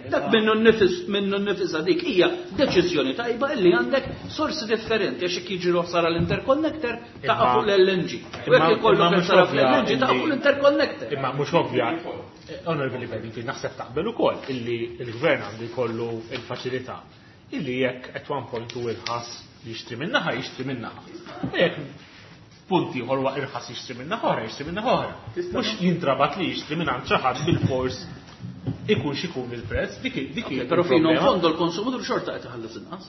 Dak minnu nnifis minnu nnifisha dik hija deċiżjoni tajba illi għandek sorsi differenti għax jekk jiġri ħsara l-interconnector taqa' fuq l-L N G. U jekk ikollok ħsara fl-L N G taqa' fuq l-interconnector. Imma mhux ovvja, Onorevoli Bedingfield, naħseb taqbel ukoll illi l-gvern għandu jkollu l-faċilità illi jekk at one point hu irħas jixtri minn naħa jixtri minn naħa. U jekk punt ieħor huwa irħas jixtri minn naħa oħra jixtri minn naħa oħra. Mhux jintrabat li jixtri minn għand xi ħadd bil-fors ikun x'ikun il-prezz, dik dik Però il-problema. fino in fondo l-konsumatur xorta qed iħallas inqas.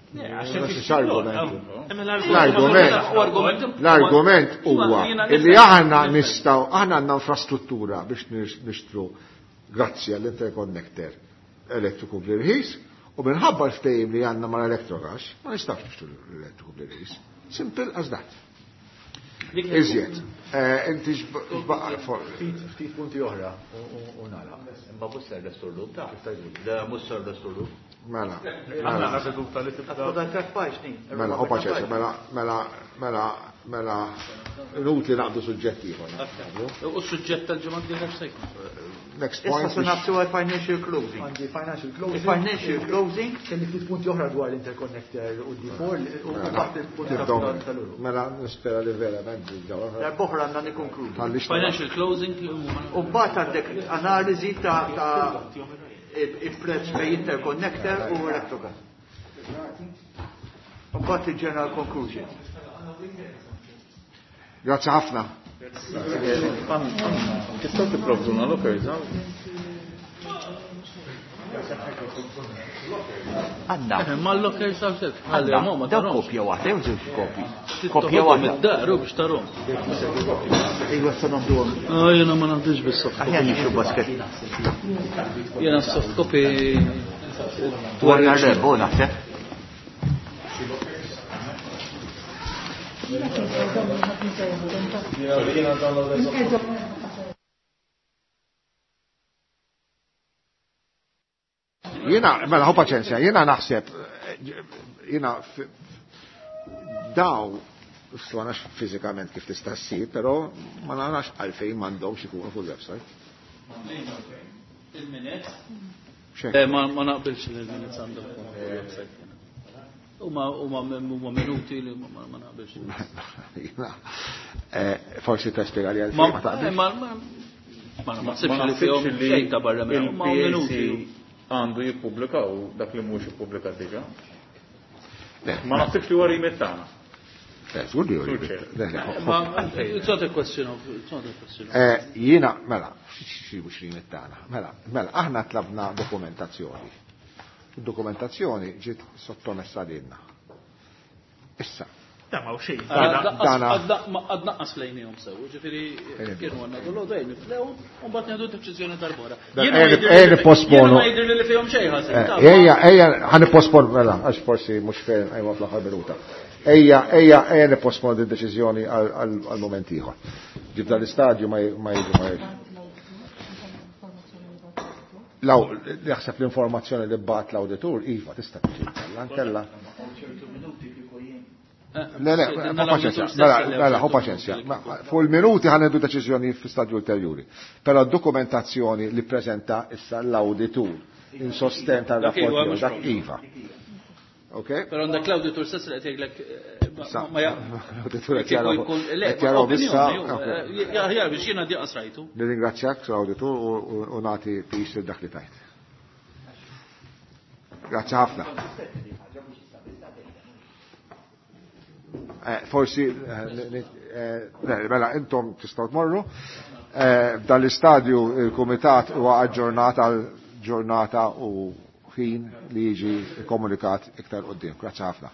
Le, għax Mhux qed l-argument. L-argument. L-argument. L-argument huwa illi aħna nistgħu, aħna għandna infrastruttura biex nixtru grazzi għall-interconnector elettriku bl-irħis u minħabba l-ftehim li għandna mal-Electrogas ma nistgħux nixtru l-elettriku bl-irħis. Simple as that. Iżjed. Inti xbaqa for. Ftit punti oħra u nagħlaq. Imma mhux ser l-istorlu. Da mhux ser l-istorlu. Mela. Għandna seduta li tibda. Mela, u paċenza, mela, mela, mela, mela, inutli naqdu suġġett ieħor. U suġġett tal-ġimgħa d-dieħla x'se jkun? Next Issa point. se nagħtu għal financial closing. Għandi financial closing. Financial closing. Kelli ftit punti oħra dwar l-interconnector u D four u mbagħad il-punti tal-uru. Mela, nispera li verament ġewwa. Darb'oħra għandna nikkonkludu. Financial closing li huma. U mbagħad għandek analiżi ta' ta' il-prezz bej interconnector u Electrogas. U mbagħad il-general conclusion. Grazie ħafna. Tistgħu tipprovduna lockers hawn? Għandna. Ma l-lockers hawn xejn. Għandna. Ma Daw tarhomx. kopja waħda, jew żewġ kopji. Tittoħodhom Kopja waħda. id-dar u biex tarhom. Ejwa sa nagħmluhom. Ah, jiena ma naħdimx bis-soft copy. Aħjar nixtru basket. Jiena soft copy Dwar nhar l-Erbgħa naħseb. Jiena, mela, ħu paċenzja, jiena naħseb, jiena daw, ma nafx fiżikament kif tista' ssir, però ma narax għalfejn m'għandhomx ikunu fuq il-website. Il-minutes? Eh, ma ma naqbilx li l-minutes għandhom ikunu fuq il-website. Huma huma huma minuti li ma ma naqbilx. Jiena, eh, forsi tispjega li għalfejn Ma ma taqbilx. ma ma ma naħsibx li fihom xejn ta' barra minn huma minuti. Għandu jippubblikaw dak li mhux ippubblikat diġà. Le, Ma naħsibx li huwa remit tagħna. Le, żgur li huwa Sur remit. Chair. Le, le, ħu- Ma it's not a question of it's not a question of. Eh, Jiena, mela, xi mhux remit tagħna. Mela, mela, aħna tlabna dokumentazzjoni. Dokumentazzjoni ġiet sottomessa lilna. Issa, Da ma xejn. Dana- Għad naqqas lejnihom sew, ġifieri kienu għandna dol dejn niflewhom u mbagħad nieħdu deċiżjoni darbora. Da- Jiena ma ejja- jidhirli ejja li- nipposponu. jiena ma jidhirli li fihom xejn ħażin. Eh, ta' Ejja, ejja, ħa nipposponu, mela, għax forsi mhux fejn ejwa fl-aħħar minuta. Ejja, ejja, ejja nipposponu din deċiżjoni għal għal moment ieħor. Ġib dal-istadju ma j- ma jiġu ma jiġu. Law, jaħseb l-informazzjoni li bat l-awditur, iva, tista' tiġi kella, nkella. Le, le, Sidna ħu paċenzja, l-awditur mela, stess li mela, ħu għawġu paċenzja. Ma- ma- Fuq il-minuti ħa nieħdu deċiżjoni fi stadju ulterjuri. Però dokumentazzjoni li prezenta issa l-awditur in sosten Dak tal-rapport iva, tiegħu, mhux dak problem. iva. Ok? Però għandek l-awditur stess li qed jgħidlek eh, ma- Sa- ma ja- L-awditur qed kieku jaraw- jkun- le, qed jaraw opinjoni, issa, ju, ok. eh, ja, ja, biex jiena diqas rajtu. Nirringrazzjak l-awditur u- u u nagħti pis lil dak li tajt. Grazzi ħafna. Eh, Forsi, eh, ni- eh, le, mela, intom tistgħu tmorru. Eh, F'dan l-istadju il-kumitat huwa aġġornat għal ġurnata u ħin li jiġi komunikat iktar qudiem. Grazzi ħafna.